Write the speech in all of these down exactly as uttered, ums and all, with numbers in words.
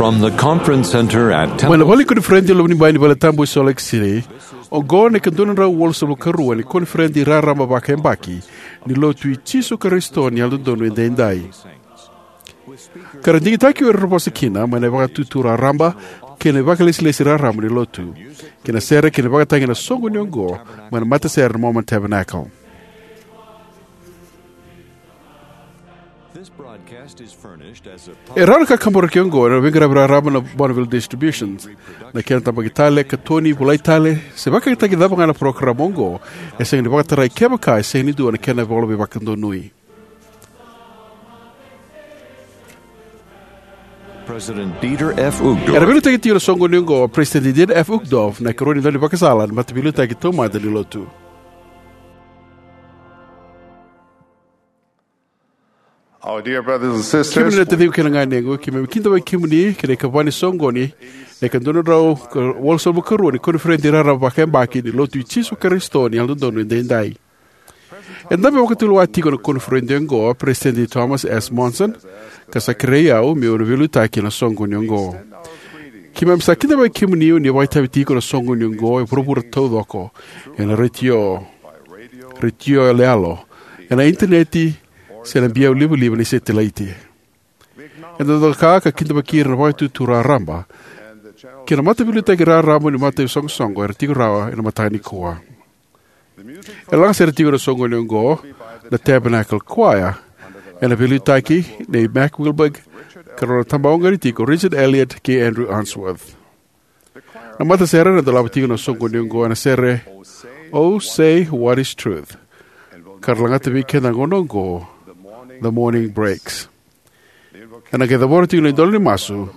From the conference center at Mai na Temple vale ni koniferedi e Lomanibai ni Valetabu e Salt Lake City, oqo na ika dua na drau walusagavulu ka rua ni koniferedi raraba vakayabaki ni Lotu i Jisu Karisito ni Yalododonu Edaidai. Ka ra digitaki o ira era vosa kina mai na vakatutu raraba kei na vakalesilesi raraba ni Lotu, kei na sere kei na vakatagi ena soqoni oqo mai na matasere na Mormon Tabernacle. This broadcast is furnished as a E rawa na ka kaburaki oqo ena veiqaravi raraba na Bonneville Distributions. Na kena tabaki tale, katoni, volai tale, se vakayagataki cava ga na parokaramu oqo, e sega ni vakatarai kevaka e sega ni dua na kena ivola veivakadonui. President Dieter F. Uchtdorf. Era veiliutaki tiko na soqoni oqo o President Dieter F. Uchtdorf, na ikarua ni daunivakasala ni Mataveiliutaki Taumada ni Lotu. Our dear brothers and sisters, kemuni na taciqu kei na ganequ, keimami kidavaki kemuni ki na ikava ni soqoni, na ika dua na drau walusagavulu ka rua ni koniferedi raraba vakayabaki ni Lotu i Jisu Karisito ni Yalododonu Edaidai. E dabe vakatulewa tiko na koniferedi oqo o President Thomas S. Monson, ka sa kerei au meu na veiliutaki ena soqoni oqo. Keimami sa kidavaki kemuni o ni vakaitavi tiko ena soqoni oqo e vuravura taucoko, ena retio, retio yaloyalo, ena initaneti, se na biau livaliva ni setilaiti. Eda doka ka kidavaki ira na vakatutu raraba kei na mataveiliutaki raraba ni mataisoqosoqo era tiko rawa ena mataka nikua. E lagasere tiko ena soqoni oqo na Tabernacle Choir, ena veiliutaki nei Mac Wilberg, ka rau na tabawaqani tiko Richard Elliott kei Andrew Unsworth. Na matasere ena dolava tiko ena soqoni oqo ena sere Oh, Say What Is Truth, ka ra lagata vei keda na gauna oqo The Morning Breaks. Ena qai cavora tiko na idola ni masu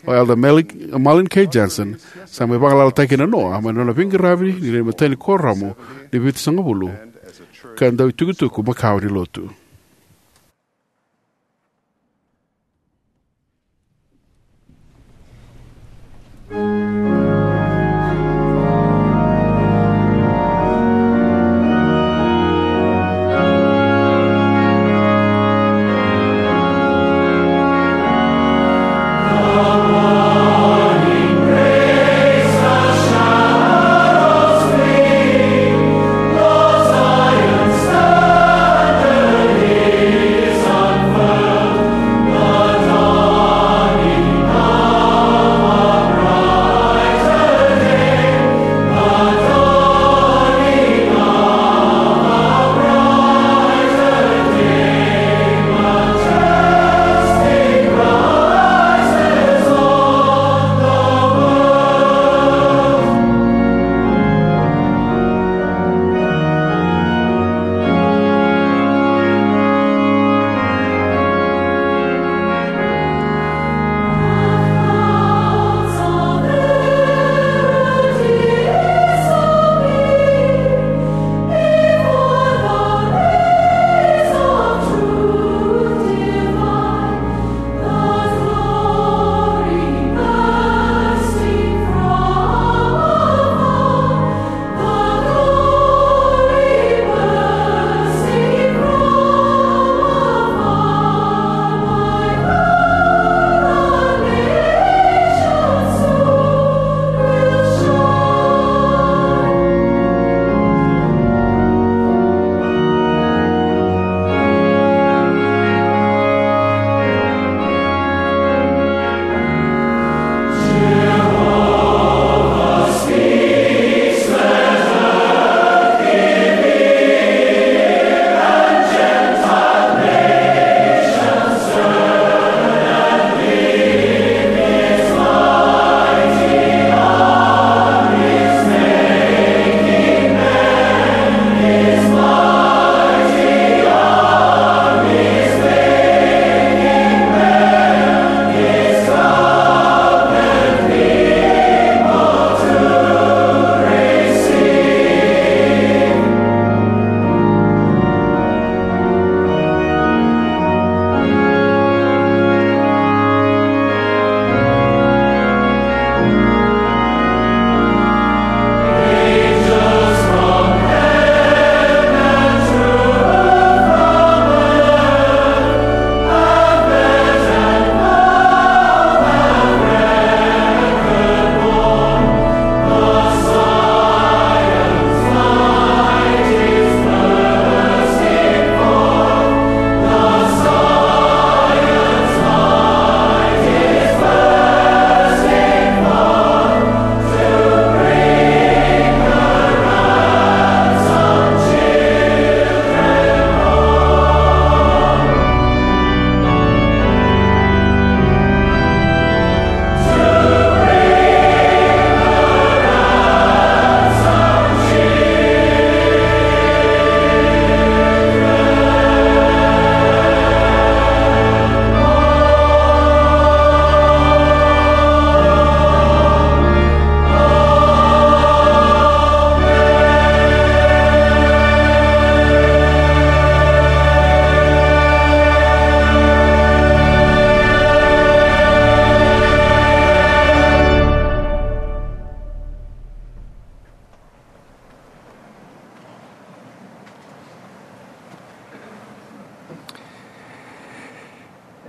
o Elder Malik, Marlin K. Johnson, sa mai vagalalataki ena noa mai na nona veiqaravi ni nona imatai ni kuoramu ni Vitusagavulu ka dau itukutuku makawa ni Lotu.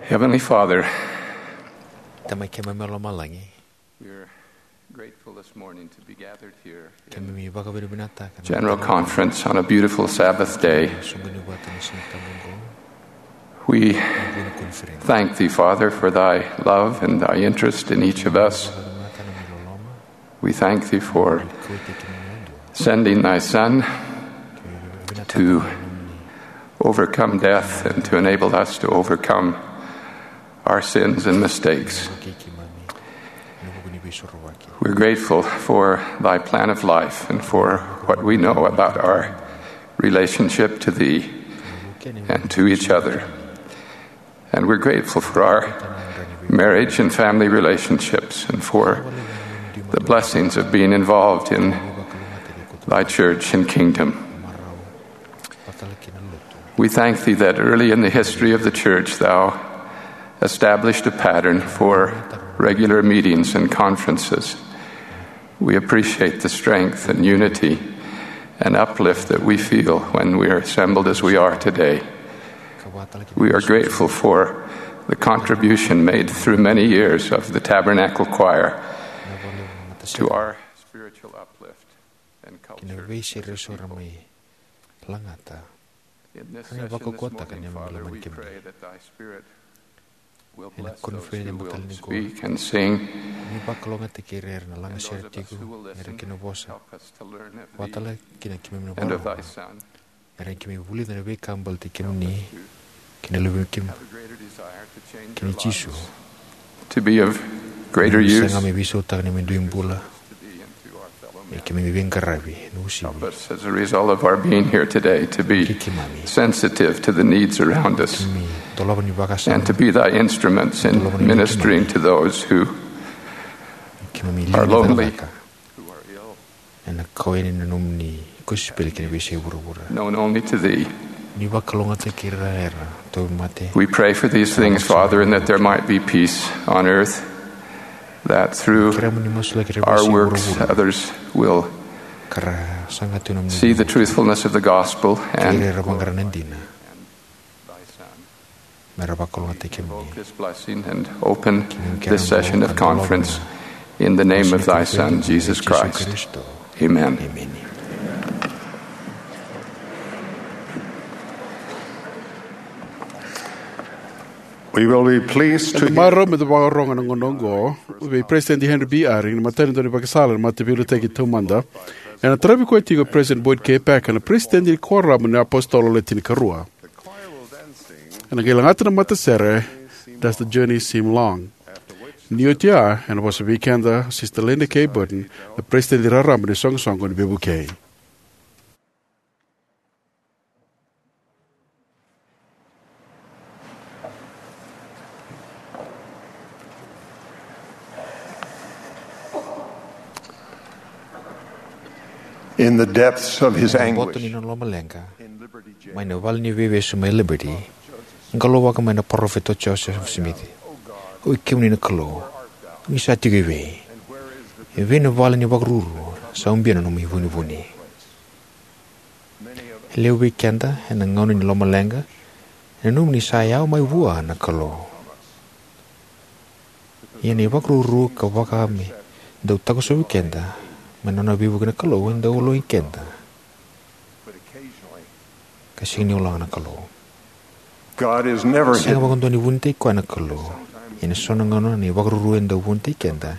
Heavenly Father, Tamai keimami mai lomalagi, we're grateful this morning to be gathered here in keimami vakavinavinakataka na general conference on a beautiful Sabbath day. Soqoni vata na Siga Tabu oqo. We na vuna koniferedi. Thank thee, Father, for thy love and thy interest in each of us. Vakavinavinakataka na nomu loloma. We thank thee for sending thy Son to overcome death and to enable us to overcome our sins and mistakes. We're grateful for thy plan of life and for what we know about our relationship to thee and to each other. And we're grateful for our marriage and family relationships and for the blessings of being involved in thy church and kingdom. We thank thee that early in the history of the church thou established a pattern for regular meetings and conferences. We appreciate the strength and unity and uplift that we feel when we are assembled as we are today. We are grateful for the contribution made through many years of the Tabernacle Choir to our spiritual uplift and culture as a people. Kei na veisere eso era mai lagata. In this session this morning, Father, we pray that thy Spirit will bless those who will speak and sing, and those of us who will listen. Help us to learn of thee and of thy Son. Help us to have a greater desire to change our lives, to be of greater use, to thee and to our fellow men. Help us as a result of our being here today to be sensitive to the needs around us and to be thy instruments in ministering to those who are lonely, who are ill, ena kau yani na nomuni kosipeli kei na veiyasai vuravura. Known only to thee. Ni vakalougatataki ira era tauvimate. We pray for these things, Father, and that there might be peace on earth, that through our works others will see the truthfulness of the gospel and glorify you. Kei ira era vaqara na dina. Me ra vakalougatataki kemuni. Invoke this blessing and open this session of conference in the name of thy Son, Jesus Christ. Amen. We will be pleased to hear. Eda marau me da vakarorogo ena gauna oqo vei President Henry B. Eyring, na imatai ni daunivakasala ena Mataveiliutaki Taumada. Ena taravi koya tiko o President Boyd K. Packer, na President ni Kuoramu ni iApositolo Le Tinikarua. Ena qai lagata na matasere, Does the Journey Seem Long? Ni oti ya, ena vosa vei keda o Sister Linda K. Burton, na President raraba ni Soqosoqo ni Veivukei. In the depths of his anguish, ena boto ni nona lomaleqa, mai na vale ni veivesu mai Liberty, e qalouvaka mai na parofita o Joseph Smith. Oi kemuni na Kalou, ni sa tiko evei? Evei na vale ni vakaruru sa ubia na nomu ivunivuni? E levu vei keda, ena gauna ni lomaleqa, e nanuma ni sa yawa mai vua na Kalou. Ia na ivakaruru ka vaka me dau takosovi keda mai na nona veivuke na Kalou e dau ologi keda. Ka sega ni ologa na Kalou. Sega vakadua ni vunitaki koya na Kalou. Ia ena so na gauna na ivakaruru e dau vunitaki keda,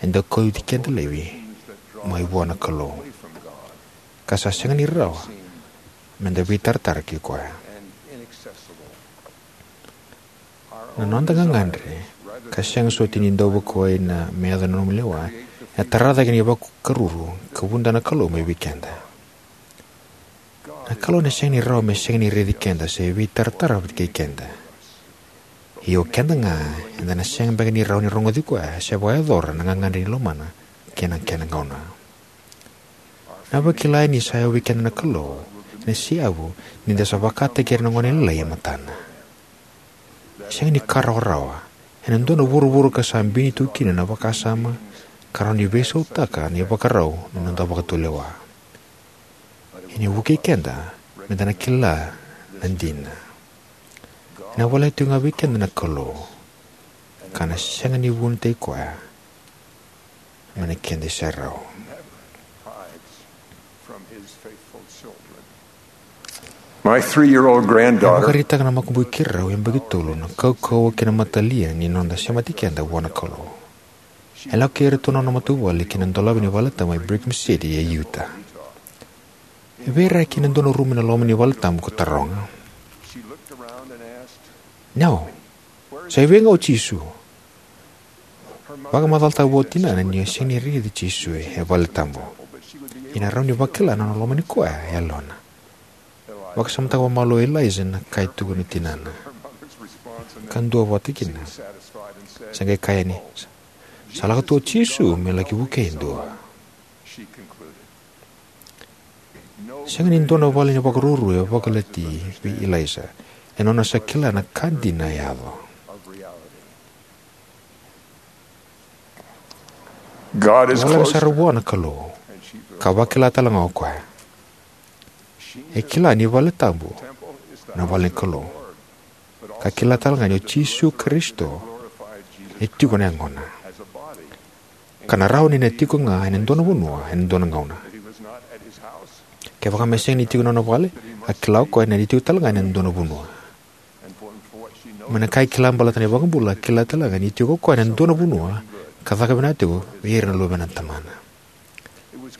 e dau kauti keda laivi mai vua na Kalou. Ka sa sega ni rawa me da veitaratara kei koya. Na noda gagadre, ka sega soti ni dau vakuwai na me yaco na nomu lewa, ena tara cake na ivakaruru ka vuda na Kalou mai vei keda. Na Kalou ena sega ni rawa me sega ni raici keda se veitaratara vata kei keda. Ia o keda ga, eda na sega beka ni rawa ni rogoci koya se vakayacora na gagadre ni lomana kei na kena gauna. Na vakila ni sa yawa vei keda na Kalou ena seyavu ni da sa vakataki ira na gone lailai e matana. Sega ni ka rawarawa, ena dua na vuravura ka sa bini tu kina na vakasama ka rawa ni veisautaka na ivakarau ni noda vakatulewa. Ena vukei keda me da na kila na dina. Ena voleka tiko ga vei keda na Kalou, ka na sega ni vunitaki koya mai na keda iserau. My three-year-old granddaughter. Vakaraitaka na makubui keirau yabaki tolu na kaukauwa kei na matalia ni noda semati keda vua na Kalou. E lako kei iratou na nona matavuvale ki na dolavi ni valetabu mai Brigham City e Utah. E veiraiyaki ena dua na rumu ena loma ni valetabu ko taroga, "Nau, sa i vei ga o Jisu?" Vakamacalataka vua o tinana ni o sega ni raici Jisu e valetabu, ia na rawa ni vakila na nona lomani koya e yalona. Vakasamataka vakamalua o Eliza na ka e tukuna o tinana. Ka dua vata kina, sa qai kaya yani, "Sa lako tu o Jisu me laki vukei e dua." Sega ni dua na vale ni vakaruru e vakalati vei Eliza ena nona sa kila na ka dina e yaco. God is Voleka close. Sara vua na Kalou, ka vakila tale ga o koya. E kila ni valetabu na vale ni Kalou, ka kila tale ga ni o Jisu Karisito e tiko na yagona, ka na rawa ni na tiko ga ena dua na vanua ena dua na gauna. Kevaka me sega ni tiko ena nona vale, a kila o koya ni na tiko tale ga ena dua na vanua. Mai na ka e kila baleta na iVakabula, a kila tale ga ni tiko o koya ena dua na vanua ka caka vinaka tiko vei ira na luvena na Tamana.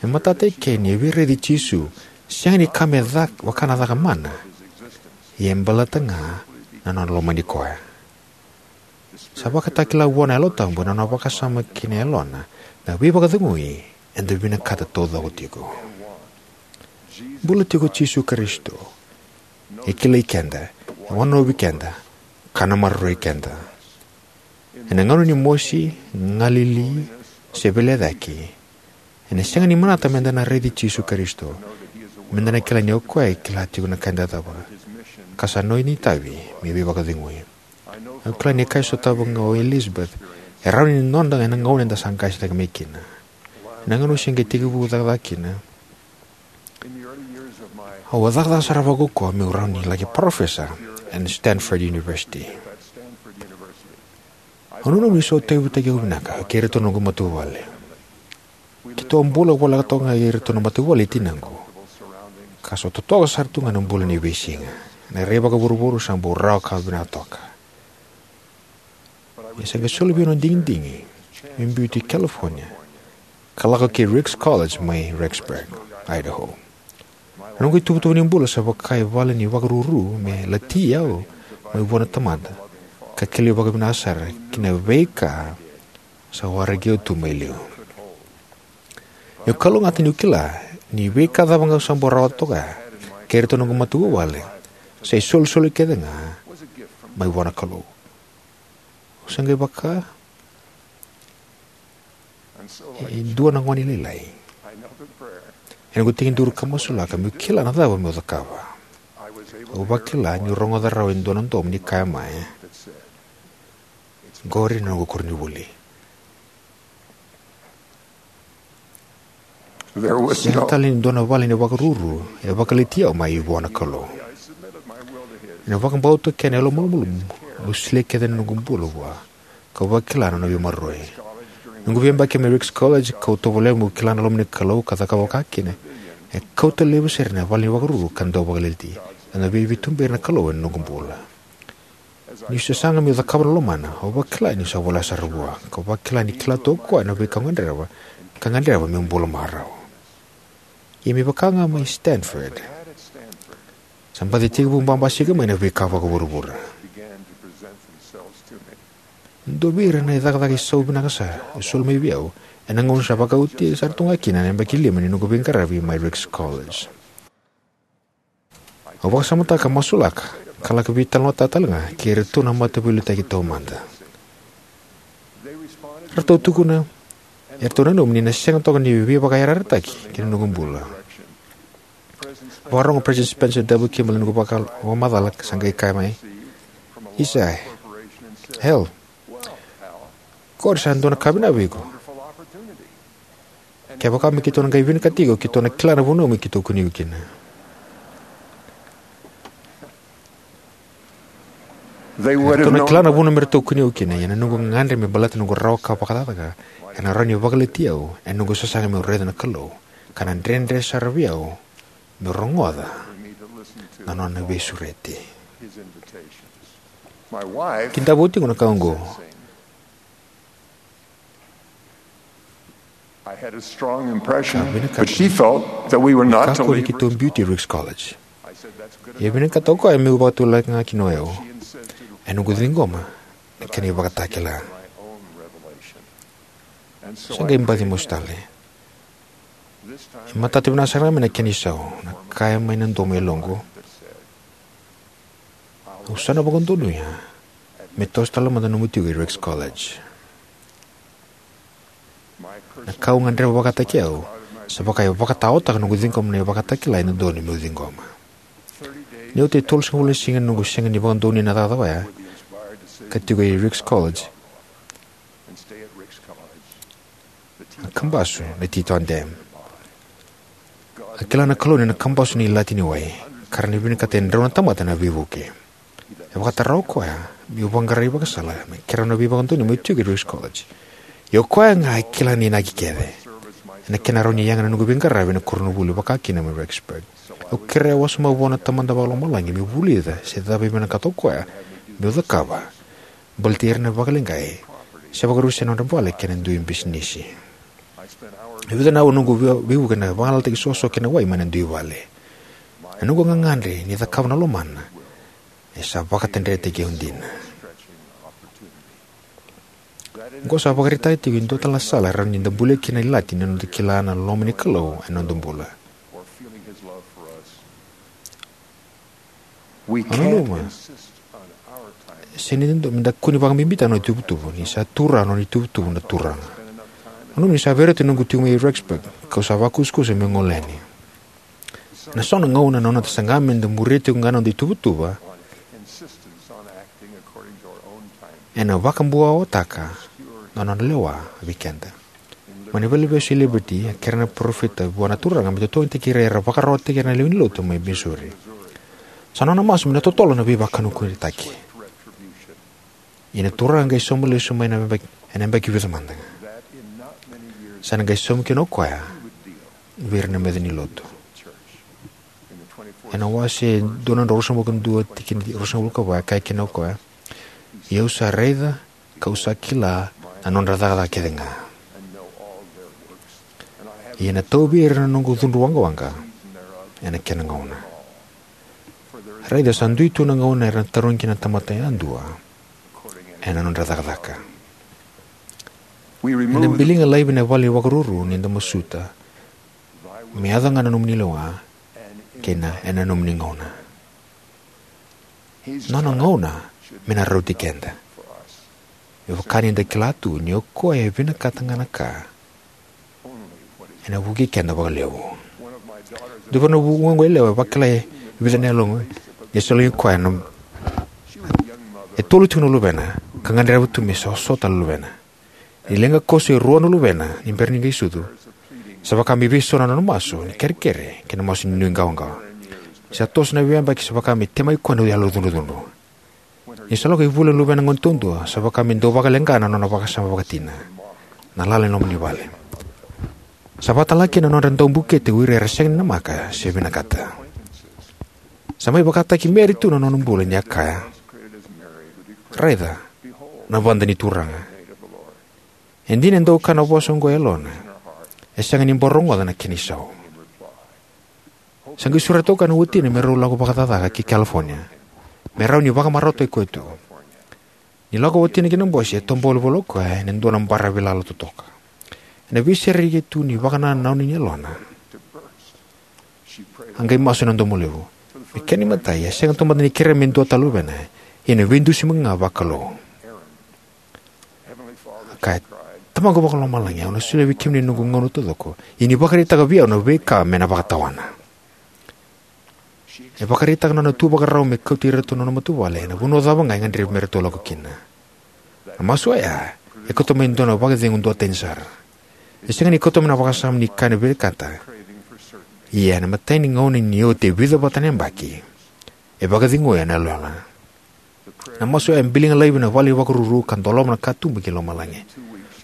E matata eke ni a veiraici Jisu, sega ni ka me cak-, vaka na caka mana, ia e baleta ga na nona lomani koya. Sa vakatakila vua na Yalo Tabu ena nona vakasama ki na yalona na veivakacegui eda vinakata taucoko tiko. Bula tiko o Jisu Karisito. E kilai keda, e wanonovi keda, ka na maroroi keda. Ena gauna ni mosi, galili, se veilecayaki, ena sega ni manata meda na raici Jisu Karisito, meda na kila ni o koya e kila tiko na ka eda cakava, ka sa nona itavi me veivakacegui. Au kila ni ka e sotava ga o Elizabeth e rawa ni noda ena gauna eda sa qasenivuli mai kina. Ena gauna au se qai tekivu cakacaka kina, au a cakacaka sara vakaukauwa meu rawa ni laki parofesa ena Stanford University. Au nanuma ni sa tauyavutaki au vinaka kei iratou na noqu matavuvale. Keitou a bula voleka toka ga kei iratou na matavuvale i tinaqu, ka sa totoka sara tu ga na bula ni veisiga. Na rai vakavuravura sa bau rawa ka vinaka toka. Ia sa qai soli vei au na digidigi meu biuti California ka lako ki Ricks College mai Rexburg, Idaho. Na noqu ituvatuva ni bula sa vaka e vale ni vakaruru me lati au mai vua na Tamada, ka kilai vakavinaka sara ki na veika sa waraki au tu mai liu. Au kalougata niu kila ni veika cava ga au sa bau rawata toka kei iratou na noqu matavuvale, sa isolisoli kece ga mai vua na Kalou. Au sa qai vaka e dua na gone lailai. Ena noqu tekiduru ka masulaka meu kila na cava meu cakava, au vakila niu rogoca rawa e dua na domo ni kaya mai, "Qori na noqu koronivuli." There was Sega no tale ni dua na vale ni vakaruru e vakalati au mai vua na Kalou. Ena vakabauta kei na yalomalumalumu, au solia kece na noqu bula vua, kau vakila na nona veimaroroi. Noqu veiyabaki mai Ricks College, kau tovolea meu kila na loma ni Kalou ka cakava vakakina, e kauta laivi sara na vale ni vakaruru ka dau vakalati. Au na veiveituberi na Kalou ena noqu bula. Niu sasaga meu cakava na lomana, au vakila niu sa voleka sara vua, kau vakila ni kila tu o koya na veika au gadreva, ka gadreva meu bula marau. Ia me vaka ga mai Stanford, sa baci tekivu babasika mai na veika vakavuravura. Dua vei ira na icakacaka isau vinaka sa e soli mai vei au ena gauna sa vakaoti sara tu ga kina na yabaki lima ni noqu veiqaravi mai Ricks College. Au vakasamataka, masulaka, ka laki veitalanoataka tale ga kei iratou na mataveiliutaki taumada. Ratou tukuna, eratou nanuma ni na sega toka ni veivakayarayarataki ki na noqu bula. Vakarorogo President Spencer W. Kimball ena noqu vaka-, vakamacala, sa qai kaya mai, "Isa, Hal, qori sa dua na ka vinaka vei iko. Kevaka me keitou na qai vinakati iko, keitou na kila na vanua me keitou kunei iko kina." They would have Eratou na known kila na vuna me ratou kune au kina, ia na noqu gagadre me baleta na noqu rawa ka vakacakacaka, era na rawa ni vakaleti au ena noqu sasaga meu raica na Kalou, ka na dredre sara vei au meu rogoca na nona veisureti. His invitations. My wife Kidava oti ko na ka oqo. I had a strong impression, Ka vinakata. But she felt that we were not to Kakua ni leave. Keitou biuti Ricks College. I said, "That's good enough." Ia vinakata o koya meu vakatulaka ga kina o yau. She insisted. E noqu ciqoma na kena ivakatakila. My own revelation. And so Sa I qai baci prayed mosi again. Tale. This time E matata vinaka sara ga mai na kena isau, na kaya mai na domo e yaloqu. That said, Au sa na vakadonuya me toso tale mada nomu tiko i Ricks College. Na ka au gadreva vakataki au, sa vaka e vakataotaka noqu ciqoma na ivakatakila e dodonu meu ciqoma. Ni oti e tolusagavulu na siga noqu sega ni vakadonuya na cakacaka oya, ka tiko i Ricks College, a kabasu na Teton Dam. A kila na Kalou ni na kabasu na ilati ni wai, ka rawa ni vinakata e drau na tamata na veivuke. E vakatara o koya meu vaqara ivakasala me kerea na veivakadonui meu tiko i Ricks College. Ia o koya ga e kila na inaki kece ena kena rawa ni yaga na noqu veiqaravi ena koronivuli vakakina mai Rexburg. Au kerea wasoma vua na Tamada Vakalomalagi meu vulica se cava e vinakata o koya meu cakava baleti ira na vakaleqai se vakarusa na nodra vale kei na dui bisinisi. E vica na aua noqu vei- veivuke ena vagalalataki soso kei na wai mai na dui vale. Na noqu gagadre ni cakava na lomana e sa vakatadretaki au dina. Oqo sa vakaraitaka tiko e dua tale na sala e rawa ni da bulia kina na ilati ni noda kila na loma ni Kalou ena noda bula. We Au nanuma. Can't insist on our time. Sega ni dodonu me da kua ni vakabibitaka na noda ituvatuva, ni sa tu rawa na nona ituvatuva na Turaga. Au nanuma ni sa vei rauta na noqu tiko mai Rexburg, kau sa vakusakusa meu gole yani. Ena so na gauna na noda saga me da muria tiko ga na noda ituvatuva, ena vakabuawataka na nona lewa vei keda. Mai na veivaleveivesu e Liberty, a kerea na parofita vua na Turaga me totogitaki ira era vakararawataki ira na lewe ni lotu mai Missouri. Sa nona masu me na totolo na veivakanukunukuitaki. Ia na Turaga qai sauma lesu mai na yabaki, ena yabaki vica mada ga. Sa na qai sauma kina o koya vei ira na meca ni lotu. Ena wase dua na drau ruasagavulu ka dua, tikina ruasagavulu ka va, e kaya kina o koya: Ia au sa raica, kau sa kila na nodra cakacaka kece ga. Ia na tauvi ira na noqu cudru waqawaqa ena kena gauna. Raica, sa dui tu na gauna era na tarogi kina na tamata yadua ena nodra cakacaka. Ena biliga laivi na vale ni vakaruru ni da masuta me yaco ga na nomuni lewa kei na ena nomuni gauna. Nona gauna me na rauti keda. Me vaka ni da kila tu ni o koya e vinakata ga na ka ena vukei keda vakalevu. Dua na vu- vuqa yalewa e vakila e vica na yaloqu ni sa lagi koya na, e tolu tiko na luvena, ka gadreva tu me sa so tale na luvena. Ni leqa koso e rua na luvena ni bera ni qai sucu, sa vaka me veisau na nona masu ni kerekere kei na masu ni nuiqawaqawa. Sa toso na veiyabaki, sa vaka me temaki koya na yalo cudrucudru. Ni sa lako i vula na luvena gone taudua, sa vaka me dau vakaleqa na nona vakasama vakatina, na lala ni loma ni vale. Sa vakatalega kina na nodra dau bukete o ira era sega ni namaka se vinakata. Sa mai vakataki Mary tu na nona bula ni a kaya: Raica, na vada ni Turaga. E dina e dau kaya na vosa oqo e yalona, e sega ni bau rogoca na kena isau. Sa qai sureta o koya na watina me rau lako vakacakacaka ki California, me rawa ni vakamarautaki koya tu. Ni lako o watina ki na bose, e tobola voli o koya ena dua na baravi lala totoka. Ena veisereki tu ni vakanananu ni yalona, a qai masu ena domo levu. Me kena imatai, a sega tu mada ni kerea me dua tale na luvena, ia na veidusimaki ga vakalou. A kaya: Tamaqu Vakalomalagi, au na solia vei kemuni na noqu gauna taucoko, ia ni vakaraitaka vei au na veika me na vakatawana. E vakaraitaka na nona tu vakarau me kauti iratou na nona matavuvale ena vanua cava ga e gadrevi me ratou lako kina. Na masu oya e kauta mai e dua na vakacegu duatani sara. E sega ni kauta mai na vakasama ni ka e vinakata. Ia ena imatai ni gauna ni oti e vica vata na yabaki, e vakacegui ena yaloyalo. Na masu oya e biliga laivi na vale ni vakaruru ka doloma na katuba ki lomalagi.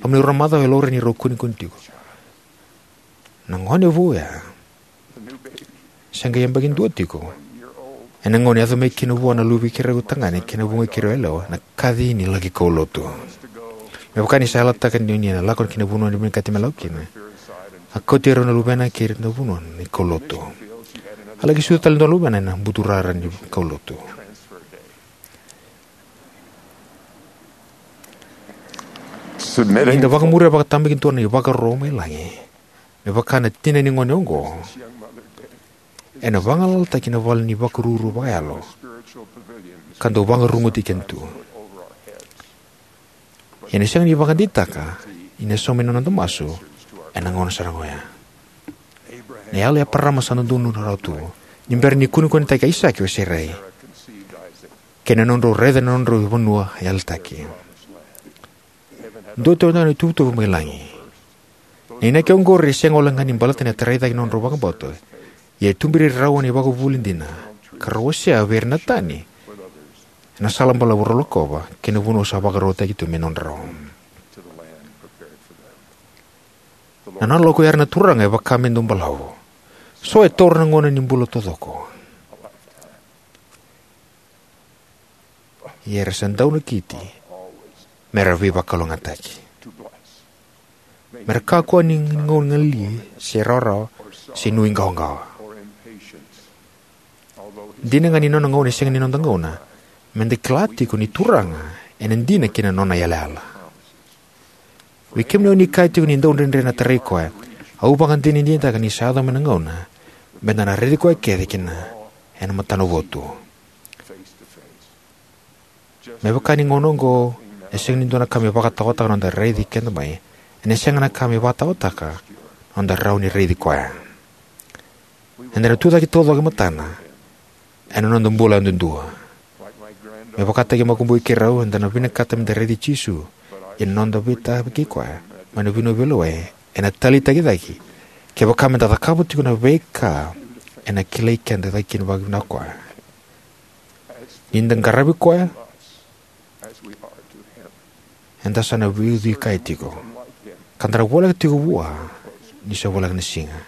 Loma ni rua na macawa e laurai ni rau kunekune tiko. Na gone vou ya, se qai yabaki dua tiko, ena gauna e yaco mai kina vua na luve i keirau tagane kei na vuqa i keirau yalewa na kaci ni laki kaulotu. Me vaka ni sa yalataka ni, ni na lako ki na vanua ni vinakati me lako kina, a kauti rau na luvena ki na vanua ni kaulotu. A laki sucu tale e dua na luvena ena buturara ni kaulotu. Ni da vakamuria vakatabakidua na ivakaro mai lagi me vaka na tina ni gone oqo, ena vagalalataki na vale ni vakaruru vakayalo ka dau vakaruguti keda tu. Ia ena sega ni vakadeitaka ni na saumi na noda masu ena gauna sara ga oya. Na yalo i Eparama sa dodonu rawa tu ni bera ni kunekunetaki Aisake o Serai, kei na nodrau raica na nodrau vanua yalataki. Dua tale na ituvatuva mai lagi. Na inaki oqori e sega walega ni baleta na tarai cake ni nodrau vakabauta, ia e tuberi ira rawa na ivakavuvuli dina ka rau wasea vei ira na tani ena sala balavu rau lakova ki na vanua sa vakarautaki tu me nodrau. Na nona lako i ra na Turaga e vaka me dau balavu. So e taura na gauna ni bula taucoko. Ia era sa dau nakiti me ra veivakalougatataki. Me ra kakua ni gauna galili se rawarawa se nuiqawaqawa. Dina ga ni nona gauna e sega ni noda gauna, meda kila tiko ni Turaga ena dina ki na nona yalayala. Vei kemuni o ni kaya tiko ni dau dredre na tarai koya, au vakadinadinataka ni sa yaco mai na gauna meda na raici koya kece kina ena matana votu. Me vaka ni gauna oqo e sega ni dua na ka me vakataotaka na noda raici keda mai, ena sega na ka me vakataotaka na noda rawa ni raici koya. Eda na tucake taucoko e matana ena noda bula yadudua. Me vakataki makubui keirau, eda na vinakata meda raici Jisu, ia na noda veitavaki koya mai na veivanua veilewai ena taleitaki cake kevaka meda cakava tiko na veika ena kilai keda cake kina vakavinaka koya. Ni da qaravi koya, eda sa na veiucui kaya tiko, ka da na voleka tiko vua ni sa voleka na siga,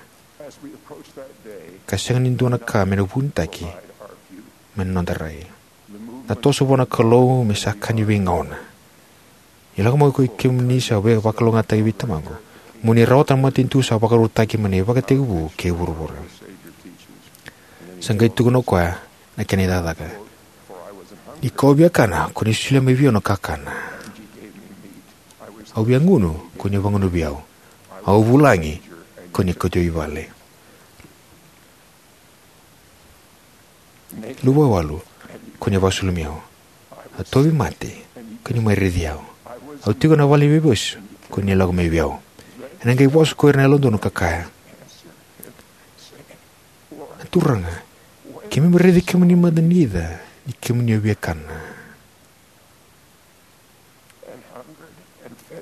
ka sega ni dua na ka me na vunitaki mai na noda rai. Na toso vua na Kalou me sa ka ni veigauna. Ni lako mai ko i kemuni sa veivakalougatataki vei Tamaqu, mo ni rawata na matanitu sa vakarautaki mai na ivakatekivu kei vuravura. Sa qai tukuna o koya na kena icakacaka: Ni kau via kana, ko ni solia mai vei au na kakana. Au via gunu, ko ni vagunuvi au. Au vulagi, ko ni kauti au i vale. Luvawale, ko ni vakasulumi au. Au tauvimate, ko ni mai raici au. Au tiko ena vale ni veivasu, ko ni lako mai vei au. Ena qai vosa ko ira na yalododonu ka kaya: Na Turaga, keimami raici kemuni mada ni ca ni kemuni a via kana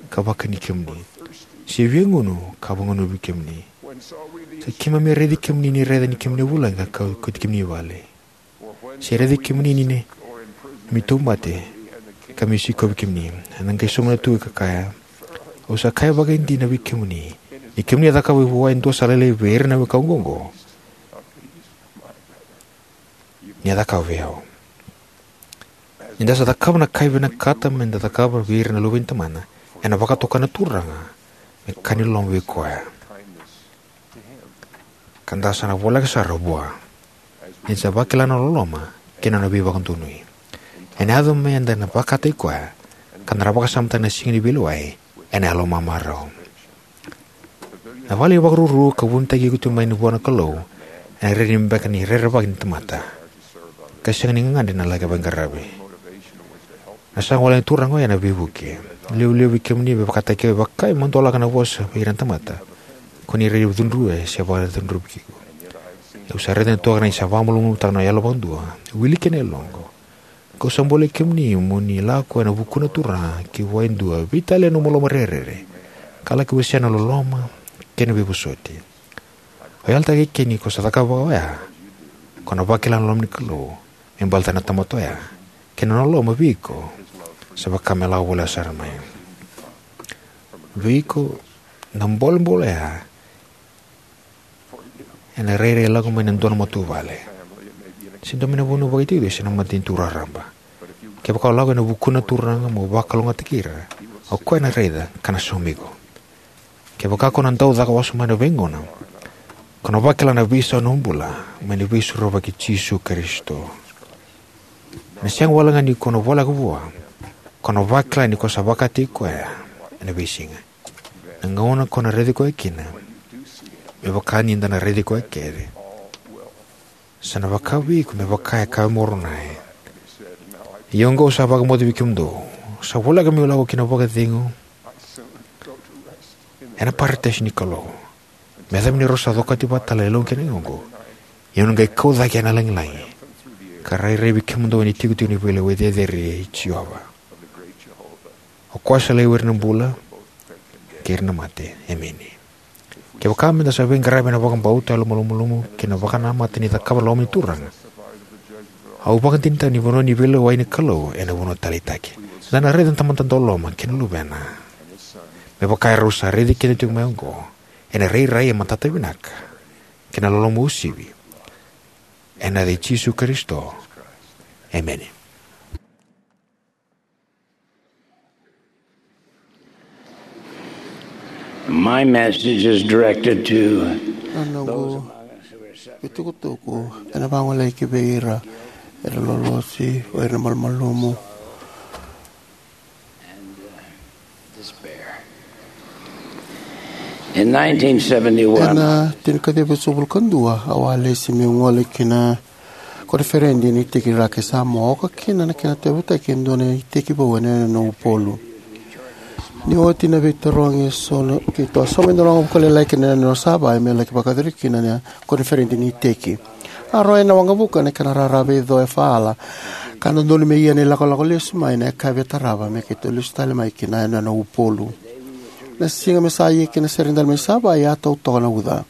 ka vakani kemuni, se via gunu ka vagunuvi kemuni? Sa keimami a raici kemuni ni raica ni kemuni a vulagi ka kauti kemuni i vale, se raici kemuni ni neimami tauvimate ka mai sikovi kemuni. Ena qai sauma na tui ka kaya: Au sa kaya vakaidina vei kemuni, ni kemuni a cakava vua e dua sa lailai vei ira na wekaqu oqo, ni a cakava vei au. Ni da sa cakava na ka e vinakata meda cakava vei ira na luve ni Tamana, ena vakatoka na Turaga me ka ni loloma vei koya, ka da sa na voleka sara vua ni da sa vakila na loloma kei na nona veivakadonui. Ena yaco me da na vakataki koya, ka da na vakasamataka na siga ni veilewai ena yalomamarau. Na vale ni vakaruru ka vunitaki iko tu mai vua na Kalou ena rairai beka ni rerevaki ni tamata, ka sega ni gagadre na laki veiqaravi. Na saga wale ni Turaga oya ena veivuke. Levu vei kemuni e vakataki au, e vaka e madolaka na vosa vei ira na tamata, ko ni rai cudrui se vakacudruvi iko. Au sa raica tu ga ni sa vakamalumalumutaka na yalo vakadua, wili kei na yaloqu. Kau sa bolei kemuni mo ni lako ena vukuna Turaga ki vua e dua, veitalia na nomu loma rerere, ka laki wasea na loloma kei na veivosoti. Au yalataka eke ni ko sa cakava oya, ko na vakila na loma ni Kalou me baleta na tamata oya kei na nona loloma vei iko sa vaka me lako voleka sara mai. Vei iko, na bolebole oya ena rairai lako mai na dua na matavuvale, se dua mai na vanua vakaitikotiko, se na matanitu raraba. Kevaka o lako ena vukuna na Turaga mo vakalougatataki ira, o koya ena raica ka na saumi iko. Kevaka ko na dau caka wasoma ena veigauna, ko na vakila na veisau ni nomu bula mai na Veisorovaki i Jisu Karisito. Ena sega walega ni ko na voleka vua, ko na vakila ni ko sa vakataki koya ena veisiga. Na gauna ko na raici koya kina, me vaka ni da na raici koya kece, sa na vaka vei iko me vaka e kaya o Moronai: Ia oqo au sa vakamoce vei kemudou, sa voleka meu lako ki na vakacegu ena parataisi ni Kalou, me yacova ni rau sa cokati vata tale na yaloqu kei na yagoqu, ia au na qai kau cake ena lagilagi, ka rairai vei kemudou ena itikotiko ni veilewai cecere i Jiova. O koya sa laivi ira na bula kei ira na mate. Emeni. Kevaka meda sa veiqaravi ena vakabauta, yalomalumalumu, kei na vakanamata ni cakava na loma ni Turaga, au vakadinadinataka ni vanua ni veilewai ni Kalou ena vanua taleitaki. Eda na raica na Tamada dauloloma kei na Luvena me vaka erau sa raici keda tiko mai oqo ena rairai e matata vinaka kei na loloma uasivi. Ena yaca i Jisu Karisito, emeni. My message is directed to Na noqu veitukutuku ena vagolei ki vei ira era lolosi, o ira na malumalumu. In nineteen seventy-one, ena tinikaciwa vitusagavulu ka dua, au a lesi meu gole ki na koniferedi ni iteki Raki Samoa, oka kina na kena tauyavutaki e dua na iteki vou ena yanuyanu o Upolu. Ni oti na veitarogi, e so na keitou a sauma e dua na waqavuka lailai ki na yanuyanu o Savai'i me laki vakayacori kina na koniferedi ni iteki. A rawai na waqavuka ena kena rara veico e faala, ka dodonu me ia na ilakolako lesu mai ena yakavi e tarava me keitou lesu tale mai ki na yanuyanu o Upolu. Na siga me sa ia kina na sere dali mai Savai'i, a tau toka na uca.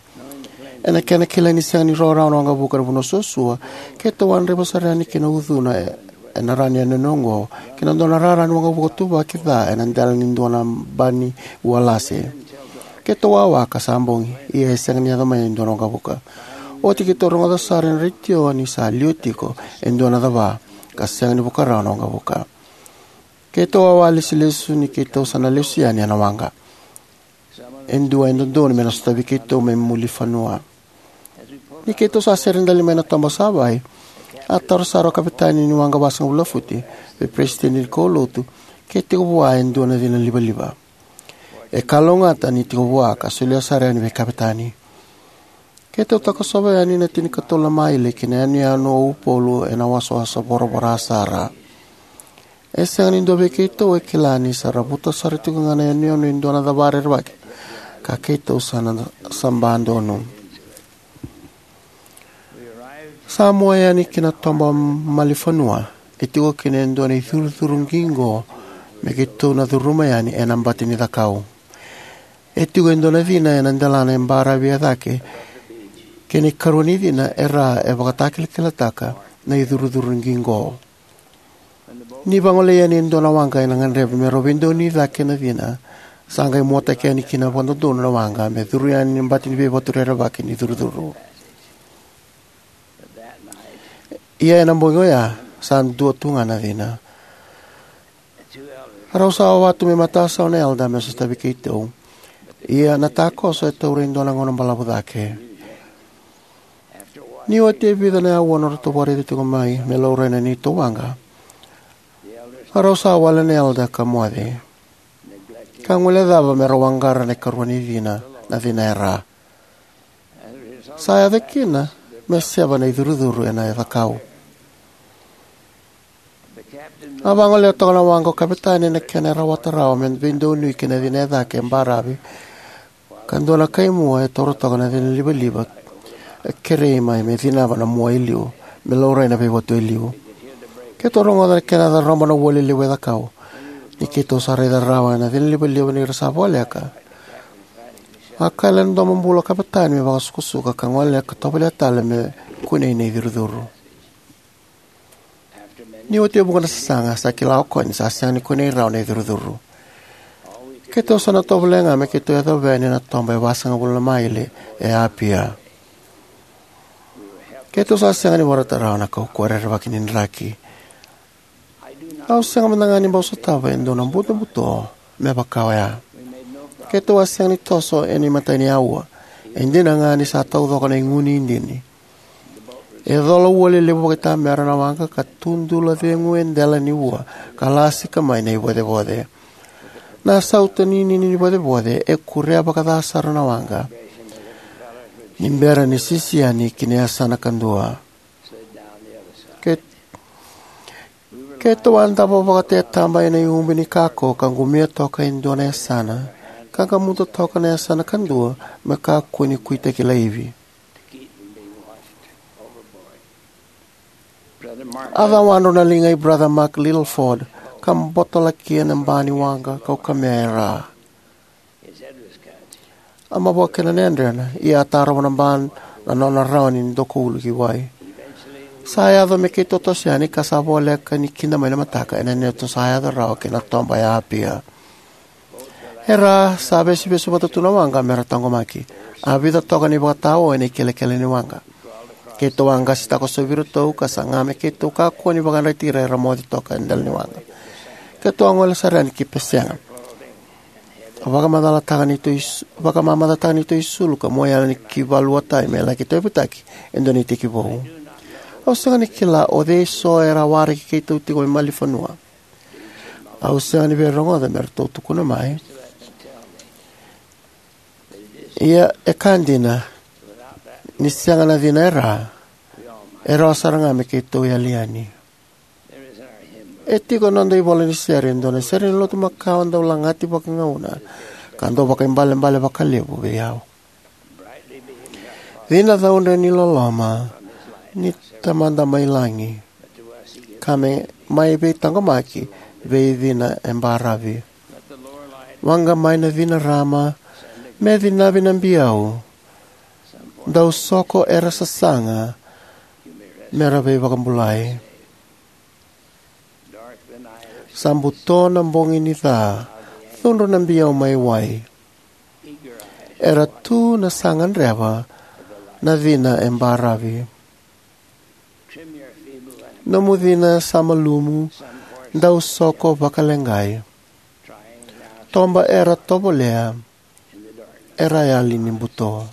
Ena kena kilai ni sega ni rawarawa na waqavuka ena vanua suasua, keitou a draiva sara yani ki na ucuna e, ena rawa ni yanuyanu oqo, ki na dua na rara ni waqavuka tuvaki ca ena dela ni dua na ba ni ualase. Keitou wawa ka sa bogi, ia e sega ni yaco mai e dua na waqavuka. Oti keitou rogoca sara ena retio ni sa liwa tiko e dua na cava, ka sega ni vuka rawa na waqavuka. Keitou wawa lesulesu ni keitou sa na lesu yani ena waqa. E dua e dodonu me na sotavi keitou me muri vanua. Ni keitou sa sere dali mai na toba Savai'i, a taro sara o kapitani ni waqa vasagavulu na futi vei peresitedi ni kaulotu ke tiko vua e dua na cina livaliva. E kalougata ni tiko vua ka solia sara yani vei kapitani. Keitou takosova yani na tinikatolu na maile ki na yanuyanu o Upolu ena wasawasa voravora sara. E sega ni dua vei keitou e kila ni sa ravuta sara tiko ga na yanuyanu e dua na cava rerevaki, ka keitou sa na saba donu. Sa mua yani ki na toba malifanua, e tiko kina e dua na icurucuru qiqo me keitou na curuma yani ena bati ni cakau. E tiko e dua na cina ena delana e baravi e cake, kei na ikarua ni cina e ra e vakatakilakilataka na icurucuru qiqo. Ni vagolei yani e dua na waqa ena gadreva me rau veidonui cake na cina, sa qai muataki yani kina vakadodonu na waqa me curu yani na bati ni veivatu rerevaki ni curucuru. Ia ena bogi oya, sa dua tu ga na cina. Rau sa wawa tu me matasawa na elder me sotavi keitou. Ia na takoso e taura e dua na gauna balavu cake. Ni oti e vica na aua na nodratou vakaraici tiko mai me laurai na neitou waqa, rau sa wale na elder ka moce, ka guilecava me rau waqara na ikarua ni cina, na cina e ra. Sa yaco kina me seva na icurucuru ena cakau. A vagolea toka na waqa o kapitani ena kena rawata rawa me veidonui kei na cina e cake e baravi, ka dua na kaimua e taura toka na cina livaliva, e kerei mai me cinava na mua e liu, me laurai na veivatu e liu. Keitou rogoca na kena caroba na ua lelevu e cakau. Ni keitou sa raica rawa na cina livaliva ni ra sa voleka, a kaya ena domobula o kapitani me vakasukusuka ka gole ka tovolea tale me kunei na icurucuru. Ni oti e vuqa na sasaga, sa kila o koya ni sa sega ni kunei rawa na icurucuru. Keitou sa na tovolea ga me keitou yacova yani na toba e vasagavulu na maile e Apia. Keitou sa sega ni vorata rawa na kaukauwa rerevaki ni draki. Au sega mada ga ni bau sotava e dua na butobuto me vaka oya. Keitou a sega ni toso ena imatai ni aua. E dina ga ni sa taucoko na igu ni idini. E cola ua lelevu vakaitamera na waqa ka tudula cegu e dela ni ua ka lasika mai na ivocevoce. Na sauta ninini ni vocevoce e kurea vakaca sara na waqa ni bera ni sisi yani ki na yasana kadua. Ke, keitou a davo vakatetaba ena iubi ni kako ka qumia toka e dua na yasana, ka qamuta toka na yasana kadua me kakua ni kuitaki laivi. A cawadru na liga i Brother Mark Littleford ka botolakia na ba ni waqa kaukamea e ra. A mavoa kina na yadrena, ia a tarova na ba na nona rawa ni dokoulu ki wai. Sa yaco me keitou toso yani ka sa voleka ni kida mai na mataka ena neitou sa yaco rawa ki na toba e Apia. E ra sa vesuvesu vata tu na waqa me ra taqomaki. A vica toka na ivakatawa ena ikelekele ni waqa. Keitou a qasi takosovi iratou ka saga me keitou kakua ni vakayadrati ira era moce toka e dela ni waqa. Keitou a gole sara yani ki pesega. A vakamacalataka neitou is-, vakamamacataka neitou isulu ka mua yani ki valuatai me laki tauyavutaki e dua na iteki vou. Au sega ni kila o cei so era waraki keitou tiko mai malifanua. Au sega ni veirogoca me ratou tukuna mai. Ia e ka dina, ni sega na cina e ra, e rawa sara ga me keitou yali yani. E tiko na noda ivola ni sere, e dua na sere ni lotu makawa dau lagati vakagauna ka dau vakaibalebale vakalevu vei au. Cina caudre ni loloma ni Tamada mai lagi, ka me mai veitaqomaki vei cina e baravi. Waqa mai na cina rarama, me cinavi na biau, dau soko era sasaga me ra veivakabulai. Sa buto na bogi ni ca, cudru na biau mai wai. Era tu na sa gadreva na cina e baravi. Nomu cina sa malumu, dau soko vakaleqai. Toba era tovolea, era yali ni buto.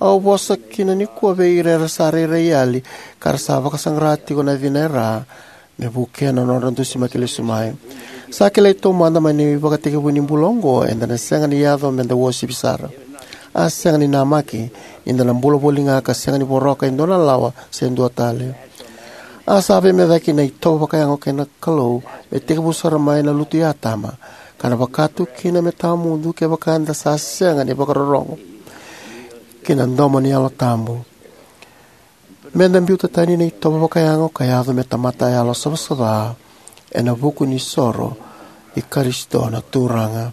Au vosa kina nikua vei ira era sa rairai yali ka ra sa vakasaqara tiko na cina e ra me vukea na nodra dusimaki lesu mai. Sa kilai taumada mai na ivakatekivu ni bula oqo eda na sega ni yaco meda uasivi sara. A sega ni namaki ni da na bula voli ga ka sega ni voroka e dua na lawa se dua tale. A sa veimecaki na itovo vakayago kei na Kalou me tekivu sara mai na lutu i Atama, ka na vaka tu kina me tawamudu kevaka eda sa sega ni vakarorogo ki na domo ni Yalo Tabu. Meda biuta tani na itovo vakayago ka yaco me tamata yalo savasava ena vuku ni soro i Karisito na Turaga.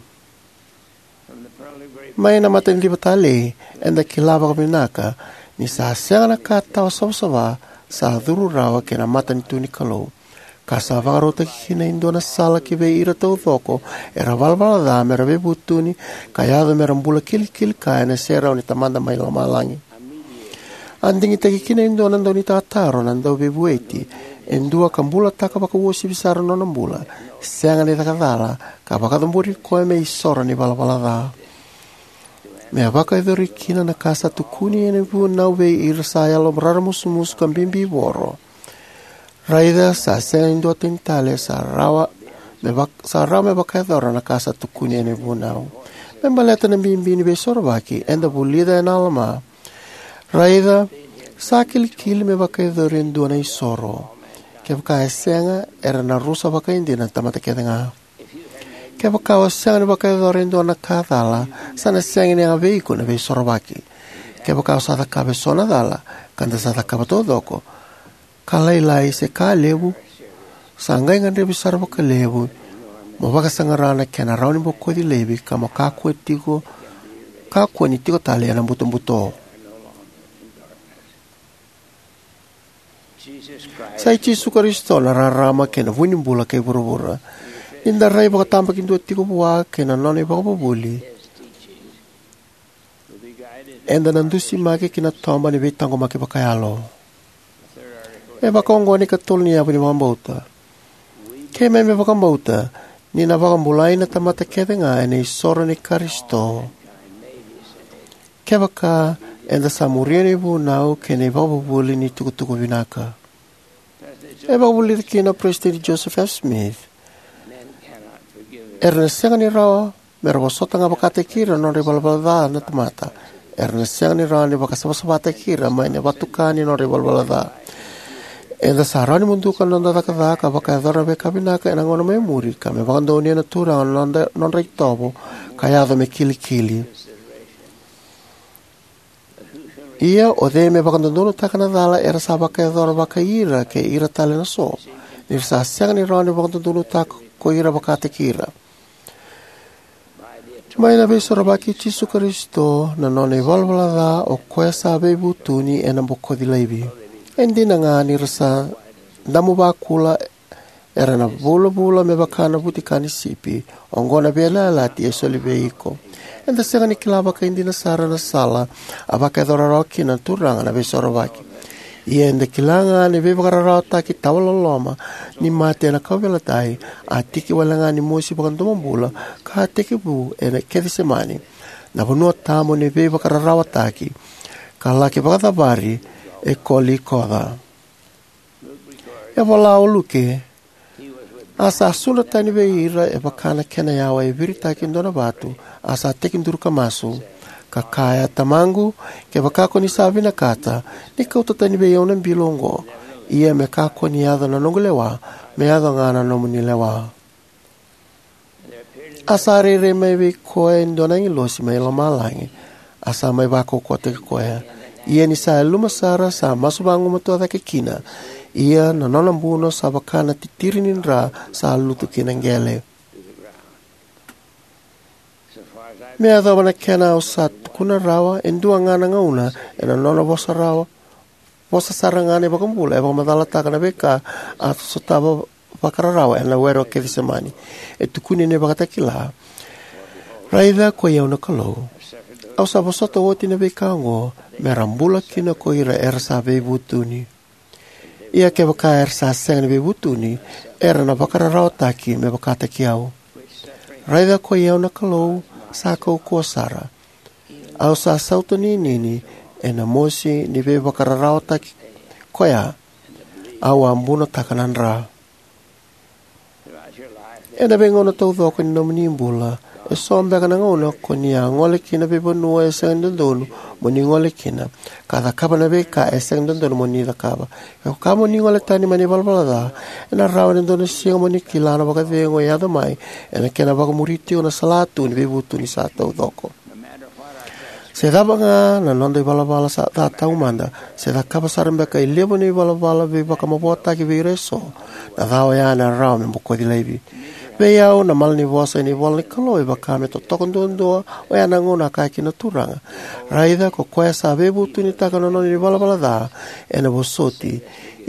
Mai na mataniciva talei, eda kila vakavinaka ni sa sega na ka tawa savasava sa curu rawa ki na matanitu ni Kalou, ka sa vakarautaki kina e dua na sala ki vei ira taucoko era valavala ca me ra veivutuni ka yaco me ra bula kilikili kaya ena serau ni Tamada mai lomalagi. A digitaki kina e dua na daunitataro na Dauveivueti e dua ka bulataka vakauasivi sara na nona bula, sega ni caka cala, ka vakacabori koya me isoro ni valavala ca. Me vakayacori kina na ka sa tukuni ena vunau vei ira sa yalo raramusumusu ka bibi voro. Raica sa sega ni dua tani tale sa rawa me vak-, sa rawa me vakayacora na ka sa tukuni ena vunau. Me baleta na bibi ni veisorovaki, eda vulica ena Alama. Raica, sa kilikili me vakayacori e dua na isoro. Kevaka e sega, era na rusa vakaidina na tamata kece ga. Kevaka o sega ni vakayacora e dua na ka cala, sa na sega ni yaga vei iko na veisorovaki. Kevaka o sa cakava eso na cala, ka da sa cakava taucoko, ka lailai se ka levu, sa qai gadrevi sara vakalevu mo vakasaqara na kena rawa ni bokoci laivi ka mo kakua tiko, kakua ni tiko tale ena butobuto. Sa i Jisu Karisito na rarama kei na vu ni bula kei vuravura. Ni da rai vakatabakidua tiko vua kei na nona ivakavuvuli, eda na dusimaki ki na toba ni veitaqomaki vakayalo. E vakaoqo na ikatolu ni yavu ni vakabauta. Keimami vakabauta ni na vakabulai na tamata kece ga ena isoro ni Karisito, kevaka eda sa muria na ivunau kei na ivakavuvuli ni tukutuku vinaka. E vakavulica kina o Peresitedi Joseph F. Smith: Era na sega ni rawa me ra vosota ga vakataki ira na nodra ivalavala ca na tamata; era na sega ni rawa ni vakasavasavataki ira mai na vatuka ni nodra ivalavala ca. Eda sa rawa ni muduka na noda cakacaka, vakayacora na veika vinaka ena gauna mai muri, ka me vakadonuya na Turaga na nodra, nodra itovo ka yaco me kilikili. Ia o cei me vakadodonutaka na cala era sa vakayacora vakai ira kei ira tale na so, ni ra sa sega ni rawa ni vakadodonutaka ko ira vakataki ira? Mai na Veisorovaki i Jisu Karisito, na nona ivalavala ca o koya sa veivutuni ena bokoci laivi. E dina ga ni ra sa damu vakula, era na vulavula me vaka na vutika ni sipi. Oqo na veiyalayalati e soli vei iko. Eda sega ni kila vakaidina sara na sala a vakayacora rawa kina na Turaga na Veisorovaki. Ia eda kila ga ni veivakararawataki tawa loloma ni mate ena kauveilatai a tiki wale ga ni mosi vakadomobula ka a tekivu ena Kecisemani, na vanua tabu ni veivakararawataki, ka laki vakacavari e Kolikoca. E vola o Luke: A sa sudra tani vei ira e vaka na kena yawa e viritaki e dua na vatu, a sa tekiduru ka masu, ka kaya: Tamaqu, kevaka ko ni sa vinakata, ni kauta tani vei au na bilo oqo; ia me kakua ni yaco na noqu lewa, me yaco ga na nomuni lewa. A sa rairai mai vei koya e dua na agilosi mai lomalagi, a sa mai vakaukauwataki koya. Ia ni sa yaluma sara, sa masu vagumatua cake kina; ia na nona buno sa vaka na titiri ni dra sa lutu ki na qele. Me yacova na kena au sa tukuna rawa, e dua ga na gauna ena nona vosa rawa, vosa sara ga na iVakabula e vakamacalataka na veika a sotava vakararawa ena Were o Kecisemani. E tukuni ena iVakatakila: Raica koi au na Kalou, au sa vosota oti na veika oqo, me ra bula kina ko ira era sa veivutuni; ia kevaka era sa sega ni veivutuni, era na vakararawataki me vakataki au. Raica koi au na Kalou, sa kaukauwa sara, au sa sautaninini ena mosi ni veivakararawataki koya, au a bunotaka na dra. Ena veigauna taucoko ni nomuni bula, eso beka na gauna ko ni a gole kina vei vanua e sega ni dodonu mo ni gole kina, ka cakava na veika e sega ni dodonu mo ni cakava. Kevaka mo ni gole tani mai na ivalavala ca, ena rawa ena dua na siga mo ni kila na vakacegu e yaco mai ena kena vakamuri tiko na salatu ni veivutuni sa taucoko. Se cava ga na noda ivalavala sa ca taumada, se cakava sara beka e levu na ivalavala veivakamavoataki vei ira eso, na ca oya ena rawa me bokoci laivi. Vei au, na malanivosa ena ivolanikalou e vaka me totoka duadua oya na gauna a kaya kina na Turaga: Raica, ko koya sa veivutunitaka na nona ivalavala ca, ena vosoti;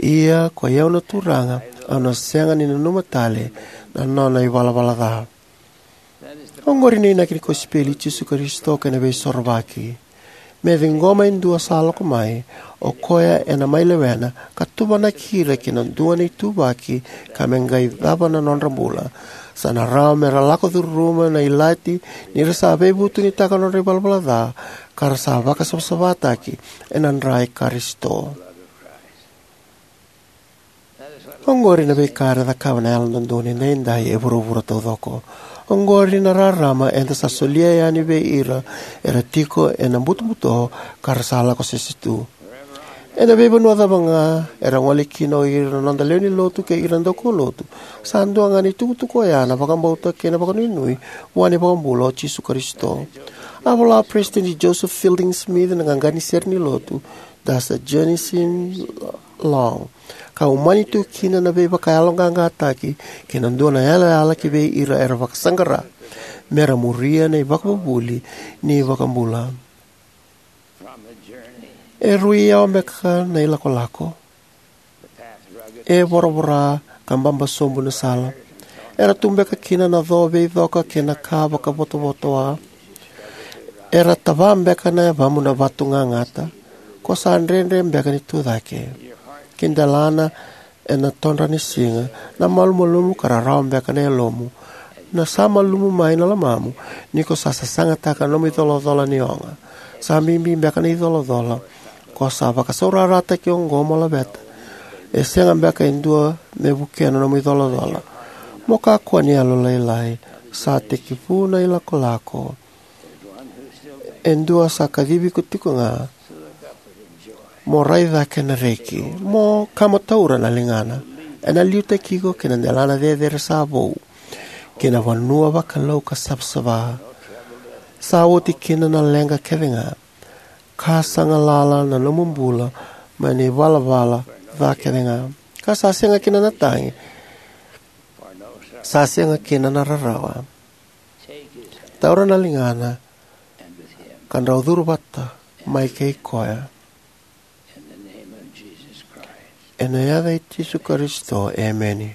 ia koi au na Turaga, au na sega ni nanuma tale na nona ivalavala ca. Oqori na inaki ni kosipeli i Jisu Karisito kei na Veisorovaki. Me ciqoma e dua sa lako mai, o koya ena mai lewena ka tuvanaki ira ki na dua na ituvaki, ka me qai cava na nodra bula. Sa na rawa me ra lako curuma na ilati ni ra sa veivutunitaka na nodra ivalavala ca, ka ra sa vakasavasavataki ena dra i Karisito. Oqori na veika era cakava na Yalododonu Edaidai e vuravura taucoko. Oqori na rarama eda sa solia yani vei ira era tiko ena butobuto ka ra sa lako sese tu. Ena veivanua cava ga era gole kina o ira na noda lewe ni lotu kei ira na daukaulotu, sa dua ga na itukutuku oya na vakabauta kei na vakanuinui vua na iVakabula o Jisu Karisito. A vola o Peresitedi Joseph Fielding Smith na qaqa ni sere ni lotu, Does a Journeyman Long? Ka umani tu kina na veivakayaloqaqataki kei na dua na yalayala ki vei ira era vakasaqara me ra muria na ivakavuvuli ni iVakabula. E rui yawa beka na ilakolako, E voravora ka baba sobu na sala. Era tu beka kina na co veicoka kei na ka vakavotovotoa. Era tava beka na yavamu na vatu gagata. Ko sa dredre beka ni tu cake. Ki delana ena todra ni siga, na malumalumu ka rarawa beka na yalomu. Na sa malumu mai na lomamu, ni ko sa sasagataka na nomu icolacola ni oga. Sa bibi beka na icolacola. Ko sa vakasaurarataki oqo mo laveta. E sega beka e dua me vukea na nomu icolacola. Mo kakua ni yalolailai, sa tekivu na ilakolako. E dua sa kacivi iko tiko ga, mo rai cake na reki, mo kama taura na ligana. Ena liutaki iko ki na delana cecere sa vou, ki na vanua vakalou ka savasava. Sa oti kina na leqa kece ga, ka sa galala na nomu bula mai na ivalavala ca kece ga. Ka sa sega kina na tagi, sa sega kina na rarawa. Taura na ligana, ka drau curu vata mai kei koya. Ena yaca i Jisu Karisito, emeni.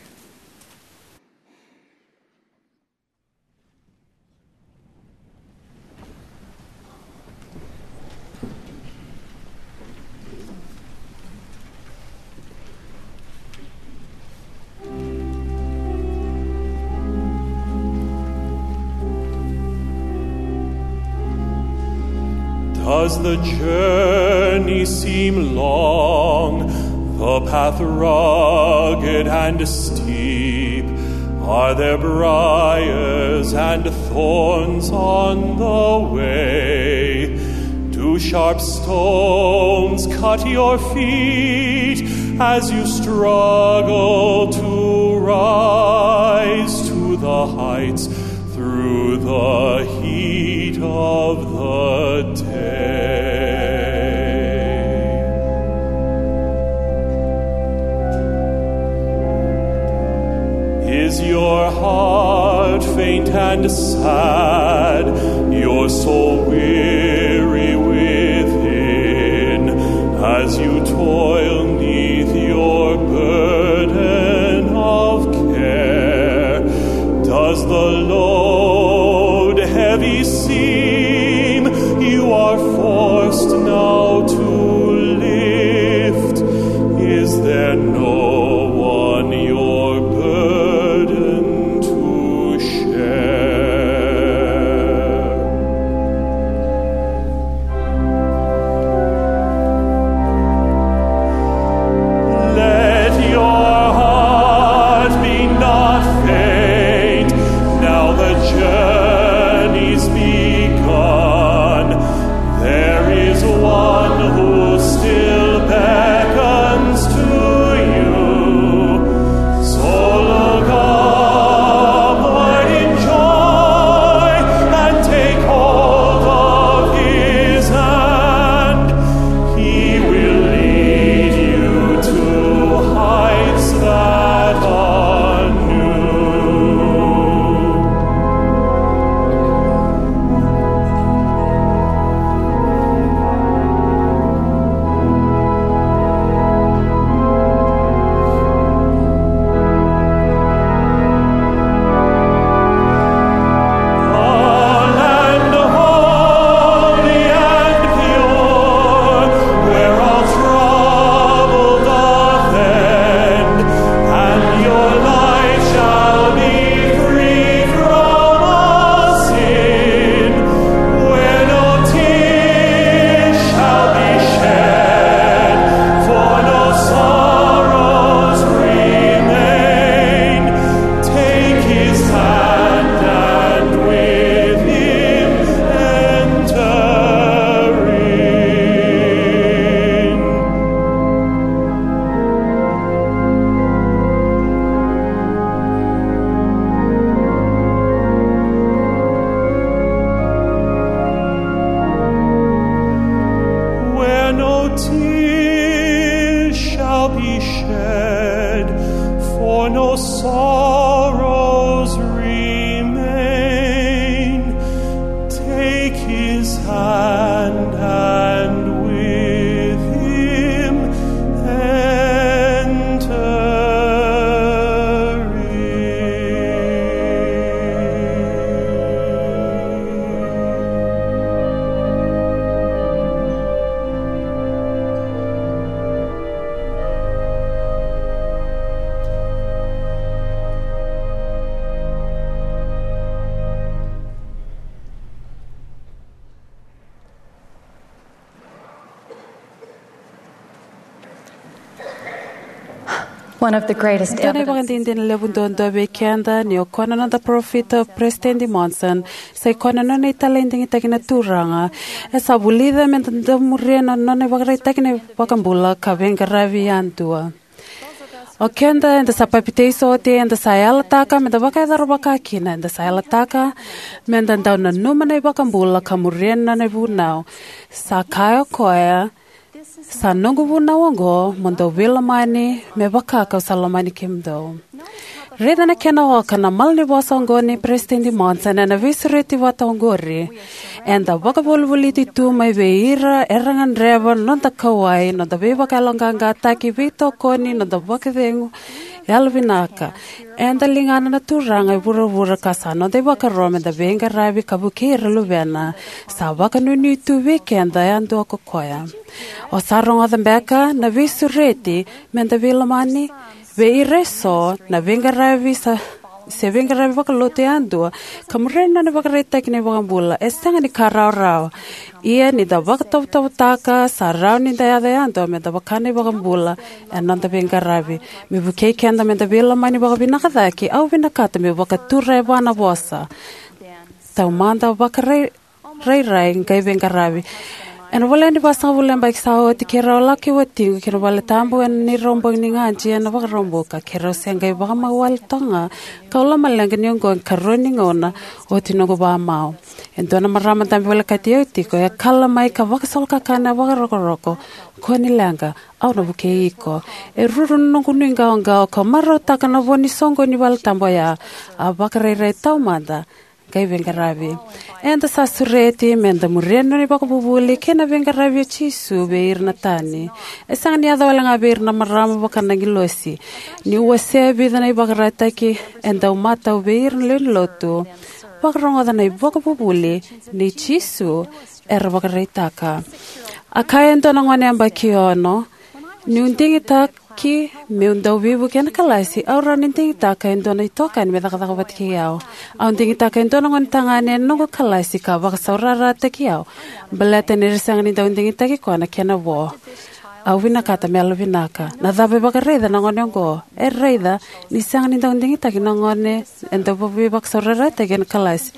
Does the journey seem long, the path rugged and steep? Are there briars and thorns on the way? Do sharp stones cut your feet as you struggle to rise to the heights through the heat of the day? Is your heart faint and sad, your soul weary within, as you toil neath your burden of care? Does the load heavy seem you are forced now to lift? Is there no one your burden to share? Let your heart be not faint. Now the journey's begun. There is one who still beckons to you. So look upward in joy and take hold of his hand. He will lead you to heights that are new. A land holy and pure, where all trouble doth end, and your life shall be free from all sin, where no tears shall be shed, for no sorrows remain. Take his hand and with him enter in. Where no tears shall be shed, for no sorrows remain. Take his hand and with him enter One of the greatest Dua na evidence. Ivakadinadina levu duadua vei keda ni o koya na noda parofita o Peresitedi Monson, sa i koya na nona italai digitaki na Turaga. E sa vulica me da dau muria na nona ivakaraitaki na iVakabula ka veiqaravi yadua. O keda eda sa papitaiso oti, eda sa yalataka me da vakayacora vakakina, eda sa yalataka me da dau nanuma na iVakabula ka muria na nona ivunau. Sa kaya o koya, sa noqu vunau oqo, mo dou veilomani me vaka kau sa lomani kemudou. Raica na kena oka na malanivosa oqo ni Peresitedi Monson ena veisureti vata oqori. Eda vakavolivoliti tu mai vei ira era gadreva na noda kauwai, noda veivakayaloqaqataki, veitokoni, noda vakacegu, yalovinaka. Eda ligana na Turaga e vuravura ka sa noda ivakaro me da veiqaravi ka vukei ira luvena. Sa vakanuinui tu vei keda yadua ko koya. O sa rogoca beka na veisureti me da veilomani vei ira eso, na veiqaravi sa, se veiqaravi vakalotu yadua, ka muria na nona ivakaraitaki na iVakabula, e sega ni ka rawarawa. Ia ni da vakatovotovotaka, sa rawa ni da yaco yadua me da vaka na iVakabula ena noda veiqaravi. Me vukei keda me da veilomani vakavinaka cake, au vinakata meu vakatura e va na vosa. Taumada, vakarairai, qai veiqaravi. Ena voleka ni vasagavulu na yabaki sa oti, keirau a lako kei watiqu ki na valetabu ena neirau bogi ni gadi ena Vakaraubuka. Keirau se qai vakamau wale toka ga, kau lomaleqa ni oqo e karua ni gauna oti noqu vakamau. E dua na marama dabe volekati au tiko, e kala mai ka vakasolokakana vakarokoroko, "Kua ni leqa, au na vukei iko." E ruru na noqu nuiqawaqawa, kau marautaka na vo ni soqoni ni valetabu oya. A vakarairai taumada, qai veiqaravi. Eda sa sureti me da muria na nona ivakavuvuli kei na veiqaravi o Jisu vei ira na tani. E sega ni yaco wale ga vei ira na marama vaka na agilosi. Niu wasea e vica na ivakaraitaki e dau matau vei ira na lewe ni lotu, vakarogoca na ivakavuvuli nei Jisu era vakaraitaka. A kaya e dua na gone yabaki ono, "Niu digitaki meu dau veivuke ena kalasi, au rawa ni digitaka e dua na itokani me cakacaka vata kei au. Au digitaka e dua na gone tagane ena noqu kalasi ka vakasaurarataki au, baleta ni ra sega ni dau digitaki koya na kena vo. Au vinakata me yalovinaka." Na cava e vakaraica na gone oqo? E raica ni sega ni dau digitaki na gone e dau veivakasaurarataki ena kalasi.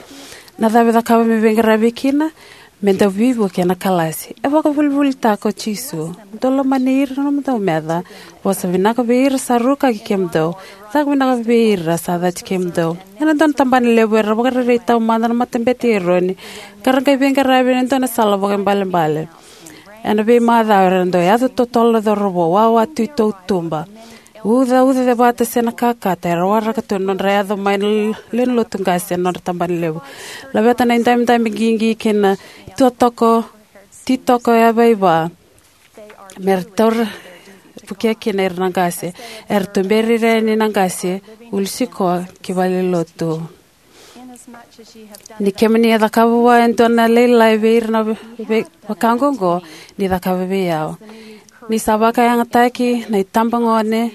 Na cava e cakava me veiqaravi kina? Me dau veivuke ena kalasi. E vakavulivulitaka o Jisu, "Dou lomani ira na nomudou meca. Vosa vinaka vei ira sa rukaki kemudou. Caka vinaka vei ira sa cati kemudou." Ena dua na tabana levu era vakarairai taumada na Matabete i Eroni, ka ra qai veiqaravi ena dua na sala vakaibalebale. Ena veimacawa era dau yaco totolo na cauravou, wawa tu i tautuba, uca, uca cevata se na kakata, era waraka tu na nodra yaco mai na l-, lewe ni lotu qase ena nodra tabana levu. Laveta na idabedabe qiqi kei na tuatoko, titoko yavaiva, me ra taura vukea kina ira na qase. Era tuberi ira yani na qase, ulu sikoa ki valenilotu. Ni kemuni a cakava vua e dua na lailai vei ira na ve-, ve-, vaka oqo, ni cakava vei au. Ni sa vakayagataki na itabagone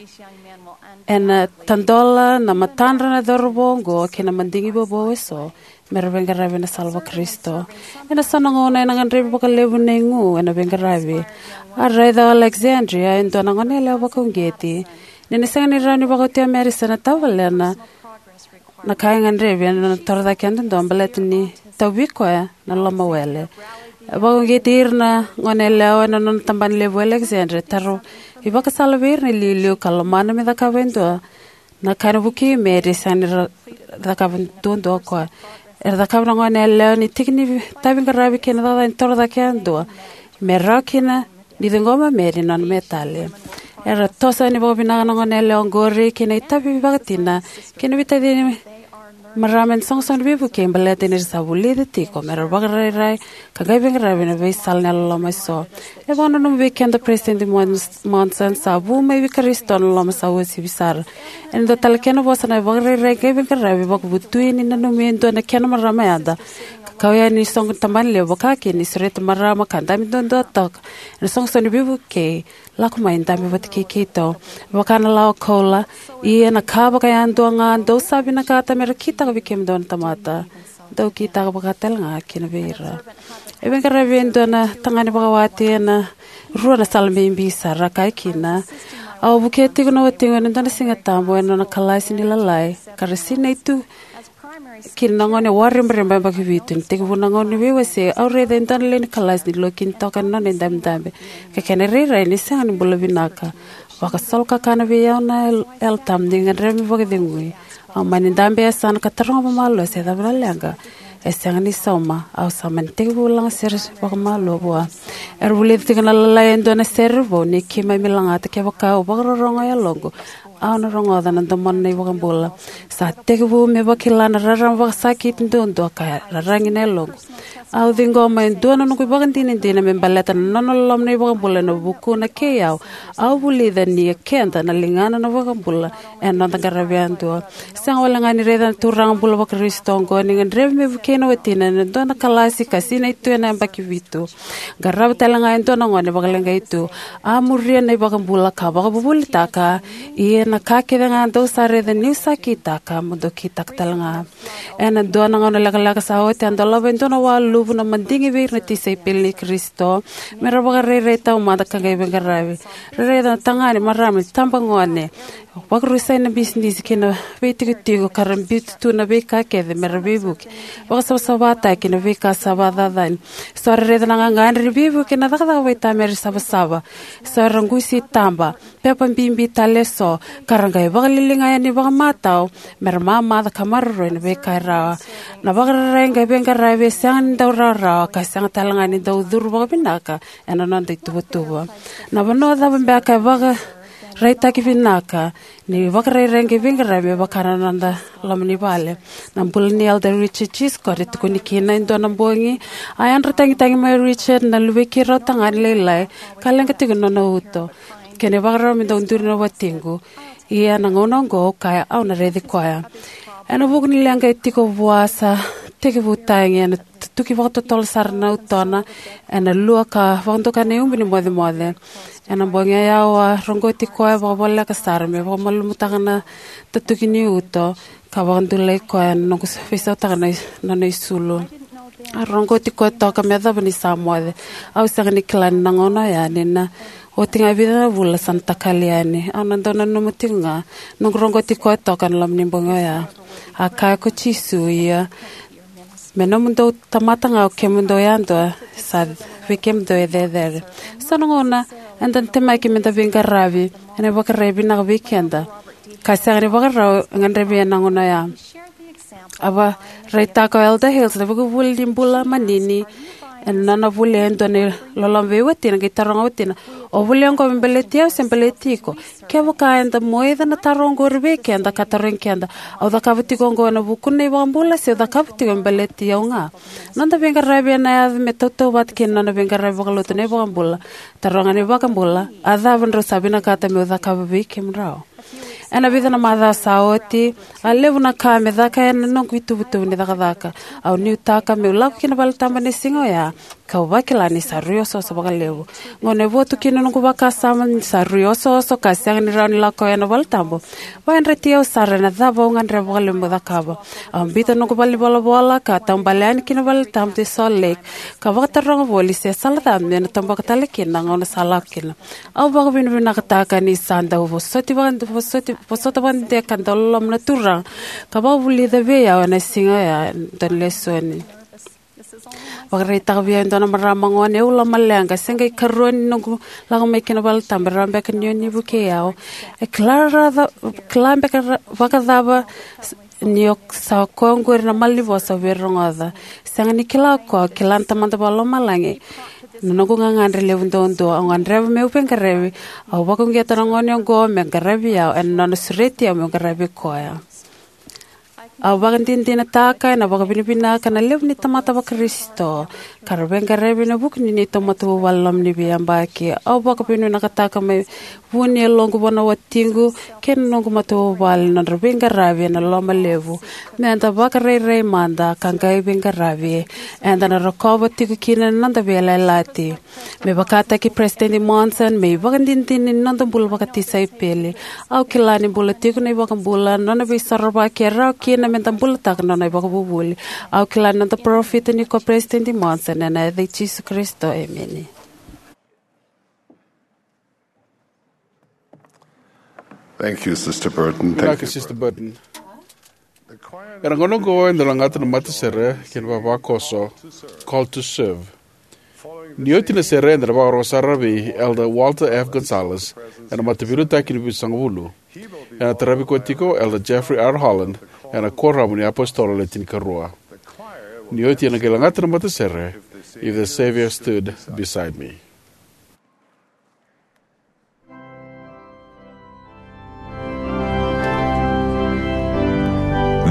ena tadola na matadra na cauravou oqo kei na madigi vovou eso, me ra veiqaravi ena sala vaKarisito. Ena so na gauna ena gadrevi vakalevu na igu ena veiqaravi. A raica o Alexandria e dua na goneyalewa vakauqeti ni na sega ni rawa ni vakaotia o Madison na tavalena na ka e gadrevi ena nona torocake yadudua baleta ni tauvi koya na lomawele. E vakauqeti ira na goneyalewa ena nona tabana levu o Alexandria, tara ivakasala vei ira na iliuliu ka lomana me cakava e dua na ka ena vukei Mary, sega ni ra cakava duadua o koya. Era cakava na goneyalewa ni tiki ni taviqaravi kei na cakacaka ni torocake yadua me rawa kina ni ciqoma Mary na nona metali. Era toso yani vakavinaka na goneyalewa oqori kei na itavi vakatina kei na veitacini marama ena soqosoqo ni veivukei baleta ni ra sa vulica tiko me ra vakarairai ka qai veiqaravi ena veisala ni yalololoma eso. E vakananuma vei keda o Peresitedi Mon-, Monson, sa vu mai vei Karisito na loloma sa uasivi sara. Ena dua tale kena vosa na vakarairai qai veiqaravi, vakavutui ni nanumi e dua na kena marama yada, ka kau yani ni soqo tabana levu, vaka kina ni sureti marama ka dabe duadua toka ena soqosoqo ni veivukei, lako mai dabe vata kei keitou. Vaka na lawa koula, ia na ka vakayadua ga dou sa vinakata me ra kitaka vei kemudou na tamata, dou kitaka vaka tale ga kina vei ira. E veiqaravi e dua na tagane vakawati ena rua na sala bibi sara, a kaya kina, Au vukea tiko na watiqu ena dua na Siga Tabu ena nona kalasi ni Lalai, ka ra sinai tu kina na gone waribariba yabaki vitu. Ni tekivu na gauna ni veiwasei, au raica e dua na lewe ni kalasi ni lokini toka ena nona idabedabe, ka kena irairai ni sega ni bula vinaka. Vakasolokakana vei au na Yalo, Yalo Tabu ni gadreva me vakacegui. Au mani dabe e yasana ka taroga vakamalua se cava na leqa e sega ni sauma. Au sa mani tekivu lagasere vakamalua vua. Era vulica tiko na Lalai e dua na sere vou ni keimami lagata kevaka au vakarorogo e yaloqu. Au na rogoca na domona na iVakabula. Sa tekivu me vakila na rarama vakasakiti duadua ka raragi na yaloqu. Au ciqoma e dua na noqu ivakadinadina me baleta na nona loloma na iVakabula ena vukuna kei au. Au vulica ni e keda na ligana na iVakabula ena noda qaravi yadua. Sega wale ga ni raica na turaga bula vaKarisito oqo ni gadrevi me vukei na watina ena dua na kalasi ka sinai tu ena yabaki vitu. Qarava tale ga e dua na gone vakaleqai tu. A muria na iVakabula ka vakavuvulitaka. Ia na ka kece ga dou sa raica niu sa kitaka, mo dou kitaka tale ga. Ena dua na gauna lekaleka sa oti, a dolava e dua na waluvu na madigi vei ira na tisaipeli i Karisito me ra vakarairai taumada ka qai veiqaravi. Ra raica na tagane, marama, itabagone, vakarusai na bisinisi kei na veitikotiko ka ra biuta tu na veika kece me ra veivuke, vakasavasavataki na veika sa vakacacani. So era raica na gagadre ni veivuke, na cakacaka vakaitamera, savasava. So era qusi taba, pepa bibi tale eso, ka ra qai vakaliliga yani vakamatau me ra mamaca ka maroroi na veika e rawa. Na vakarairai qai veiqaravi e sega ni dau rawarawa ka sega tale ga ni dau curu vakavinaka ena noda ituvatuva. Na vanua cava beka e vakaraitaki vinaka ni vakarairai qai veiqaravi me vaka na noda loma ni vale? Na bula nei Elder Richard G. Scott e tukuni kina. E dua na bogi, a yadra tagitagi mai o Richard, na luvei keirau tagane lailai, ka leqa tiko na nona uto. Kena ivakarau me dau duri na watiqu. Ia na gauna oqo au kaya au na raici koya. Ena vuku ni leqa e tiko vua, sa tekivu tagi ena tutuki vakatotolo sara na utona ena lua ka vakadokai na iubu ni mocemoce. Ena bogi oya au a roqoti koya vakavoleka sara me vakamalumutaka na tutuki ni uto ka vakadulai koya ena noqu veisautaka na i-, nona isulu. A roqoti koya toka me yacova ni sa moce. Au sega ni kila ni na gauna oya, ni na oti ga e vica na vula sa na takali yani. Au na dau nanuma tiko ga noqu roqoti koya toka ena loma ni bogi oya. A kaya ko Jisu, ia me nomudou tamata ga o kemudou yadua, sa vei kemudou e cecere. So na gauna eda na temaki meda veiqaravi ena ivakarau e vinaka vei keda ka sega ni vakarau e gadrevi ena gauna oya. A vakaraitaka o Elder Hales na veivuli ni bula manini ena nona volia e dua na loloma vei watina, qai taroga o watina, "O volia oqo me baleti au se baleti iko?" Kevaka eda moica na taro oqori vei keda ka tarogi keda, "Au cakava tiko oqo ena vuku ni iVakabula se au cakava tiko me baleti au ga?" Noda veiqaravi ena yaco me tautauvata kei na nona veiqaravi vakalotu na iVakabula. Taroga na iVakabula, "A cava drau sa vinakata meu cakava vei kemudrau?" Ena vica na macawa sa oti, a levu na ka me caka ena noqu ituvatuva ni cakacaka. Au nuitaka meu lako ki na valetabu ena siga oya, kau vakila ni sa rui osooso vakalevu. Gauna e votu kina noqu vakasama ni sa rui osooso ka sega ni rawa ni lako ena valetabu, vakayadrati au sara ena cava au gadreva vakalevu meu cakava. Au biuta noqu valenivolavola ka taubale yani ki na valetabu e Salt Lake, ka vakataroga voli se sala cava me na toboka tale kina na gauna sa lako kina. Au vakavinavinakataka ni sa dau vosoti vaka-, vosoti, vosota vakadede ka dau loloma na Turaga, ka vakavulica vei au ena siga oya e dua na lesoni. Vakaraitaka vei au e dua na marama gone, e ula maleqa, se qai karua ni noqu lako mai ki na valetabu, e rawa beka ni o ni vukei au. E kila ra-, kila beka ra-, vakacava ni o sa koya oqori na malanivosa au via rogoca. Sega ni kila o koya, kila na Tamada Vakalomalagi na noqu gagadre levu duadua. Au gadreva meu veiqaravi. Au vakauqeta na gone oqo me qaravi au ena nona sureti au meu qaravi koya. Au vakadinadinataka ena vakavinavinaka na levu ni tamata vaKarisito ka ra veiqaravi ena vuku ni neitou matavuvale loma ni veiyabaki. Au vakavinavinakataka mai vu ni yaloqu vua na watiqu kei na noqu matavuvale na nodra veiqaravi ena loma levu. Meda vakarairai mada ka qai veiqaravi, eda na rokova tiko kina na noda veiyalayalati. Me vakataki Peresitedi Monson, me ivakadinadina ni noda bula vakatisaipeli, au kila ni bula tiko na iVakabula, nona veisorovaki e rawa kina meda bulataka na nona ivakavuvuli. Au kila ni noda parofita ni ko Peresitedi Monson, ena yaca i Jisu Karisito, emeni. Thank you, Sister Burton. Thank Vinaka, you, Sister Burton. Era gona oqo eda lagata na matasere kei na vavakoso, Call to Serve. Ni oti na sere, eda na vakarorogo sara vei Elder Walter F. Gonzalez ena mataveiliutaki ni Vitusagavulu. Ena taravi koya tiko Elder Jeffrey R. Holland ena Kuoramu ni iApositolo Le Tinikarua. Ni oti ena qai lagata na matasere, If the Savior Stood Beside Me.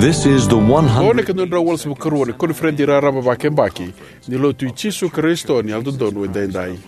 This is the Qo na one hundred. Ikaduadrau walusagavulu karua ni koniferedi raraba vakayabaki ni Lotu i Jisu Karisito ni Yalododonu Edaidai.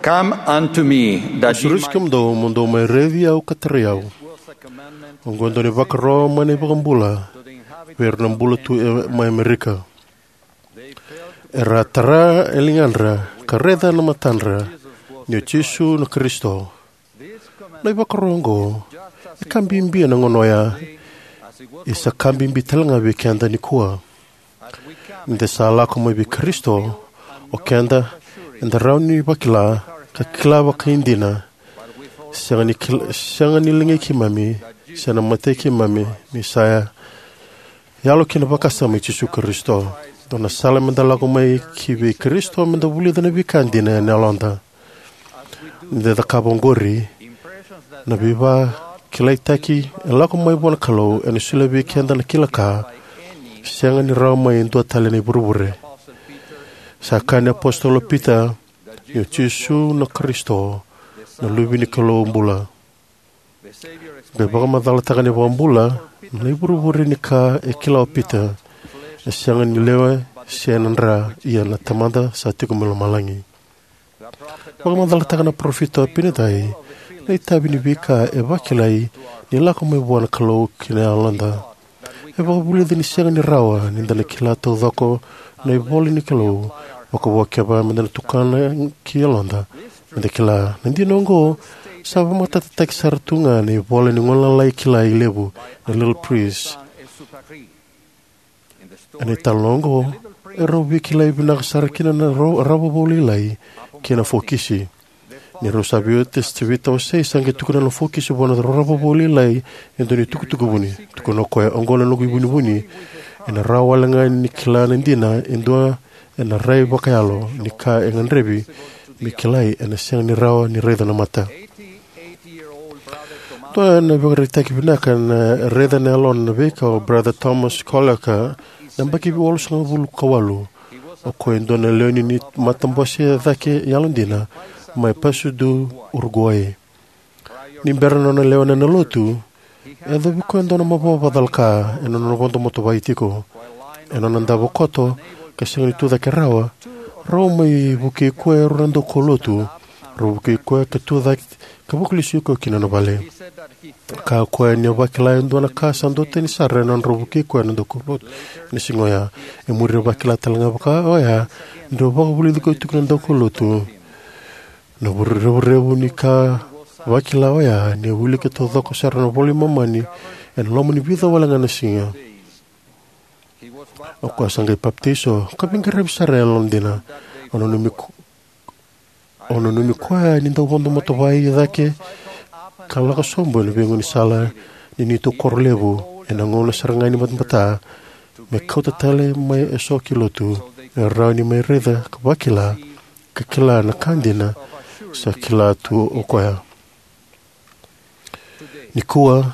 Come unto me, that ye Sureti might kemudou, mo dou mai raici au ka tarai au. Oqo e dua na ivakaro mai na iVakabula vei ira na bula tu e, mai Amerika. Era a tara e ligadra ka raica na matadra ni o Jisu na Karisito. Na ivakaro oqo e ka bibi ena gauna oya, e sa ka bibi tale ga vei keda nikua. Ni da sa lako mai vei Karisito, o keda eda rawa ni vakila ka kila vakaidina, sega ni kil-, sega ni ligai keimami se na matai keimami, ni sa yalo kina vakasama i Jisu Karisito. Dua na sala meda lako mai ki vei Karisito, meda vulica na veika dina ena yaloda. Ni da cakava oqori, na veivakilaitaki e lako mai vua na Kalou ena solia vei keda na kila ka sega ni rawa mai e dua tale na ivurevure. Sa kaya na iApositolo o Pita ni o Jisu na Karisito, na Luve ni Kalou bula. Qai vakamacalataka na iVakabula na ivurevure ni ka e kila o Pita, e sega ni lewe se na dra, ia na Tamada sa tiko mai lomalagi. Vakamacalataka na parofita o Apinatai na itavi ni veika e vakilai ni lako mai vua na Kalou ki na yaloda. E vakavulica ni sega ni rawa ni da na kila taucoko na ivola ni Kalou, vakavo kevaka meda na tukuna ki yaloda meda kila. Na dina oqo sa vakamatatataki sara tu ga na ivola ni gone lalai kilai levu, na Little Prince. Ena italanoa oqo, e rau veikilai vinaka sara kina na rau-, rau vakavu lailai kei na fokisi. Ni rau sa veiwatasi, veitawasei, sa qai tukuna na fokisi vua na rorogo vou lailai e dua na itukutuku vuni. Tukuna o koya, "Oqo na noqu ivunivuni. Ena rawa wale ga ni kila na dina e dua ena rai vakayalo ni ka e gadrevi me kilai, ena sega ni rawa ni raica na mata." Dua na ivakaraitaki vinaka na raica na yalona na veika o Brother Thomas Collier, na yabaki walusagavulu ka walu. O koya e dua na lewe ni matabose cake yalodina mai Paysandú, Uruguay. Ni bera na nona lewena na lotu, e yacovi koya e dua na mavoa vakacalaka ena nona vodo motoka tiko. Ena nona davo koto ka sega ni tucake rawa, rau mai vukei koya e rua na daukaulotu. Rau vukei koya ka tucake ka vakalesui koya ki nona vale. Kaya o koya ni a vakila e dua na ka sa duatani sara ena nodrau vukei koya na daukaulotu ena siga oya. E muri a vakila tale ga vaka oya ni rau vakavulici koya tiko na daukaulotu. Na vure-, revurevu ni ka vakila oya ni a wilika taucoko sara na iVola i Momani ena loma ni vica wale ga na siga. O koya sa qai papitaiso ka veiqaravi sara e yalodina. Au nanumi ko-, au nanumi koya ni dau vodo motoka cake ka lako sobu ena veigaunisala ni neitou koro levu ena gauna sara ga ni batabata, me kauta tale mai eso ki lotu me rawa ni mai raica ka vakila ka kila na ka dina sa kila tu o koya. Nikua,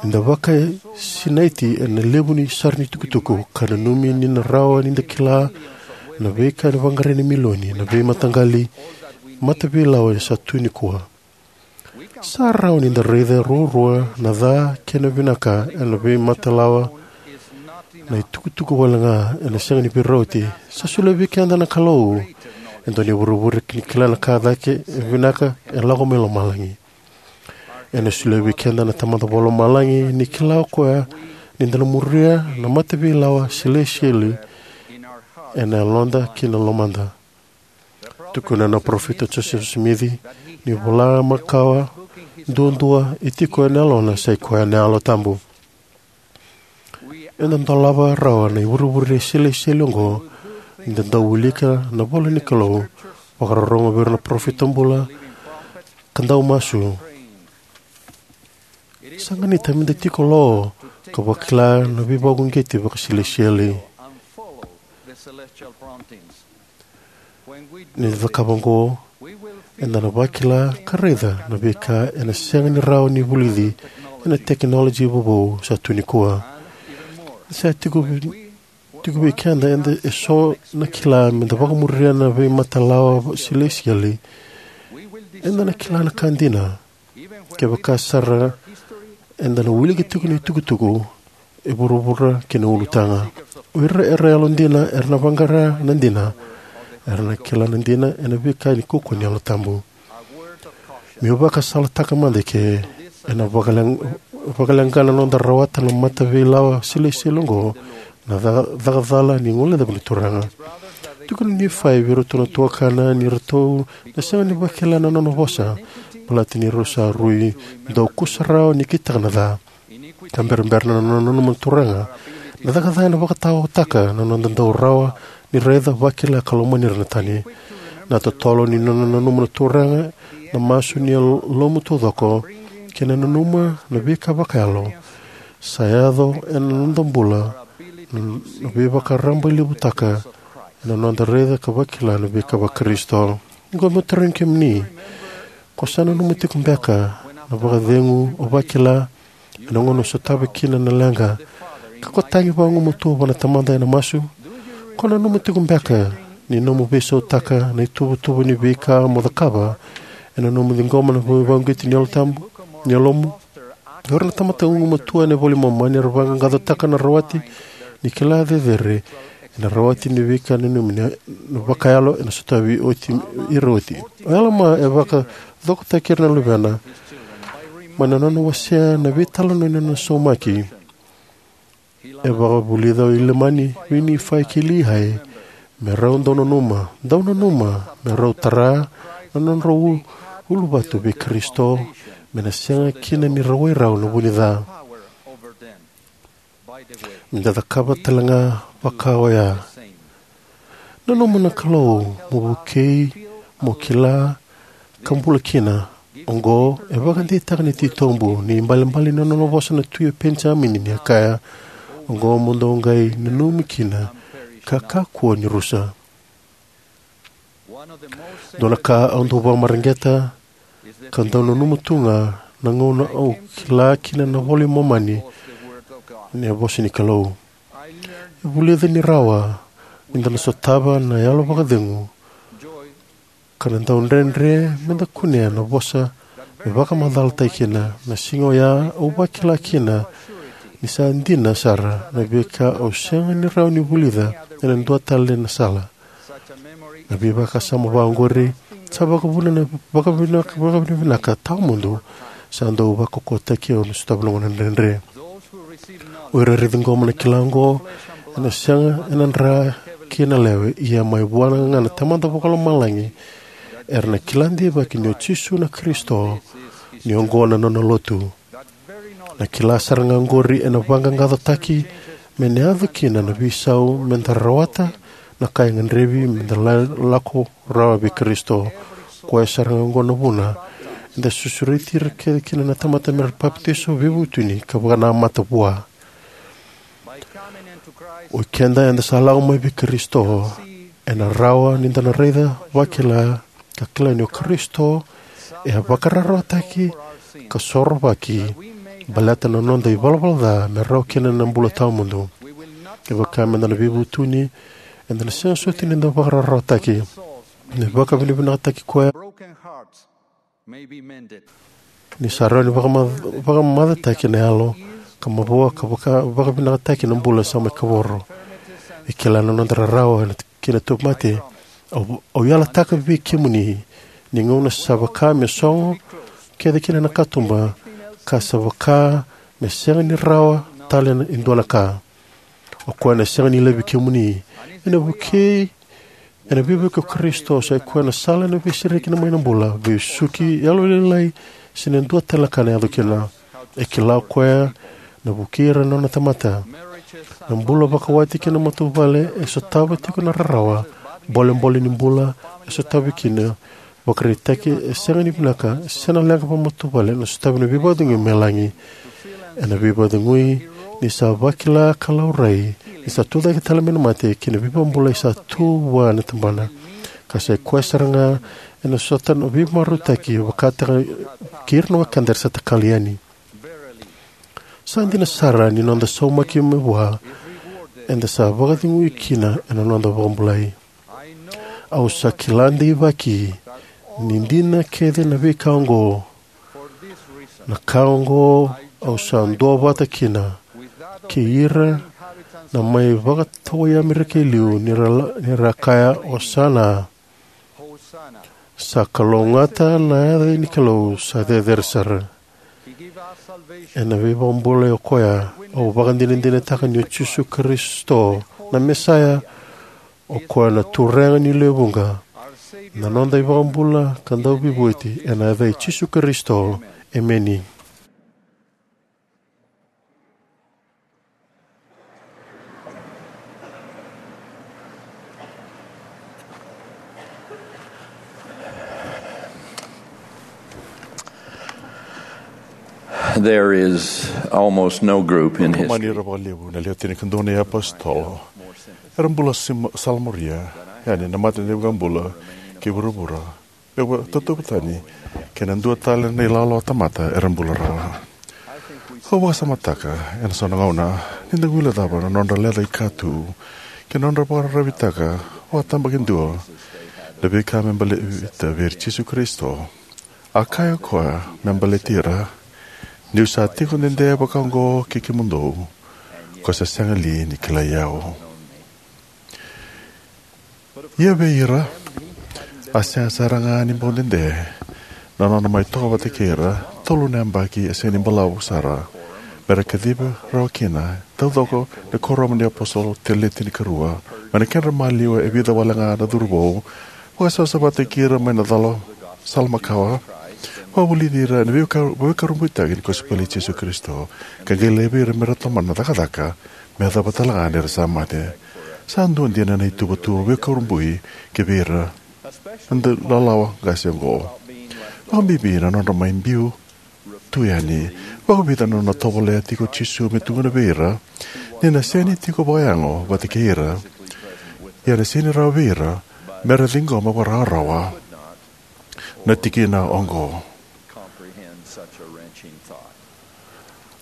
eda vakasinaiti ena levu ni sara ni tukutuku ka nanumi ni na rawa ni da kila na veika ni vaqarai na milioni na veimataqali mataveilawa sa tu nikua. Sa rawa ni da raica ruarua na ca kei na vinaka ena veimatalawa. Na itukutuku wale ga ena sega ni veirauti. Sa solia vei keda na Kalou e dua na ivurevure ni kila na ka cake e vinaka e lako mai lomalagi. Ena solia vei keda na Tamada Vakalomalagi ni kila o koya ni da na muria na mataveilawa silesitieli ena yaloda kei na lomada. Tukuna na parofita Josefa Simici ni vola makawa duadua e tiko ena yalona sa i koya na Yalo Tabu. Eda dolava rawa na ivurevure silesitieli oqo ni da dau wilika na ivola ni Kalou, vakarorogo vei ira na parofita bula, ka dau masu. Sa ganita me da tiko lo ka vakila na veivakauqeti vakasilesitieli. Ni da cakava oqo, eda na vakila ka raica na veika ena sega ni rawa ni vulici ena tekinoloji vovou sa tu nikua. Sa tiko vi-, tiko vei keda eda eso na kila me da vakamuria na veimatalawa silesitieli. Eda na kila na ka dina. Kevaka sara eda na wilika tiko na itukutuku e vuravura kei na ulutaga. O ira era yalodina era na vaqara na dina, era na kila na dina ena veika ni kaukauwa ni Yalo Tabu. Meu vakasalataka mada eke, ena vakale-, vakaleqa na noda rawata na mataveilawa silesitieli oqo, na ca-, cakacala ni guilecavi ni Turaga. Tukuna o Nifai vei iratou na tuakana ni ratou na sega ni vakila na nona vosa, baleta ni rau sa rui dau kusarawa ni kitaka na ca. Ka berabera na nona nanuma na Turaga, na caka ca ena vakataotaka na noda dau rawa ni raica, vakila ka lomani ira na tani. Na totolo ni nona nanuma na Turaga, na masu ni yalomu taucoko, kei na nanuma na veika vakayalo, sa yaco ena noda bula na, na veivakarabailevutaka ena noda raica ka vakila na veika vaKarisito. Oqo meu tarogi kemuni, ko sa nanuma tiko beka na vakacegu o vakila ena gauna o sotava kina na leqa ka ko tagi vagumatua vua na Tamada ena masu? Ko nanuma tiko beka ni nomu veisautaka na ituvatuva ni veika mo cakava ena nomu ciqoma na veivakauqeti ni Yalo Tabu, ni yalomu? O ira na tamata gumatua ena iVola i Momani era vaqaqacotaka na rawati ni kila cecere ena rawati ni veika nanumi na vakayalo ena sotavi oti, ira oti. O Alama e vakacokotaki ira na luvena mai na nona wasea na veitalanoa ni nona saumaki. E vakavulica o Ilamani vei Nifai kei Liai me rau dau nanuma, dau nanuma me rau tara na nodrau u-, uluvatu vei Karisito, me na sega kina ni rawai rau na vunica. Me da cakava tale ga vaka oya. Nanuma na Kalou mo vukei, mo kila, ka bula kina. Oqo e vakadeitaka na titobu ni ibalebale ni nona vosa na Tui o Penijamini ni a kaya, oqo mo dou qai nanumi kina ka kakua ni rusa. Dua na ka au dau vakamareqeta ka dau nanuma tu ga na gauna au kila kina na iVola i Momani ni a vosa ni Kalou. E vulica ni rawa ni da na sotava na yalo vakacegu ka na dau dredre me da kunea na vosa me vakamacalataki kina. Na siga oya au vakila kina ni sa dina sara na veika au sega ni rawa ni vulica ena dua tale na sala. Na veivakasama vaqori sa vakavuna na vakavinaka, vakavinavinaka tawamudu sa dau vakokotaki au ni sotava na gauna dredre. O ira era ciqoma na kila oqo ena sega ena dra kei na lewe, ia mai vua ga na Tamada Vakalomalagi, era na kila deivaki ni o Jisu na Karisito, ni oqo na nona lotu. Na kila sara ga oqori ena vaqaqacotaki me na yaco kina na veisau me da rawata na ka e gadrevi me da la-, lako rawa vei Karisito. Koya sara ga oqo na vuna eda sureti ira kece kina na tamata me ra papitaiso, veivutuni ka vakanamata vua. O keda eda sa lako mai vei Karisito, ena rawa ni da na raica, vakila, ka kila ni o Karisito e a vakararawataki ka sorovaki baleta na noda ivalavala ca me rawa kina na bula tawamudu. Kevaka me da na veivutuni, eda na sega soti ni da vakararawataki. Ni vakavinavinakataki koya ni sa rawa ni vakama-, vakamacataki na yalo ka mavoa ka vaka-, vakavinakataki na bula sa mai kavoro. E kila na noda rarawa na kei na tauvimate. Au, au yalataka vei kemuni ni gauna sa vaka me sogo kece kina na katuba, ka sa vaka me sega ni rawa tale na, e dua na ka. O koya na sega ni laivi kemuni. Ena vukei, ena veivuke o Karisito, sa i koya na sala ena veisereki mai na bula, veisuki, yalolailai, se na dua tale na ka na yaco kina. E kila o koya na vukei ira na nona tamata. Na bula vakawati kei na matavuvale e sotava tiko na rarawa. Bolebole ni bula e sotavi kina vakaraitaki e sega ni vinaka, se na leqa vakamatavuvale na sotavi na veivakacegui mai lagi. Ena veivakacegui ni sa vakila ka laurai ni sa tucake tale mai na mate kei na veivakabulai sa tu vua na tabana. Ka sa i koya sara ga ena sota na veimarautaki vakataka kei ira na wekada era sa takali yani. Sa dina sara ni noda saumaki mai vua, eda sa vakacegui kina ena noda vakabulai. Au sa kila deivaki ni dina kece na veika oqo. Na ka oqo au sa duavata kina kei ira na mai vakatawai Amerika e liu ni ra la-, ni ra kaya, "Osana." Sa kalougata na yaca ni Kalou sa cecere sara. Ena veivakabulai o koya, au vakadinadinataka ni o Jisu Karisito na Mesaia, o koya na Turaga ni lewe vuqa, na noda iVakabula ka Dauveivueti, ena yaca i Jisu Karisito. Emeni. There is almost no group in history. Mani ira vakalevu na lewe tinikadua na iapositolo era bula sima-, salamuria yani na mate ni iVakabula kei vuravura. Me vakatauvatani kei na dua tale na ilawalawa tamata era bula rawa. Au vakasamataka ena so na gauna ni da guilecava na nodra lecaika tu kei na nodra vakararavitaka vakatabakidua na veika me baleta vei ira Jisu Karisito. A kaya o koya me baleti ira, "Niu sa tiko dede vaka oqo kei kemudou, ko sa sega li ni kilai au?" Ia vei ira, a sega sara ga ni bau dede na nona mai toka vata kei ira tolu na yabaki e sega ni balavu sara me ra kacivi rawa kina taucoko na kuoramu ni apositolo tale tinikarua mai na kedra maliwa e vica wale ga na curuvou, vakasavasavataki ira mai na cala sala makawa, vakavulici ira ena veika-, veivakurabuitaki ni kosipeli i Jisu Karisito, ka qai laivi ira me ra tomana na cakacaka me yacova tale ga ni ra sa mate. Sa dua dina na ituvatuva veikurabui ki vei ira na dau lalawa qase oqo. Vakabibi na nodra mai biu tu yani. Vakavica na nona tovolea tiko o Jisu me tukuna vei ira ni na sega ni tiko vakayago vata kei ira, ia na sega ni rawa vei ira me ra ciqoma vakarawarawa na tikina oqo.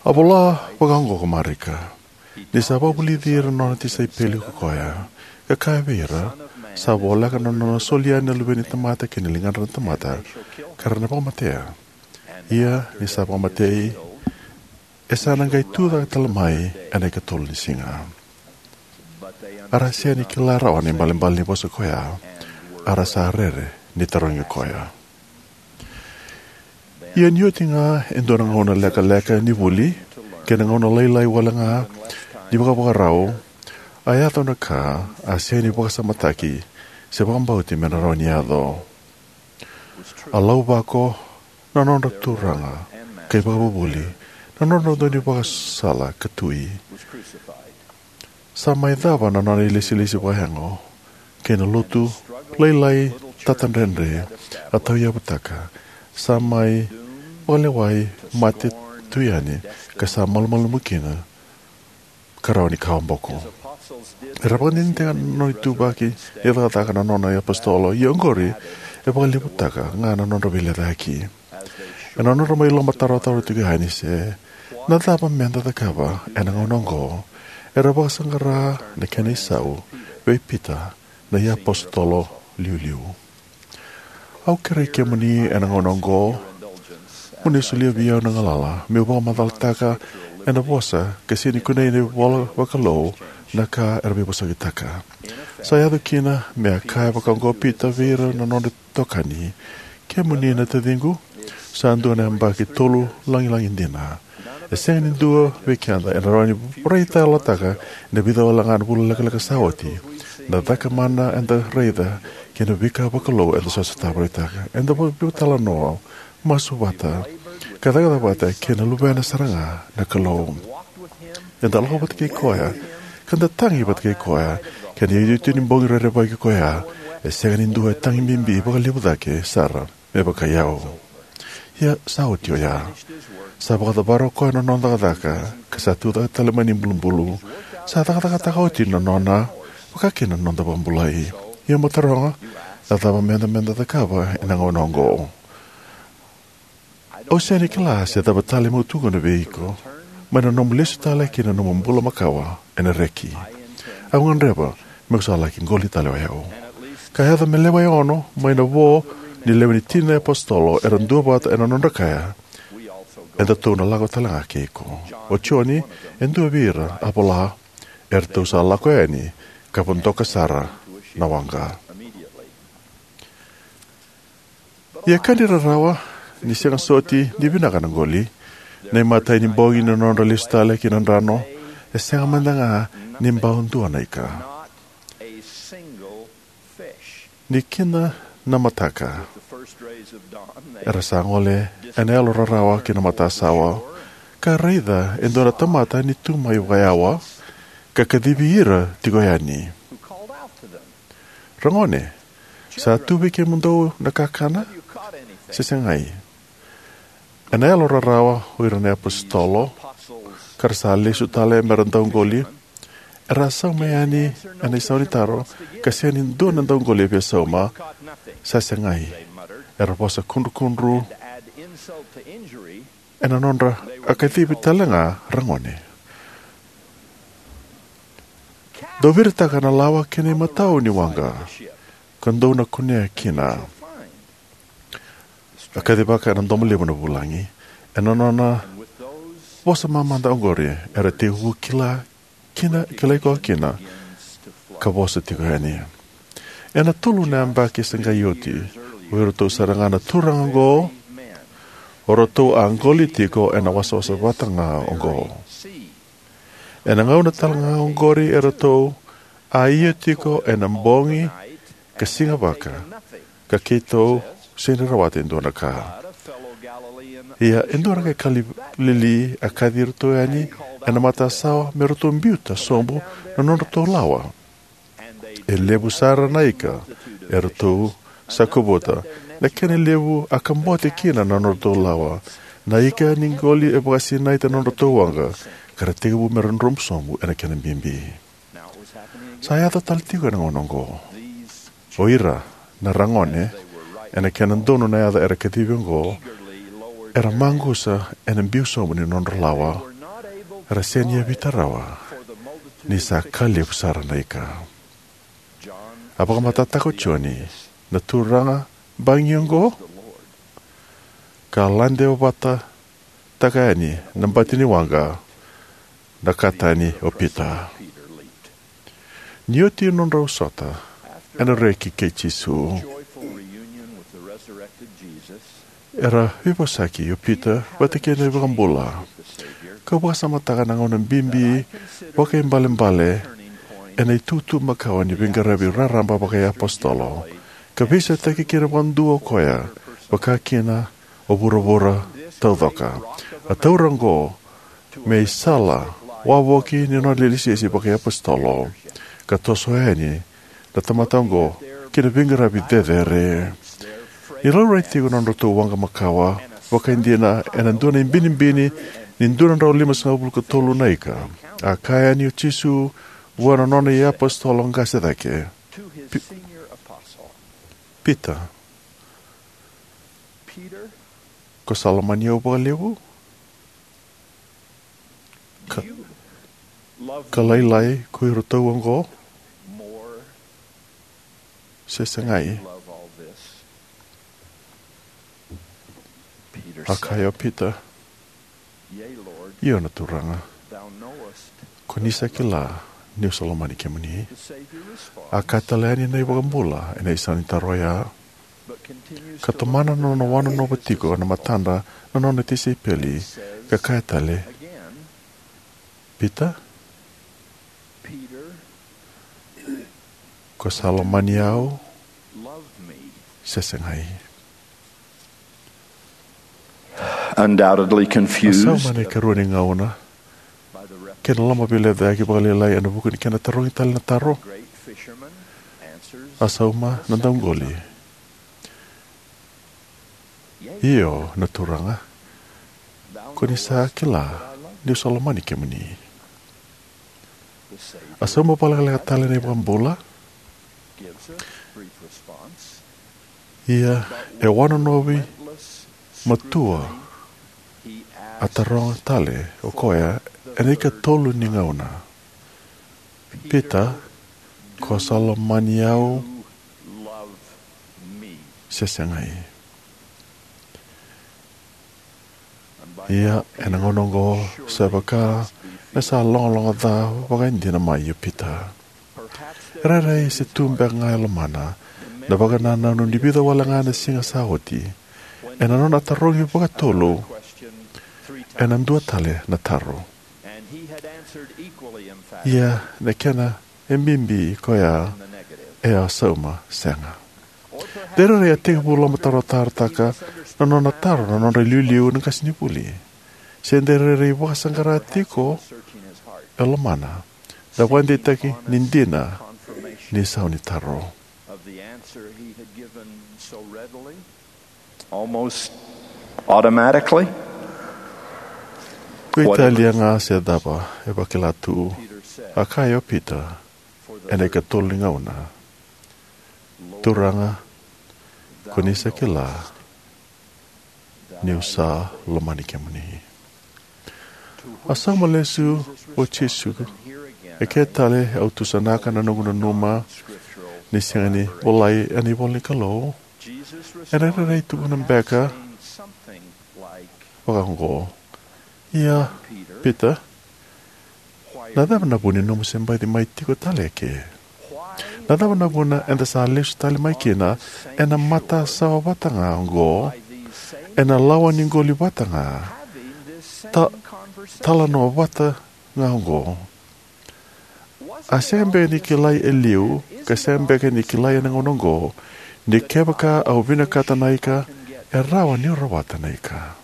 A vola vakaoqo ko Marika ni sa vakavulici ira na nona tisaipeli ko koya, ka kaya vei ira, sa voleka na nona soli yani na Luve ni tamata ki na ligadra na tamata, ka ra na vakamatea. Ia ni sa vakamatei, e sa na qai tucake tale mai ena ikatolu ni siga. A ra sega ni kila rawa na ibalebale ni vosa koya, a ra sa rere ni tarogi koya. Ia ni oti ga e dua na gauna lekaleka ni vuli kei na gauna lailai wale ga ni vakavakarau, a yaco na ka a sega ni vakasamataki se vakabauti me na rawa ni yaco. A lauvako na nodra Turaga kei Vakavuvuli, na nodra Daunivakasala ka Tui. Sa mai cava na nona ilesilesi vakayago kei na lotu lailai tatadredre a tauyavutaka, sa mai vakalewai mate tu yani, ka sa malumalumu kina ka rawa ni kawa boko. Era vakadinadinataka na nona ituvaki ni cakacaka na nona iapositolo, ia oqori e vakalevutaka ga na nodra veilecayaki. Ena nodra mai lomatarotaro tiko yani se na cava meda cakava ena gauna oqo, era vakasaqara na kena isau vei Pita na iapositolo liuliu. Au kerei kemuni ena gauna oqo mo ni solia vei au na galala meu vakamacalataka ena vosa ka sega ni kunei ena ivola vakalou na ka era veivosakitaka. Sa yaco kina me a kaya vakaoqo o Pita vei ira na nodra itokani, kemuni na taciqu, sa dua na yabaki tolu lagilagi dina. E sega ni dua vei keda ena rawa ni vakaraitayalotaka ena vica wale ga na vula lekaleka sa oti na caka mana eda raica kei na veika vakalou eda sotava, raitaka, eda vakatalanoa, masu vata, ka cakacaka vata kei na Luvena sara ga na Kalou. Eda lako vata kei koya ka da tagi vata kei koya, kei na iotioti ni bogi rerevaki koya. E sega ni dua e tagi bibi vakalevu cake sara me vakai au. Ia sa oti oya. Sa vakacavara o koya na nona cakacaka ka sa tucake tale mai na ibulubulu. Sa cakacakataka oti na nona, vaka kina na noda vakabulai. Ia mo taroga, a cava meda, meda cakava ena gauna oqo? Au sega ni kila se cava tale meu tukuna vei iko mai na nomu lesu tale ki na nomu bula makawa ena reki. Au gadreva meu sa laki qoli tale o yau. Ka yaco me lewe ono mai na vo ni lewe ni tini na iapositolo era duavata ena nodra kaya, edatou na lako tale ga kei iko. O Joni e dua vei ira a vola, eratou sa lako yani ka vodoka sara na waqa. Ia ka ni rarawa ni sega soti ni vinaka na qoli, na imatai ni bogi ni nodra lesu tale ki na drano, e sega mada ga ni bau dua na ika. Ni kina na mataka, era sa gole ena yalo rarawa ki na matasawa, ka raica e dua na tamata ni tu mai vakayawa ka kacivi ira tiko yani, "Ragone, sa tu vei kemudou na kakana se segai?" Ena yalo rarawa o ira na iapositolo, ka ra sa lesu tale me ra dauqoli, era sauma yani ena isau ni taro, ka sega ni dua na dauqoli e via sauma. "Sa segai," era vosa kudrukudru ena nodra a kacivi tale ga, "Ragone, dou viritaka na lawa kei na imatau ni waqa, ka dou na kunea kina." A kacivaka ena domo levu na vulagi. Ena nona vosa mamada oqori, era tekivu kila kina, kilai koya kina, ka vosa tiko yani. Ena tolu na yabaki sa qai oti, o iratou sara ga na turaga oqo, o ratou a qoli tiko ena wasawasa vata ga oqo. Ena gauna tale ga oqori eratou a ia tiko ena bogi ka siga vaka, ka keitou sega ni rawata e dua na ka. Ia e dua na qai Kalili a kaci iratou yani ena matasawa me ratou biuta sobu na nodratou lawa. E levu sara na ika eratou sa kovuta, Na kena levu a kabote kina na nodratou lawa. Na ika ni qoli e vakasinaita na nodratou waqa, ka ra tekivu me ra dromu sobu ena kena bibi. Sa yaco tale tiko ena gauna oqo. O ira na ragone, ena kena donu na yaca era kacivi oqo, era maqusa ena biu sobu ni nodra lawa. Era sega ni yavita rawa, ni sa ka levu sara na ika. A vakamatatataka o Joni, na turaga bagi oqo, ka lade vata taka yani na bati ni waqa, na ka tani o Pita. Ni oti nodrau sota ena reki kei Jisu, era veivosaki o Pita vata kei na iVakabula. Kau vakasamataka na gauna bibi vakaibalebale ena itutu makawa ni veiqaravi raraba vakaiapositolo, ka veisautaki kina vakadua o koya, vaka kina o vuravura taucoko. A taura oqo me isala wavoki ni nona ilesilesi vakaiapositolo, ka toso yani na tamata oqo ki na veiqaravi cecere. Ni laurai tiko na nodratou waqa makawa vakaidina ena dua na ibinibini ni dua na drau limasagavulu ka tolu na ika, a kaya yani o Jisu vua na nona iapositolo qase cake, Pi-, Pita, ko sa lomani au vakalevu? Ka, ka lailai ko iratou oqo, se segai? A kaya o Pita, io na Turaga, ko ni sa kila niu sa lomani kemuni. A kaya tale yani na iVakabula ena isau ni taro oya, ka tomana na nona wanonova tiko na matadra na nona tisaipeli, ka kaya tale, Pita, ko sa lomani au se segai? Undoubtedly confused. A sauma ena ikarua ni gauna kei na lomaveilecayaki vakalailai ena vuku ni kena tarogi tale na taro. A sauma na dauqoli, io na Turaga, ko ni sa kila niu sa lomani kemuni. A sauma vakalekaleka tale na iVakabula. Ia e wanonovi matua, a taroga tale o koya ena ikatolu ni gauna, Pita, ko sa lomani au se segai? Ia ena gauna oqo sa vaka me sa logaloga ca vakaidina mai o Pita. E rairai se tu beka ga e lomana na vakanananu ni vica wale ga na siga sa oti, ena nona tarogi vakatolu ena dua tale na taro. Ia na kena e bibi koya e a sauma sega. De rairai a tekivu lomatarotarotaka na nona taro na nodra iliuliu na qasenivuli. Se de rairai vakasaqara tiko e lomana na vakadeitaki ni dina ni sau ni taro. Almost automatically. Ko italia ga se cava e vakila tu, a kaya o Pita ena ikatolu ni gauna, Turaga, ko ni sa kila niu sa lomani kemuni. A sauma lesu o Jisu, e ke tale au tusanaka na noqu nanuma ni sega ni volai ena ivola ni Kalou. Ena rairai tukuna beka vaka oqo, ia Pita, na cava na vu ni nomu se baci mai tiko tale eke? Na cava na vuna eda sa lesu tale mai kina ena matasawa vata ga oqo, ena lawa ni qoli vata ga, ta, talanoa vata ga oqo? A sega beka ni kilai e liu, ka sega beka ni kilai ena gauna oqo, ni kevaka au vinakata na ika, e rawa niu rawata na ika.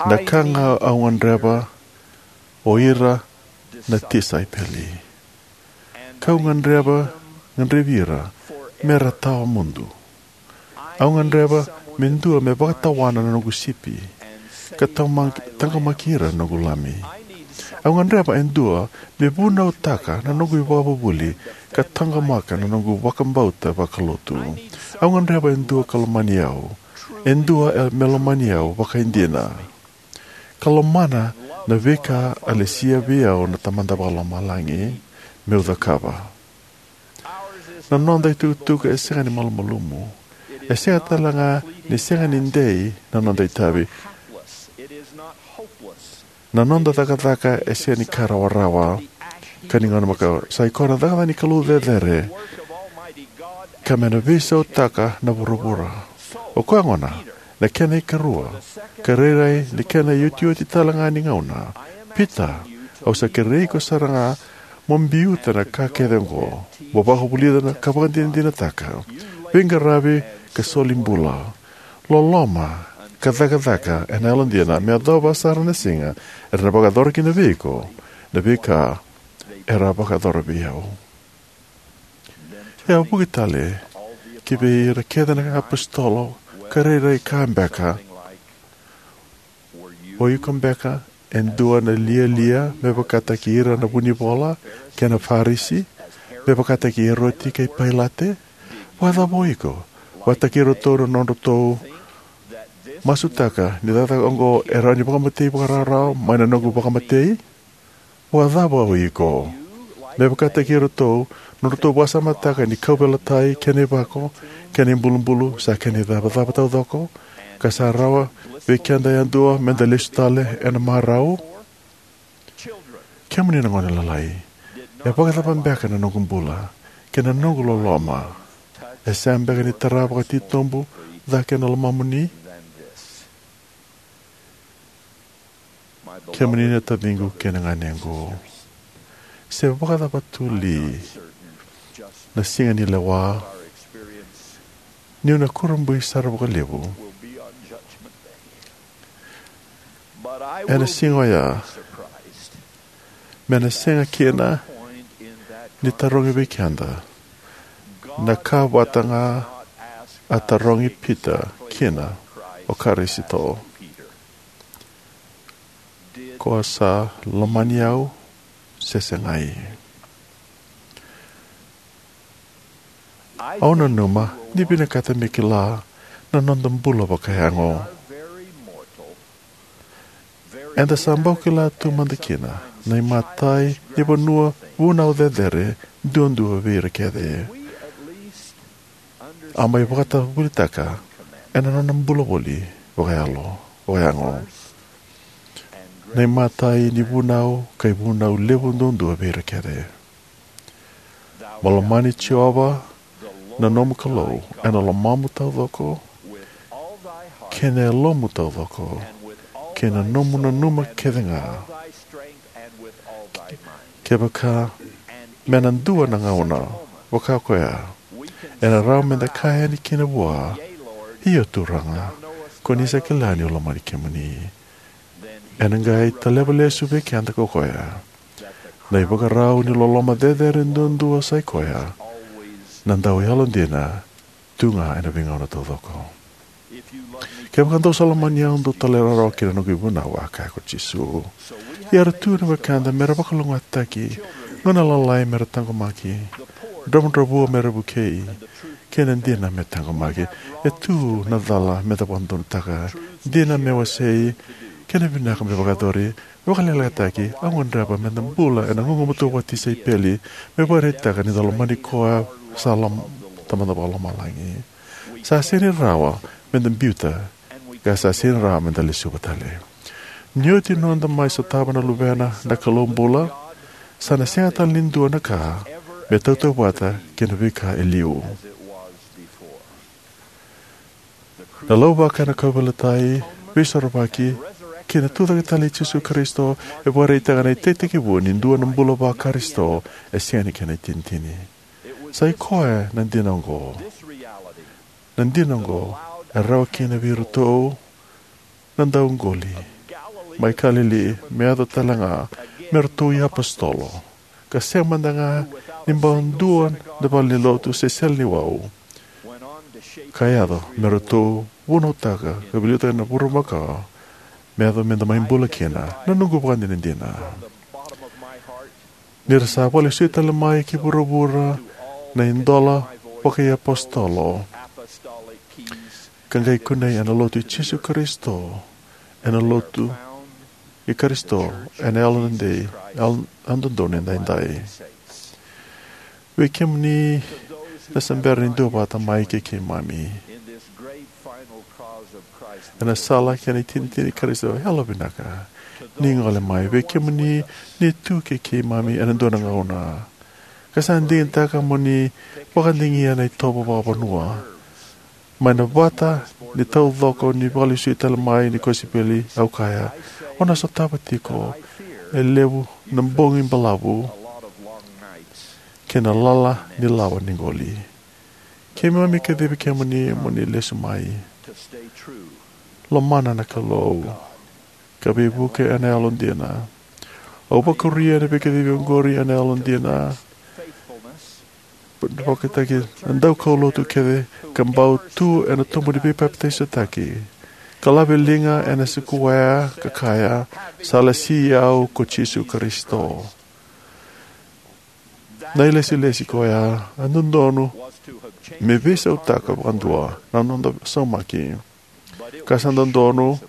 Na ka ga au gadreva o ira na tisaipeli, kau gadreva, gadrevi ira me ra tawa mudu. Au gadreva me dua me vakatawana na noqu sipi ka taqomaki ira na noqu lami. Au gadreva e dua me vunautaka na noqu ivakavuvuli ka taqomaka na noqu vakabauta vakalotu. Au gadreva e dua ka lomani au, e dua me lomani au vakaidina, ka lomana na veika a lesia vei au na Tamada Vakalomalagi meu cakava. Na noda itukutuku e sega ni malumalumu. E sega talega ni sega ni dei na noda itavi. Na noda cakacaka e sega ni ka rawarawa ka ni gauna makawa. Sa i koya na cakacaka ni Kalou cecere ka me na veisautaka na vuravura. O koya gona na kena ikarua, ka rairai ni kena iotioti talega ni gauna. Pita, au sa kerei iko sara ga mo biuta na ka kece oqo, mo vakavulica na ka vakadinadinataka, veiqaravi ka soli bula, loloma ka cakacaka ena yalodina me yacova sara na siga era na vakayacora kina vei iko na veika era vakayacora vei au. E a vuki tale ki vei ira kece na apositolo ka rairai ka beka o iko beka e dua na lialia me vakataki ira na vunivola kei na Farisi, me vakataki Eroti kei Pailate? Vakacava o iko vakataki iratou na nodratou masutaka ni cakacaka oqo e rawa ni vakamatei vakarawarawa mai na noqu vakamatei? Vakacava o iko me vakataki iratou na nodratou vakasamataka ni kauveilatai kei na ivako kei na ibulubulu sa kena icavacava taucoko, ka sa rawa vei keda yadua meda lesu tale ena marau? Kemuni na gone lalai, e vakacava beka na noqu bula kei na noqu loloma? E sega beka ni tara vakatitobu cake na lomamuni? Kemuni na taciqu kei na ganequ, se vakacava tu li na siga ni lewa, niu na kurabui sara vakalevu ena siga oya, me na sega kina ni tarogi vei keda na ka vata ga a tarogi Pita kina o Karisito: Ko sa lomani au se segai? Au nanuma ni vinakata me kila na noda bula vakayago. Eda sa bau kila tu mada kina na imatai ni vanua vunau cecere duadua vei ira kece. A mai vakatavulitaka ena nona bula voli vakayalo, vakayago, na imatai ni vunau ka ivunau levu duadua vei ira kece. Mo lomani Jiova na nomu Kalou ena lomamu taucoko, kei na yalomu taucoko, kei na nomu nanuma kece ga. Kevaka me na dua na gauna vaka koya, ena rawa meda kaya yani kina vua, "Io Turaga, ko ni sa kila niu lomani kemuni." Ena qai taleva lesu vei keda ko koya na ivakarau ni loloma cecere duadua, sa i koya na dau yalodina tu ga ena veigauna taucoko. "Kevaka dou sa lomani au, dou talairawarawa ki na noqu ivunau," a kaya ko Jisu. Ia era tu na wekada mera vakalougatataki, gauna lalai mera taqomaki, dravudravua mera vukei, kei na dina me taqomaki. E tu na cala meda vakadodonutaka, dina me wasei, kei na vinaka me vakayacori. Me vakaleleqataki, au gadreva meda bula ena gugumatua vakatisaipeli, me vakaraitaka ni da lomani koya sa lom-, Tamada Vakalomalagi. Sa sega ni rawa meda biuta, ka sa sega ni rawa meda lesuva tale. Ni oti noda mai sotava na Luvena na Kalou bula, sa na sega tale ni dua na ka me tautauvata kei na veika e liu. Na lauvako ena kauveilatai, veisorovaki, kei na tucake tale i Jisu Karisito e vakaraitaka na itekitekivu ni dua na bula va-Karisito e sega ni kena itinitini. Sa i koya na dina oqo. Na dina oqo e rawa kina vei iratou na dauqoli mai Kalili me yaco tale ga me ratou iapositolo, ka sega mada ga ni bau dua na valenilotu se sele ni wau. Ka yaco me ratou vunautaka ka veiliutaka na vurumaka me yaco me da mai bula kina. Na noqu vakadinadina ni ra sa vakalesui tale mai ki vuravura na idola vakaiapositolo ka qai kunei ena lotu i Jisu Karisito, ena lotu i Karisito, ena yalodei, yalododonu edaidai. Vei kemuni na sa bera ni duavata mai kei keimami ena sala kei na itinitini i Karisito, yalovinaka ni gole mai. Vei kemuni ni tu kei keimami ena dua na gauna ka sa digitaka mo ni vakadigia na itovo vakavanua mai na vata ni taucoko ni vakalesui tale mai ni kosipeli, au kaya, o na sotava tiko e levu na bogi balavu kei na lala ni lawa ni qoli. Keimami kacivi kemuni mo ni lesu mai. Lomana na Kalou ka veivuke ena yalodina. Au vakuria na veikacivi oqori ena yalodina. Vakataki na daukaulotu kece ka bau tu ena tobu ni veipapitaisotaki ka lave liga ena sikuwea ka kaya, sa lesi au ko Jisu Karisito. Na ilesilesi koya e dodonu me veisautaka vakadua na noda saumaki, ka sa dodonu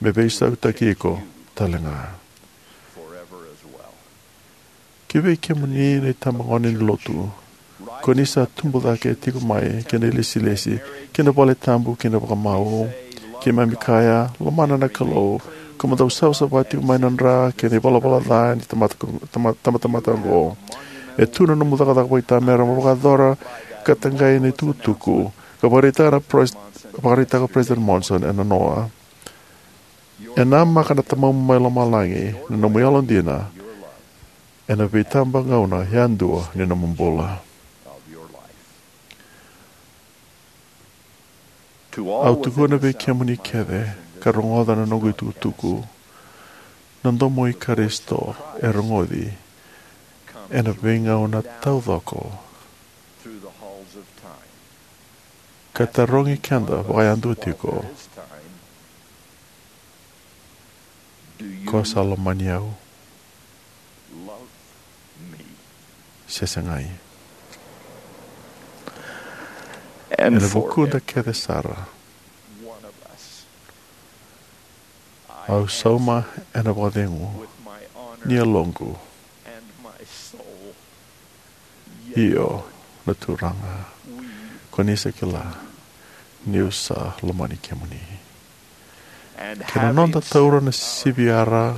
me veisautaki iko talega. Ki vei kemuni na itabagone ni lotu, ko ni sa tubu cake tiko mai ki na ilesilesi ki na vale tabu ki na vakamau, keimami kaya, lomana na Kalou, ko mo dau savasava tiko mai na dra kei na ivalavala ca ni tamata, tama- tamatamata oqo. E tu na nomu cakacaka vakaitamera mo vakayacora ka taqai na itukutuku ka vakaraitaka na pres- vakaraitaka o President Monson ena noa. E namaka na Tamamu mai Lomalagi na nomu yalodina ena veitabagauna yadua ni nomu bula. Au tukuna vei kemuni kece ka rogoca na noqu itukutuku, na domo i Karisito e rogoci ena veigauna taucoko ka tarogi keda vakayadua tiko, ko sa lomani au se segai? Ena vukuda kece sara, au sauma ena vakacegu ni yaloqu, io, na Turaga, ko ni sa kila niu sa lomani kemuni. Kei na noda taura na siviyara,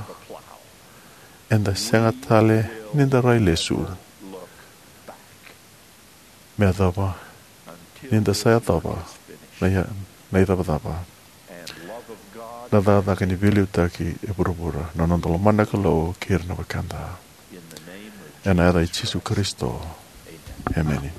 eda sega tale ni da rai lesu me yacova ni da sa yacova na, na icavacava, na cakacaka ni veiliutaki e vuravura, na noda lomana na Kalou kei ira na wekada. Ena yaca i Jisu Karisito, emeni.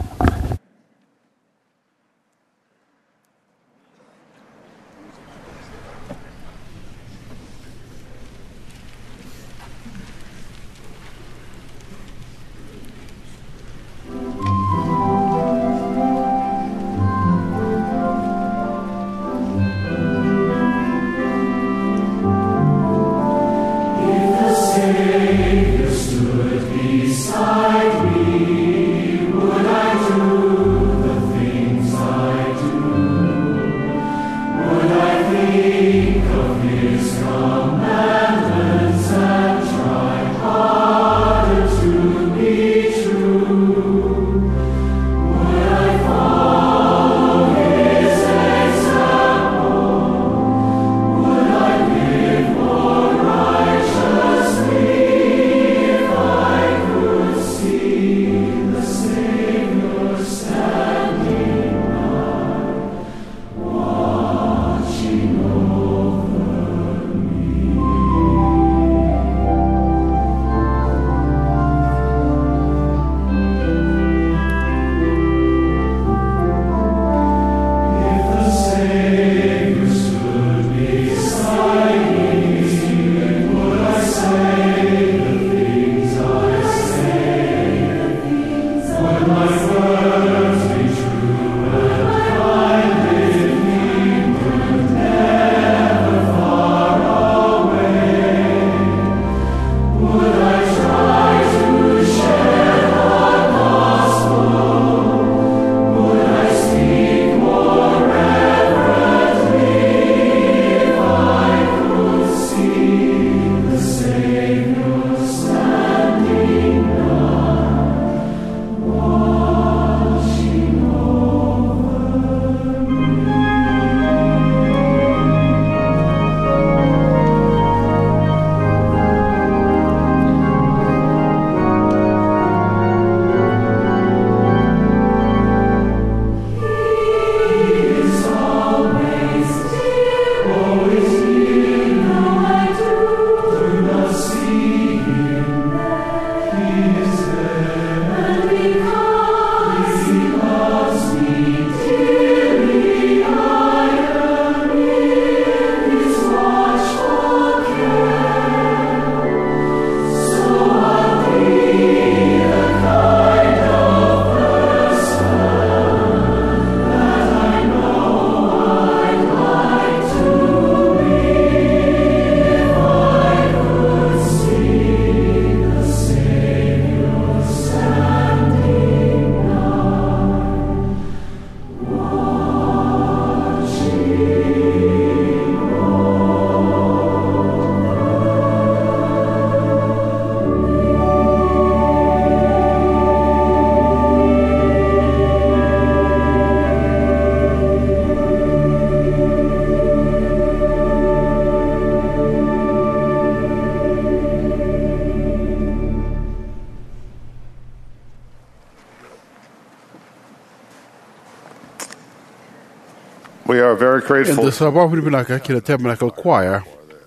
Eda sa vakavinavinaka ki na Tabernacle Choir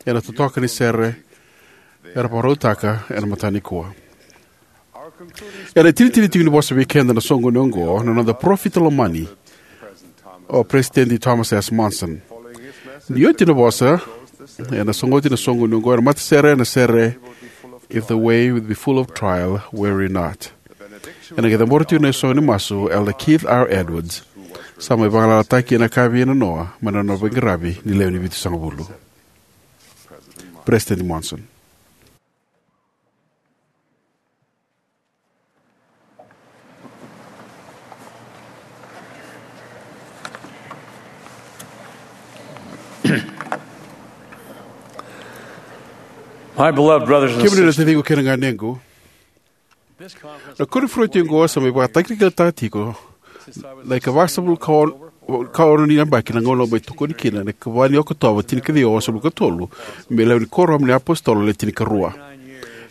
ena totoka ni sere era vakarautaka ena mataka nikua. Ena itinitini tiko ni vosa vei keda ena soqoni oqo na noda parofita lomani, o Peresitedi Thomas S. Monson. Ni oti na vosa, ena sogoti na soqoni oqo ena matasere ena sere If the Way Will Be Full of Trial, Worry Not. Ena qai cabora tiko na isaunsu ni masu Elder Keith R. Edwards, sa mai vagalalataki ena yakavi enanoa mai na nona veiqaravi ni lewe ni vitusagavulu. Peresitedi Monson. My beloved brothers and Kemuni na sisters, taciqu kei na ganequ, na koniferedi oqo sa mai vakatakilakilataka tiko na ikavasagavulu ka ono ni yabaki na gauna au mai tokoni kina ena ikava ni Okotova tinikaciwa walusagavulu ka tolu me lewe ni Kuoramu ni iApositolo Le Tinikarua.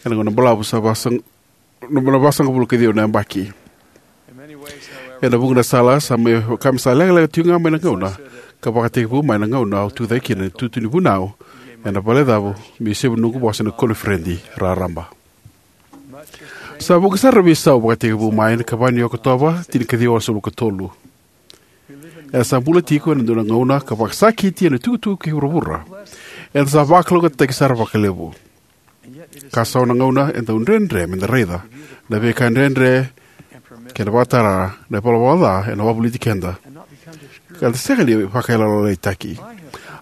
Ena gauna balavu sa vasagavulu ka ciwa na yabaki. Ena vuqa na sala sa mai vaka me sa lekaleka tiko ga mai na gauna ka vakatekivu mai na gauna au tucake kina ena itutu ni vunau ena valecavu me isevu ni noqu vosa ena koniferedi raraba. Sa vuqa sara na veisau vakatekivu mai na ikava ni Okotova tinikaciwa walusagavulu ka tolu. Eda sa bula tiko ena dua na gauna ka vakasakiti ena itukutuku kei vuravura. Eda sa vakalougatataki sara vakalevu. Ka so na gauna e dau dredre meda raica na veika dredre kei na vakatara na ivalavala ca ena wavoliti keda ka da sega ni vakayalolailaitaki.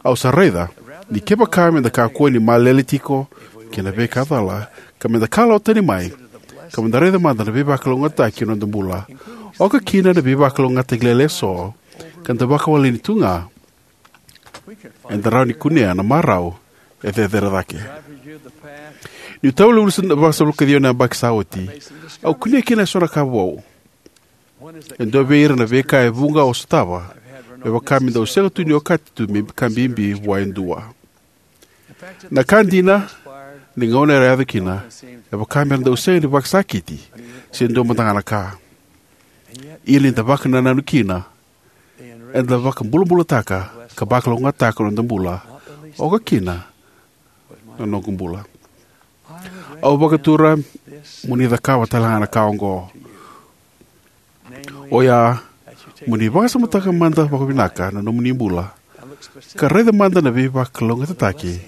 Au sa raica ni kevaka meda kakua ni malele tiko kei na veika cala ka meda kalawa tani mai ka meda raica mada na veivakalougatataki ena noda bula, oka kina na veivakalougatataki lailai eso ka da vakawaleni tu ga, eda rawa ni kunea na marau e cecere cake. Niu tau lesu na vasagavulu ka ciwa na yabaki sa oti, au kunea kina eso na ka vou. E dua vei ira na veika e vuqa au sotava me vaka me dau sega tu ni okati tu me ka bibi vua e dua. Na ka dina, ni gauna era yaco kina, e vaka mera dau sega ni vakasakiti se dua mada ga na ka. Ia ni da vakanananu kina, eda vakabulabulataka ka vakalougatataka na noda bula, oka kina na noqu bula. Au vakatura mo ni cakava tale ga na ka oqo. Oya, mo ni vakasamataka mada vakavinaka na nomuni bula ka raica mada na veivakalougatataki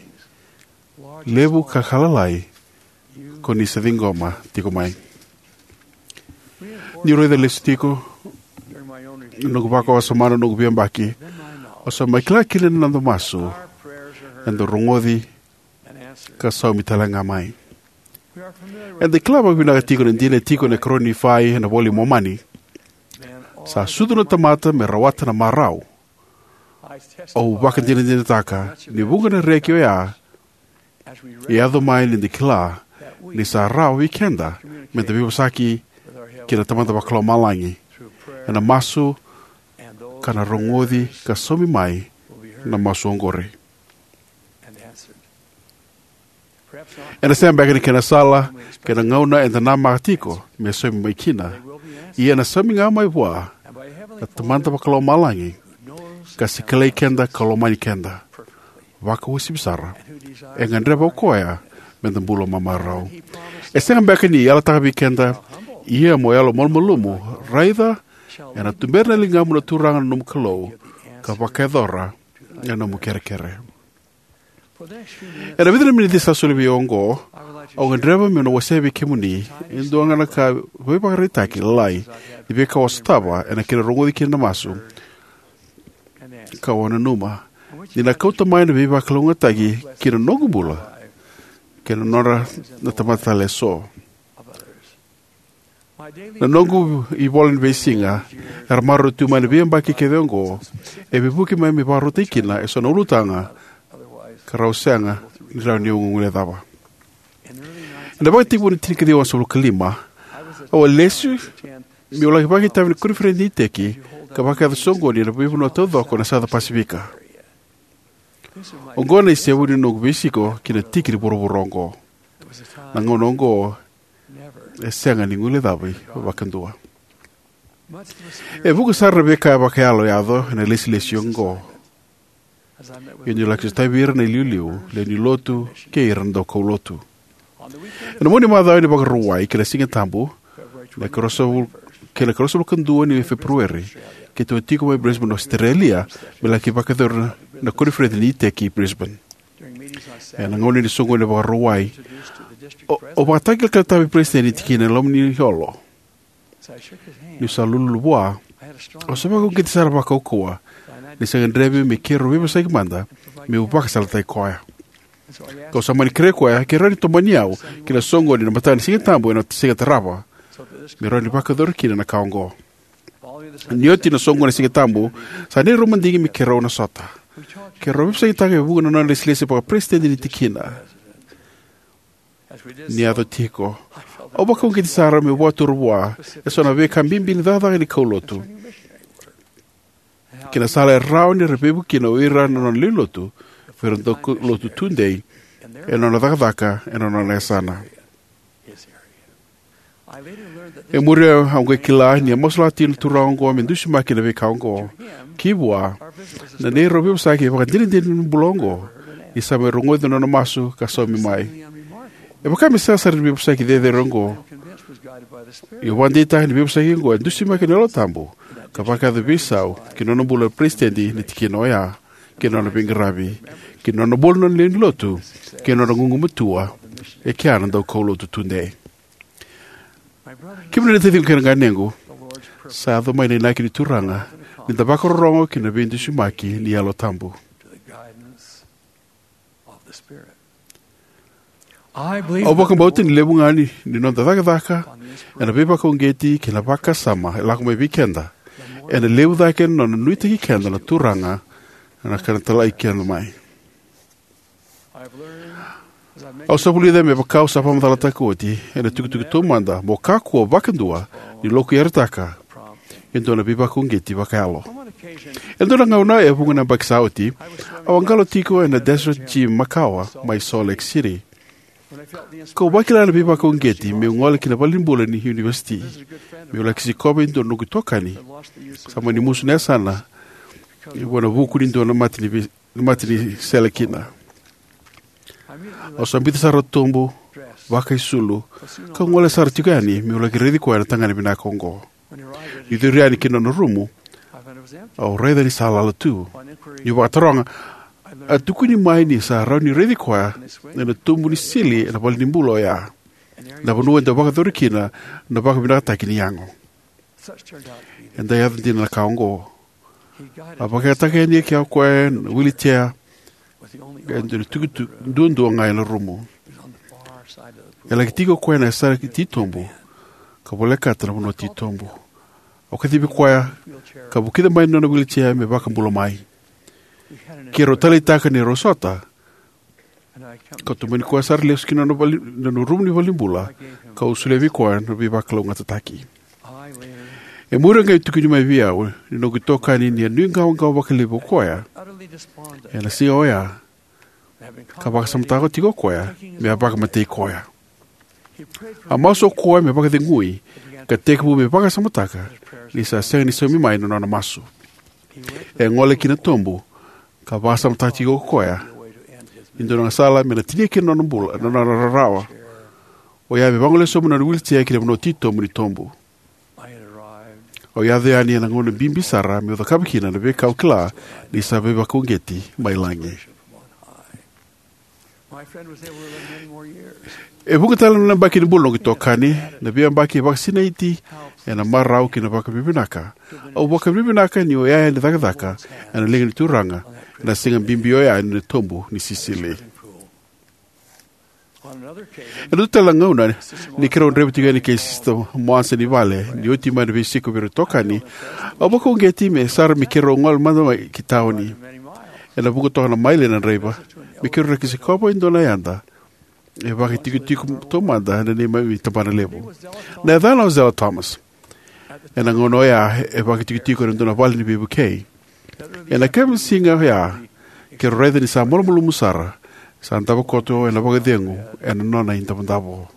levu ka lalai ko ni sa ciqoma tiko mai. Niu raica lesu tiko na noqu vakawasoma na noqu veiyabaki, au sa mai kila kina ni noda masu eda rogoci ka saumi tale ga mai. Eda kila vakavinaka tiko na dina e tiko ena iKarua ni Nifai ena iVola i Momani: Sa sucu na tamata me rawata na marau. Au vakadinadinataka ni vuqa na reki oya e yaco mai ni da kila ni sa rawa vei keda meda veivosaki kei na Tamada Vakalomalagi ena masu ka na rogoci ka saumi mai na masu oqori. Ena sega beka ni kena sala kei na gauna eda namaka tiko me saumi mai kina, ia ena saumi ga mai vua na Tamada Vakalomalagi ka se kilai keda ka lomani keda vakauasivi sara. E gadreva o koya meda bula mamarau. E sega beka ni yalataka vei keda, ia mo yalomalumalumu, raica ena tubera na ligamu na Turaga na nomu Kalou ka vakayacora na nomu kerekere. Ena vica na miniti sa soli vei au oqo, au gadreva meu na wasea vei kemuni e dua ga na ka veivakaraitaki lalai ni veika au a sotava ena kena rogoci kina na masu, ka au nanuma ni na kauta mai na veivakalougatataki ki na noqu bula kei na nodra na tamata tale eso. Na noqu ivola ni veisiga era maroroi tu mai na veiyabaki kece oqo e veivuke mai me vakarautaki kina eso na ulutaga ka rau sega ni rawa ni guilecava. Ena ivakatekivu ni tinikaciwa walusagavulu ka lima, au a lesu meu laki vakaitavi ena koniferedi ni iteki ka vakayaco soqoni ena veivanua taucoko ena Sauca Pasivika. Oqo na isevu ni noqu veisiko ki na tiki ni vuravura oqo. Na gauna oqo e sega ni guilecavi vakadua. E vuqa sara na veika vakayalo e yaco ena ilesilesi oqo. Ia niu laki sotavi ira na iliuliu, lewe ni lotu, kei ira na daukaulotu. Ena mua ni macawa ni Vakarauwai kei na Siga Tabu, na ikaruasagavulu, kei na ikaruasagavulu ka dua ni Feperueri, keitou a tiko mai Brisbane, Ositerelia, me laki vakayacori na koniferedi ni iteki i Brisbane. Ena gauna ni soqoni ni Vakarauwai, o, o vakatakilakila vei peresitedi ni tikina e loma ni olo. Niu sa lululu vua, au sa vakauqeti sara vakaukauwa ni sa gadrevi me keirau veivosaki mada, meu vakasalataki koya. Kau sa mani kerei koya ke rawa ni tomani au ki na soqoni ena mataka ni Siga Tabu ena siga tarava, me rawa ni vakayacori kina na ka oqo. Ni oti na soqoni ena Siga Tabu, sa neirau madigi me keirau na sota. Keirau veivosakitaka e vuqa na nona ilesilesi vakaperesitedi ni tikina. Ni yaco tiko, au vakauqeti sara meu vakatura vua eso na veika bibi ni cakacaka ni kaulotu kei na sala e rawa ni ra veivuke kina o ira na nona lewe ni lotu vei ira na daukaulotu tudei ena nona cakacaka ena nona yasana. E muri au qai kila ni a masulaka tiko na turaga oqo me dusimaki ena veika oqo. Ki vua, na neirau veivosaki e vakadinadina ni bula oqo, ni sa mai rogoci na nona masu ka saumi mai. E vaka me sega sara ni veivosaki cecere oqo. Ia au vakadeitaka ni veivosaki oqo e dusimaki ena Yalo Tabu, ka vakayaco veisau ki na nona bula na peresitedi ni tikina oya, kei na nona veiqaravi, kei na nona bula na nona lewe ni lotu, kei na nona gugumatua e kea na daukaulotu tudei. Kemuni na taciqu kei na ganequ, sa yaco mai na inaki ni Turaga ni da vakarorogo ki na veidusimaki ni Yalo Tabu. Au vakabauta ni levu ga ni, ni noda cakacaka ena veivakauqeti kei na vakasama e lako mai vei keda, ena levu cake na nona nuitaki keda na Turaga na ka ena talai keda mai. Au sa vulica me vaka au sa vakamacalataka oti ena itukutuku taumada, mo kakua vakadua ni lokuyarataka e dua na veivakauqeti vakayalo. E dua na gauna e vuqa na yabaki sa oti, au a qalo tiko ena Desert Gym makawa mai Salt Lake City. Kau vakila na veivakauqeti meu gole ki na valenibula ni univesiti, meu laki sikova e dua na noqu itokani sa mani musu na yasana vua na vuku ni dua na mate ni vei-, mate ni sele kina. Au sa biuta sara na tobu, vakaisulu, kau gole sara tiko yani meu laki raici koya na tagane vinaka oqo. Niu curu yani ki na nona rumu, au raica ni sa lala tu. Niu vakataroga, a tukuni mai ni sa rawa ni raici koya ena tobu ni sili ena valenibula oya, na vanua e dau vakayacori kina na vakavinakataki ni yago. Eda yaco dina na ka oqo. A vakayagataka yani o koya na wheelchair, e dua na itukutuku duadua ga ena rumu. E laki tiko o koya ena yasana titobu, ka volekata na vanua titobu. Au kacivi koya, ka vukica mai na nona wheelchair me vakabula mai. Keirau taleitaka ni rau sota, kau tomani koya sara lesu ki na nona vale-, nona rumu ni valenibula, kau solia vei koya na veivakalougatataki. E muri qai tukuni mai vei au ni noqu itokani ni a nuiqawaqawa vakalevu o koya ena siga oya, ka vakasamataka tiko o koya me a vakamatei koya. A masu o koya me vakacegui, ka tekivu me vakasamataka ni sa sega ni saumi mai na nona masu. E gole ki na tobu, ka vakasamataka tiko o koya e dua na sala me na tinia kina na nona bula, na nona rarawa. Oya me vagolea sobu na nona wheelchair ki na vanua titobu ni tobu. Au yaco yani ena gauna bibi sara meu cakava kina na veika au kila ni sa veivakauqeti mai lagi. E vuqa tale na yabaki ni bula noqu itokani, na veiyabaki e vakasinaiti ena marau kei na vakavinavinaka. Au vakavinavinaka ni oya yani cakacaka ena liga ni Turaga ena siga bibi oya ni tobu ni sisili. Ena dua tale na gauna, ni keirau draiva tiko yani kei Sister Monson i vale ni oti mai na veisiko vei ira na itokani, au vakauqeti me sara me keirau gole mada mai ki tauni. Ena vuqa toka na maile na draiva me keirau laki sikova e dua na yada e vakaitikotiko taumada ena neimami tabana levu. Na yacana o Zella Thomas. Ena gauna oya e vakaitikotiko ena dua na vale ni veivukei. Ena yakavi ni siga oya, keirau raica ni sa malumalumu sara, sa davo koto ena vakacegu ena nona idavodavo.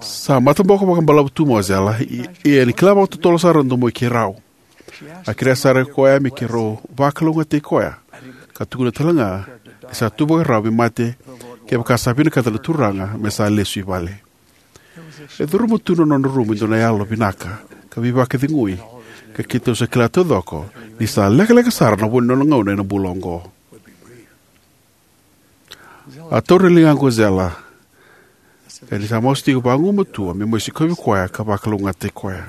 Sa mataboko vakabalavu tu mai o Zella, i-, ia ni kila vakatotolo sara na domoi keirau. A kerea sara ko koya me keirau vakalougatataki koya, ka tukuna tale ga ni sa tu vakarau me mate kevaka sa vinakata na Turaga me sa lesu i vale. E curuma tu na nona rumu e dua na yalo vinaka ka veivakacegui, ka keitou sa kila taucoko ni sa lekaleka sara na vo ni nona gauna ena bula oqo. A taura na ligaqu o Zella, ka ni sa masu tiko vagumatua me mai sikovi koya ka vakalougatataki koya.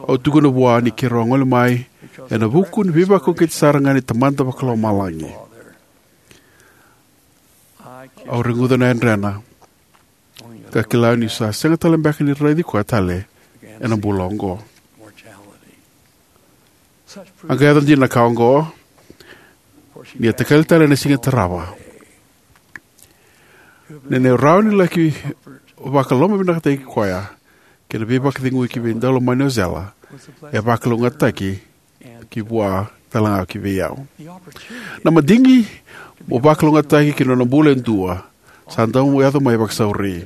Au tukuna vua ni keirau a gole mai ena vuku ni veivakauqeti sara ga ni Tamada Vakalomalagi. Au reguca na yadrena ka kila niu sa sega tale beka ni raici koya tale ena bula oqo. A qai yaco dina na ka oqo ni a takali tale ena siga e tarava. Na neirau rawa ni laki vakalomavinakataki koya kei na veivakacegui ki vei daulomani o Zella e vakalougatataki ki vua tale ga ki vei au. Na madigi mo vakalougatataki ki na nona bula e dua sa dau yaco mai vakasauri.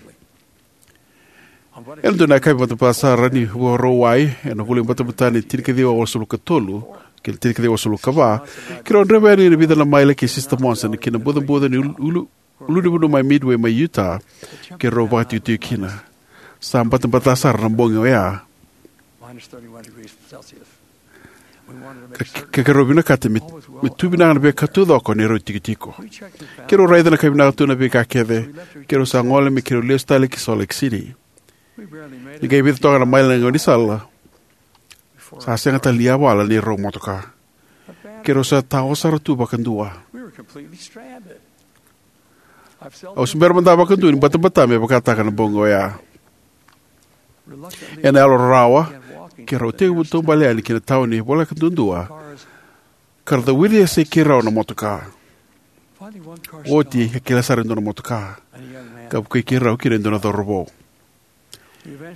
Ena dua na yakavi batabata sara ni Vakarauwai ena vula i batabata ni tinikaciwa walusagavulu ka tolu kei na tinikaciwa walusagavulu ka va, keirau draiva yani ena vica na maile kei Sister Monson ki na bucabuca ni ulu, ulu, ulunivanua mai Midway mai Utah, keirau vakatikotiko kina. Sa batabata sara na bogi oya. Ka, ka keirau vinakata me, me tu vinaka na veika taucoko neirau tikotiko. Keirau raica na ka vinaka tu na veika kece, keirau sa gole me keirau lesu tale ki Salt Lake City. Ni qai vica toka na maile na gaunisala, sa sega tale ni yavala neirau motoka. Keirau sa tao sara tu vakadua. Au se bera mada vakadua ni batabata me vakataka na bogi oya. Ena yalo rarawa, keirau tekivu taubale yani ki na tauni voleka duadua, ka ra cavuti e yasai keirau na motoka. Oti, a kila sara e dua na motoka ka vukei keirau kina e dua na cauravou.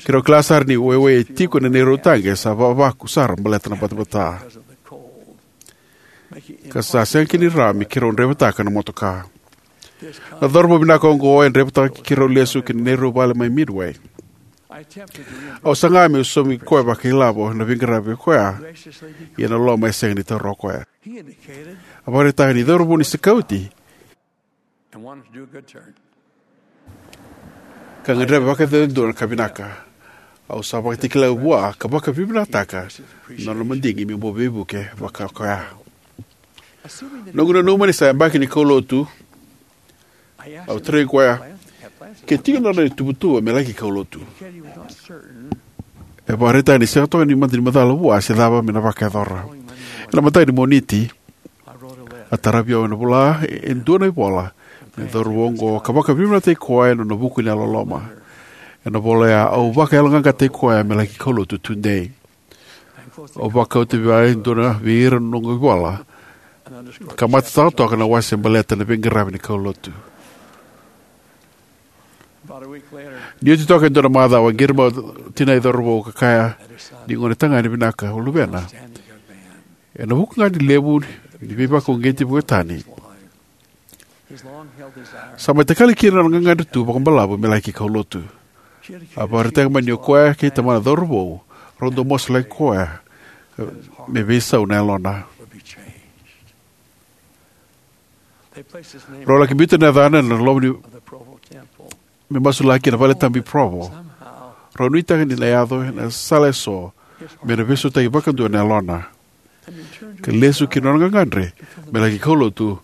Keirau kila sara ni waiwai e tiko ena neirau taqe sa vavaku sara baleta na batabata, ka sa sega kina ni rawa me keirau draivataka na motoka. Na cauravou vinaka oqo e draivataka keirau lesu ki na neirau vale mai Midway. Au saga meu saumi koya vakailavo ena veiqaravi koya, ia ena loma e sega ni taura o koya. A vakaraitaka ni cauravou ni sikauti ka gadreva vakayadudua na ka vinaka. Au sa vakatakila vua ka vakavinavinakataka na nona madigi me bau veivuke vaka koya. Noqu nanuma ni sa yabaki ni kaulotu, au tarogi koya ke tiko na nona ituvatuva me laki kaulotu. E vakaraitaka ni sega toka ni mada ni macala vua se cava me na vakayacora. Ena mataka ni Moniti, a taravi au ena vola e dua na ivola mai na cauravou oqo ka vakavinavinakataki koya ena nona vuku ni yalololoma. Ena vola oya, au vakayaloqaqataki koya me laki kaulotu tudei. Au vakauta vei au e dua na vei ira na noqu ivola ka matataka toka na wase baleta na veiqaravi ni kaulotu. Ni oti toka e dua na macawa, a qiri mai o tinai cauravou ka kaya ni gone tagane vinaka o luvena ena vuku ga ni levu ni veivakauqeti vuka tani, sa mai takali kina na nona gagadre tu vakabalavu me laki kaulotu. A vakaraitaka mai ni o koya kei tamana cauravou rau dau masulaki koya me veisau na yalona. Rau laki biuta na yacana ena loma ni me masulaki ena vale tabu i Provo. Rau nuitaka ni na yaco ena sala eso me na veisautaki vakadua na yalona ka lesu ki na nona gagadre me laki kaulotu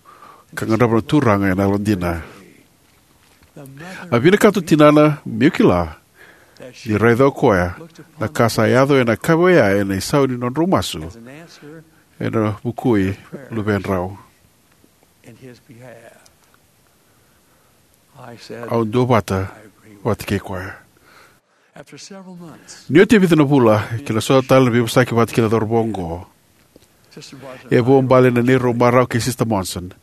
ka qarava na Turaga ena yalodina. A vinakata o tinana meu kila ni raica o koya na ka sa yaco ena yakavi oya ena isau ni nodrau masu ena vukui luvedrau. Au duavata vata kei koya. Ni oti e vica na vula kei na sota tale na veivosaki vata kei na cauravou oqo, e vuabale na neirau marau kei Sister Monson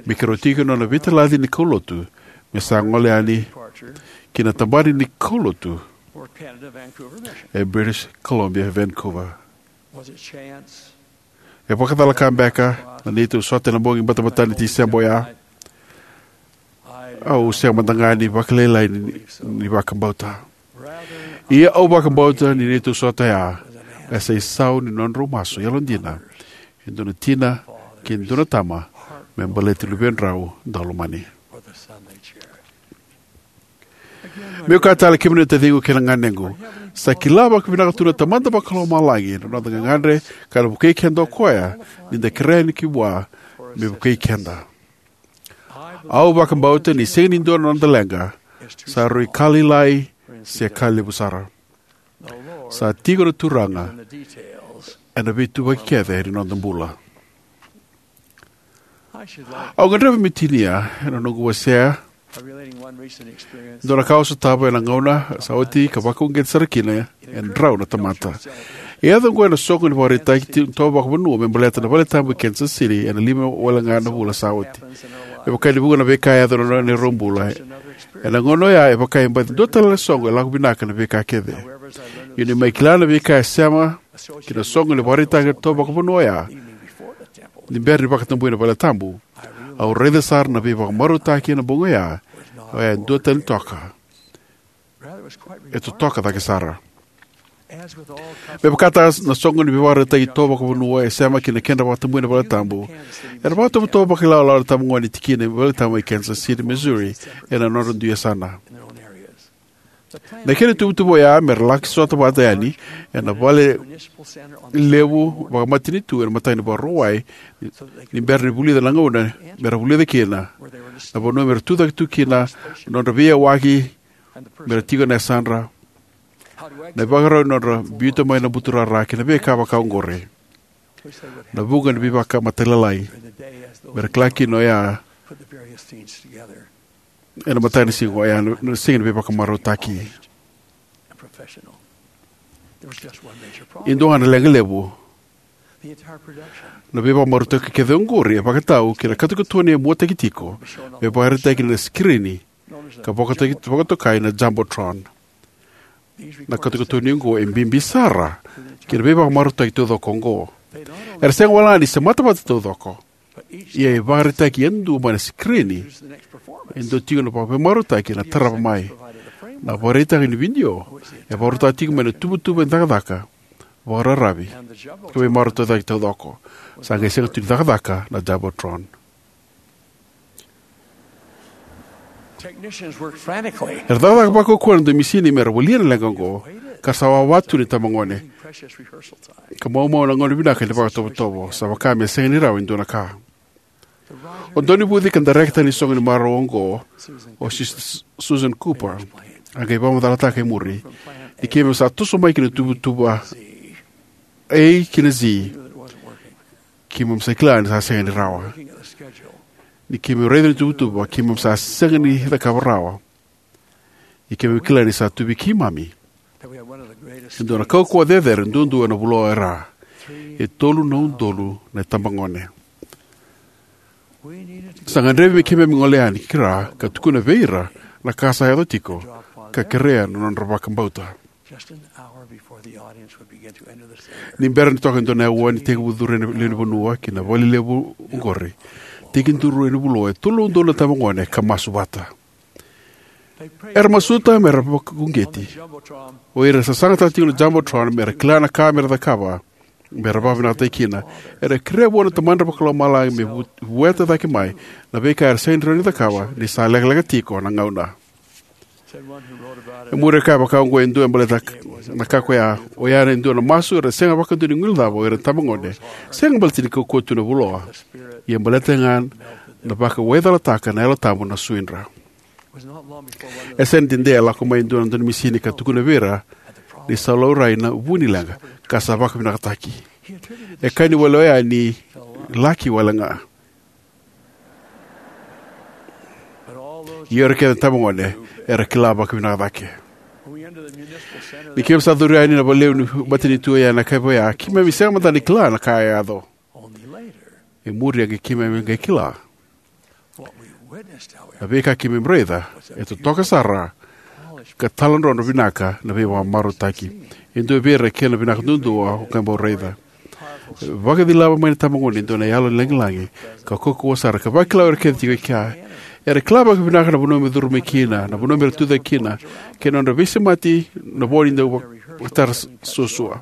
me keirau tiko ena nona veitalaci ni kaulotu me sa gole yani ki na tabana ni kaulotu e British Columbia, Vancouver. E vakacalaka beka na neitou sota ena bogi batabata ni Tiseba oya? Au sega mada ga ni vakalailai ni, ni vakabauta. Ia au vakabauta ni neitou sota oya ka sa isau ni nodrau masu yalodina e dua na tina kei na dua na tama me baleti luvedrau daulomani. Meu kaya tale, kemuni na taciqu kei na ganequ, sa kila vakavinaka tu na Tamada Vakalomalagi na noda gagadre, ka na vukei keda o koya ni da kerea yani ki vua me vukei keda. Au vakabauta ni sega ni dua na noda leqa sa rui ka lailai se ka levu sara. Sa tiko na Turaga ena veituvaki kece ni noda bula. Au gadreva meu tinia ena noqu wasea dua na ka au sotava ena gauna sa oti ka vakauqeti sara kina e drau na tamata. E yaco oqo ena soqo ni vakaraitaki ti- tovo vakavanua me baleta na valetabu e Kansas City ena lima wale ga na vula sa oti. Me vaka ni vuqa na veika e yaco ena neirau bula, ena gauna oya e vaka e baci dua tale na soqo e lako vinaka na veika kece. Ia niu mai kila na veika e sema ki na soqo ni vakaraitaki tovo vakavanua oya, ni bera ni vakatabui na valetabu, au raica sara na veivakamarautaki ena bogi oya, oya e dua tani toka. E totoka cake sara. Me vakataka na soqo ni veivakaraitaki tovo vakavanua e sema ki na kedra vakatabui na valetabu, era vakatovotovo vakailawalawa na itabagone ni tikina ni valetabu e Kansas City, Missouri, ena nodra dui yasana. Na kena ituvatuva oya mera laki sota vata yani ena vale levu vakamatanitu ena mataka ni Vakarauwai, ni bera ni vulica na gauna mera vulica kina, na vanua mera tucake tu kina na nodra veiyawaki, mera tiko na yasadra, na ivakarau ni nodra biuta mai na buturara kei na veika vaka oqori. Na vuqa ni veivakamatailalai mera kila kina oya ena mataka ni siga oya, na siga ni veivakamarautaki. E dua ga na leqa levu. Na veivakamarautaki kece oqori e vakatau ki na katokatoni e muataki tiko me vakaraitaki ena sikirini ka vakataki- vakatokai na Jumbotron. Na katokatoni oqo e bibi sara ki na veivakamarautaki taucoko oqo. Era sega wale ga ni semata vata taucoko, ia e vakaraitaki yadua mai na sikirini e dua tiko na veivakamarautaki ena tarava mai. Na vakaraitaki ni vidio e vakarautaka tiko mai na tuvatuva ni cakacaka vakararavi ka veimarautaki taucoko. Sa qai sega tu ni cakacaka na Jumbotron. Technicians worked frantically. Era cakacaka vakaukauwa na dau misini mera volia na leqa oqo, ka sa wawa tu na itabagone. Precious rehearsal time. Ka maumau na gauna vinaka ni vakatovotovo, sa vaka me sega ni rawa e dua na ka. O daunivuci ka darekita ni soqo ni marau oqo, o Sis- Susan Cooper, a qai vakamacalataka e muri: Ni keimami sa toso mai ki na tuvatuva A ki na Z, keimami sa kila ni sa sega ni rawa. Ni keimami raica na tuvatuva, keimami sa sega ni cakava rawa. Ia keimami kila ni sa tu vei keimami e dua na kaukauwa cecere duadua ena vuloa e ra. E tolu na udolu na itabagone. Sa gadrevi me keimami gole yani ki ra ka tukuna vei ira na ka sa yaco tiko, ka kerea na nodra vakabauta. Just an hour before the audience would begin to enter the center. Ni bera ni toka e dua na aua ni tekivu curu na lewe ni vanua ki na vale levu oqori, tekiduru ena vuloa e tolu na udolu na itabagone ka masu vata. Era masuta mera vakauqeti. O ira era sasagataka tiko na Jumbotron mera kila na ka mera cakava mera vakavinakataki kina. Era kerea vua na Tamadra Vakalomalagi me vu- vueta cake mai na veika era sega ni rawa ni cakava ni sa lekaleka tiko na gauna. E muri e kaya vaka oqo e dua e baleta na ka koya, oya e dua na masu era sega vakadua ni guilecava o ira na itabagone, sega baleta ni kaukauwa tu na vuloa, ia baleta ga na vakawaicalataka na Yalo Tabu na suidra. E sega ni dede, a lako mai e dua na daunisini ka tukuna vei ira ni sa laurai na vu ni leqa ka sa vakavinakataki. E kaya ni wale oya ni laki wale ga. Ia o ira kece na itabagone era kila vakavinaka cake. Ni keimami sa curu yani na valelevu ni matanitu oya ena yakavi oya, keimami sega mada ni kila na ka e yaco. E muri a qai keimami qai kila. Na veika keimami raica e totoka sara ka taladrodro vinaka na veivakamarautaki. E dua vei ira e kena vinaka duadua au qai bau raica. Vakacilava mai na itabagone e dua na yalo ni lagilagi ka kaukauwa sara ka vakila o ira kece tiko e kea. Era kila vakavinaka na vanua me curu mai kina, na vanua me ra tucake kina, kei na nodra veisemati na vo ni dau vakatara suasua.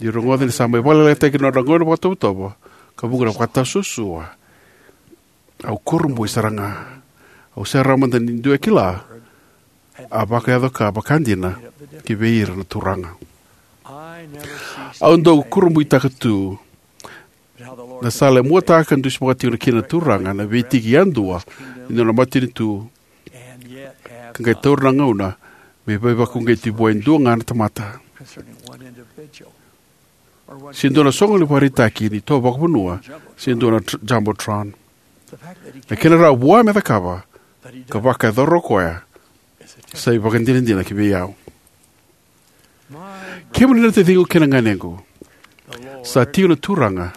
Ni rogoca ni sa mai vakalekalekataki na nodra gauna vakatovotovo ka vuqa na vakatasuasua. Au kurabui sara ga. Au sega mada ni dua e kila a vakayaco ka vakadina ki vei ira na Turaga. Au dau kurabuitaka tu na sala e muataka ka dusimaka tiko kina na Turaga na veitiki yadua ni nona matanitu, ka qai taura na gauna me veivakauqeti vua e dua ga na tamata. Se dua na soqo ni vakaraitaki ni itovo vakavanua, se dua na tr-, Jumbotron. Na kena rawa vua me cakava ka vakayacora o koya sa ivakadinadina ki vei au. Kemuni na taciqu kei na ganequ, sa tiko na Turaga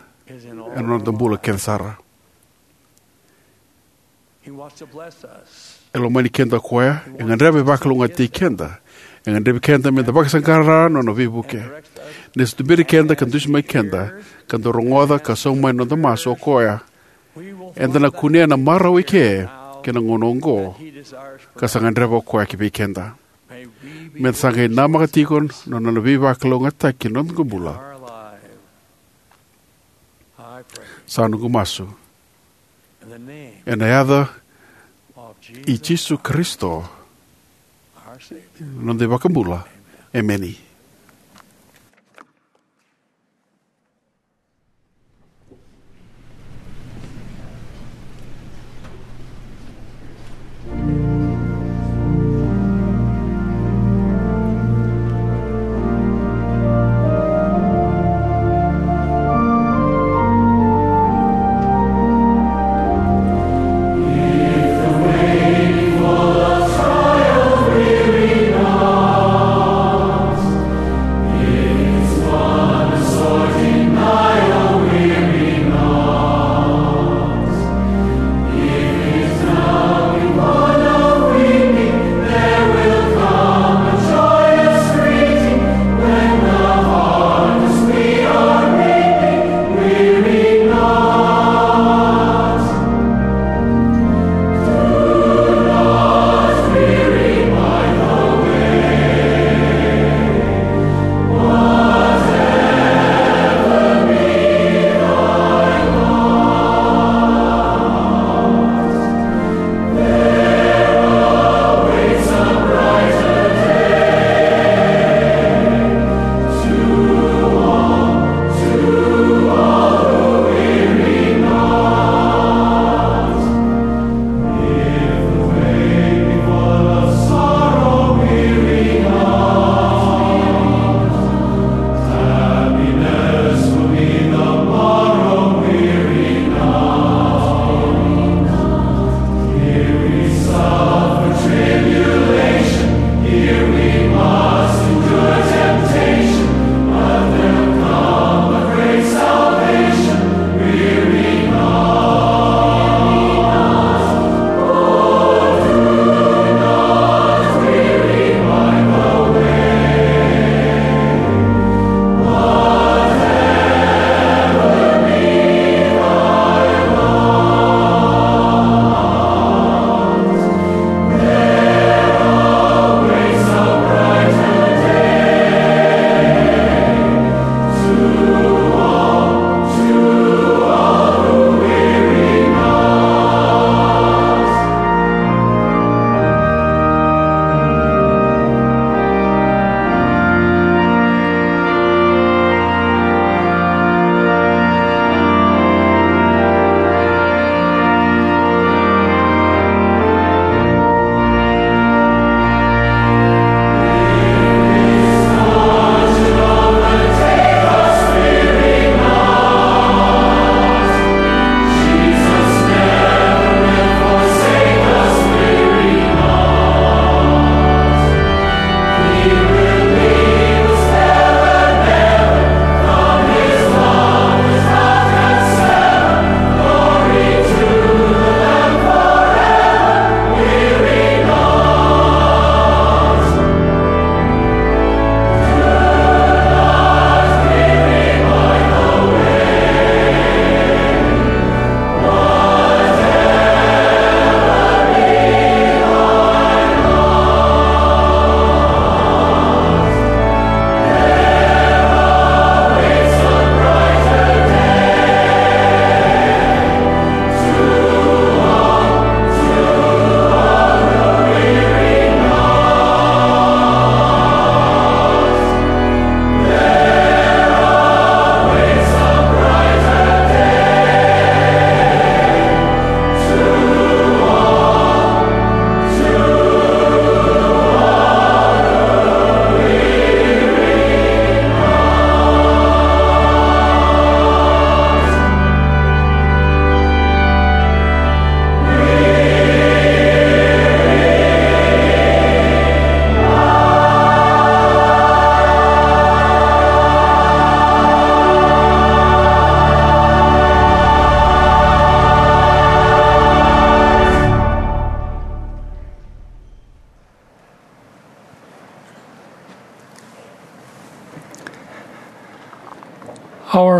ena noda bula kece sara. E lomani keda o koya, e gadreva me vakalougatataki keda, e gadrevi keda meda vakasaqara na nona veivuke. Ni sa tuberi keda ka dusimaki keda, ka da rogoca ka sauma mai na noda masu o koya, eda na kunea na marau eke kei na gauna oqo, ka sa gadreva o koya ki vei keda. Meda sa qai namaka tiko na nona veivakalougatataki na noda bula. Sa noqu masu ena yaca i Jisu Karisito, noda iVakabula. Emeni.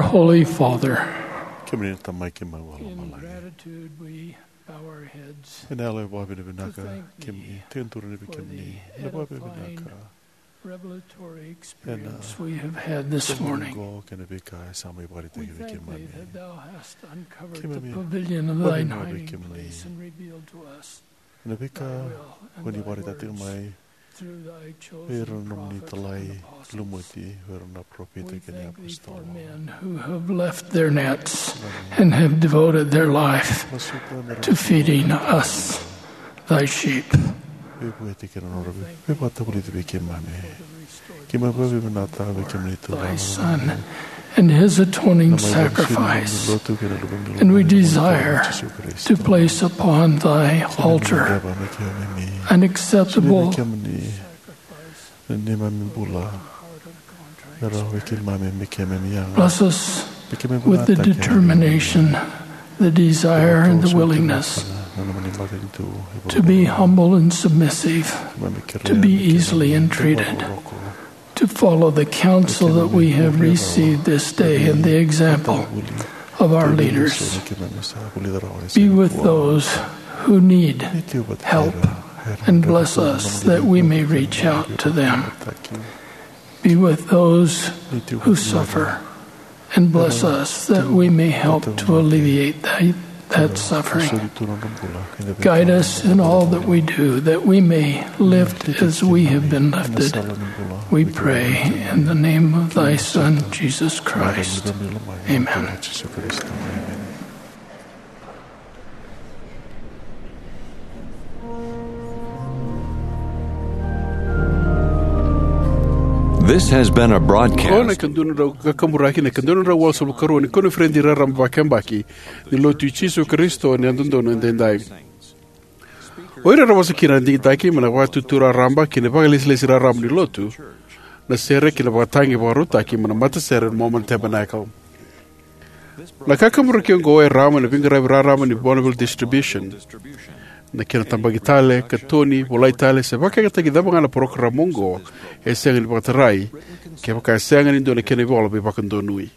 Holy Father, kemuni na Tamai keimami vakalomalagi. In gratitude, we bow our heads. Ena yalo e vakavinavinaka, to thank thee kemuni, tekiduru ni vei for kemuni the na vakavinavinaka. Edifying revelatory experience we have had this morning. Ena morning qo kei na veika e sa mai vakaraitaki vei kemuni. We thank thee that thou hast uncovered the pavilion of thine hiding place and revealed to us thy will and thy words. Keimami vakavinavinaka vei kemuni ena veika ko ni vakaraitaka tiko mai vei ira na nomuni italai lumuti, vei ira na parofita kei na iapositolo. We thank thee for men who have left their nets and have devoted their life to feeding us, thy sheep. Veivueti kei na nodra veivakavulici vei keimami. Keimami vakavinavinaka vei kemuni Turaga, thy Son, and his atoning sacrifice, and we desire to place upon thy altar an acceptable. Bless us with the determination, the desire, and the willingness to be humble and submissive, to be easily entreated, to follow the counsel that we have received this day and the example of our leaders. Be with those who need help and bless us that we may reach out to them. Be with those who suffer and bless us that we may help to alleviate that, that suffering. Guide us in all that we do, that we may lift as we have been lifted. We pray in the name of thy Son, Jesus Christ. Amen. This has been a broadcast. Qo na ikadua na drau kakaburaki, na ikadua na drau walusagavulu ka rua ni koniferedi raraba vakayabaki ni Lotu i Jisu Karisito ni Yalododonu Edaidai. O ira era vosa kina na digitaki mai na Vakaitutu Raraba kei na Vakailesilesi Raraba ni Lotu, na sere kei na vakatagi vakarautaki mai na matasere na Mormon Tabernacle. Na kakaburaki oqo e rawa mai na veiqaravi raraba ni Bonneville Distribution. Na kena tabaki tale, katoni, volai tale, se vakayagataki cava ga na parokaramu oqo, e sega ni vakatarai kevaka e sega ni dua na kena ivola veivakadonui.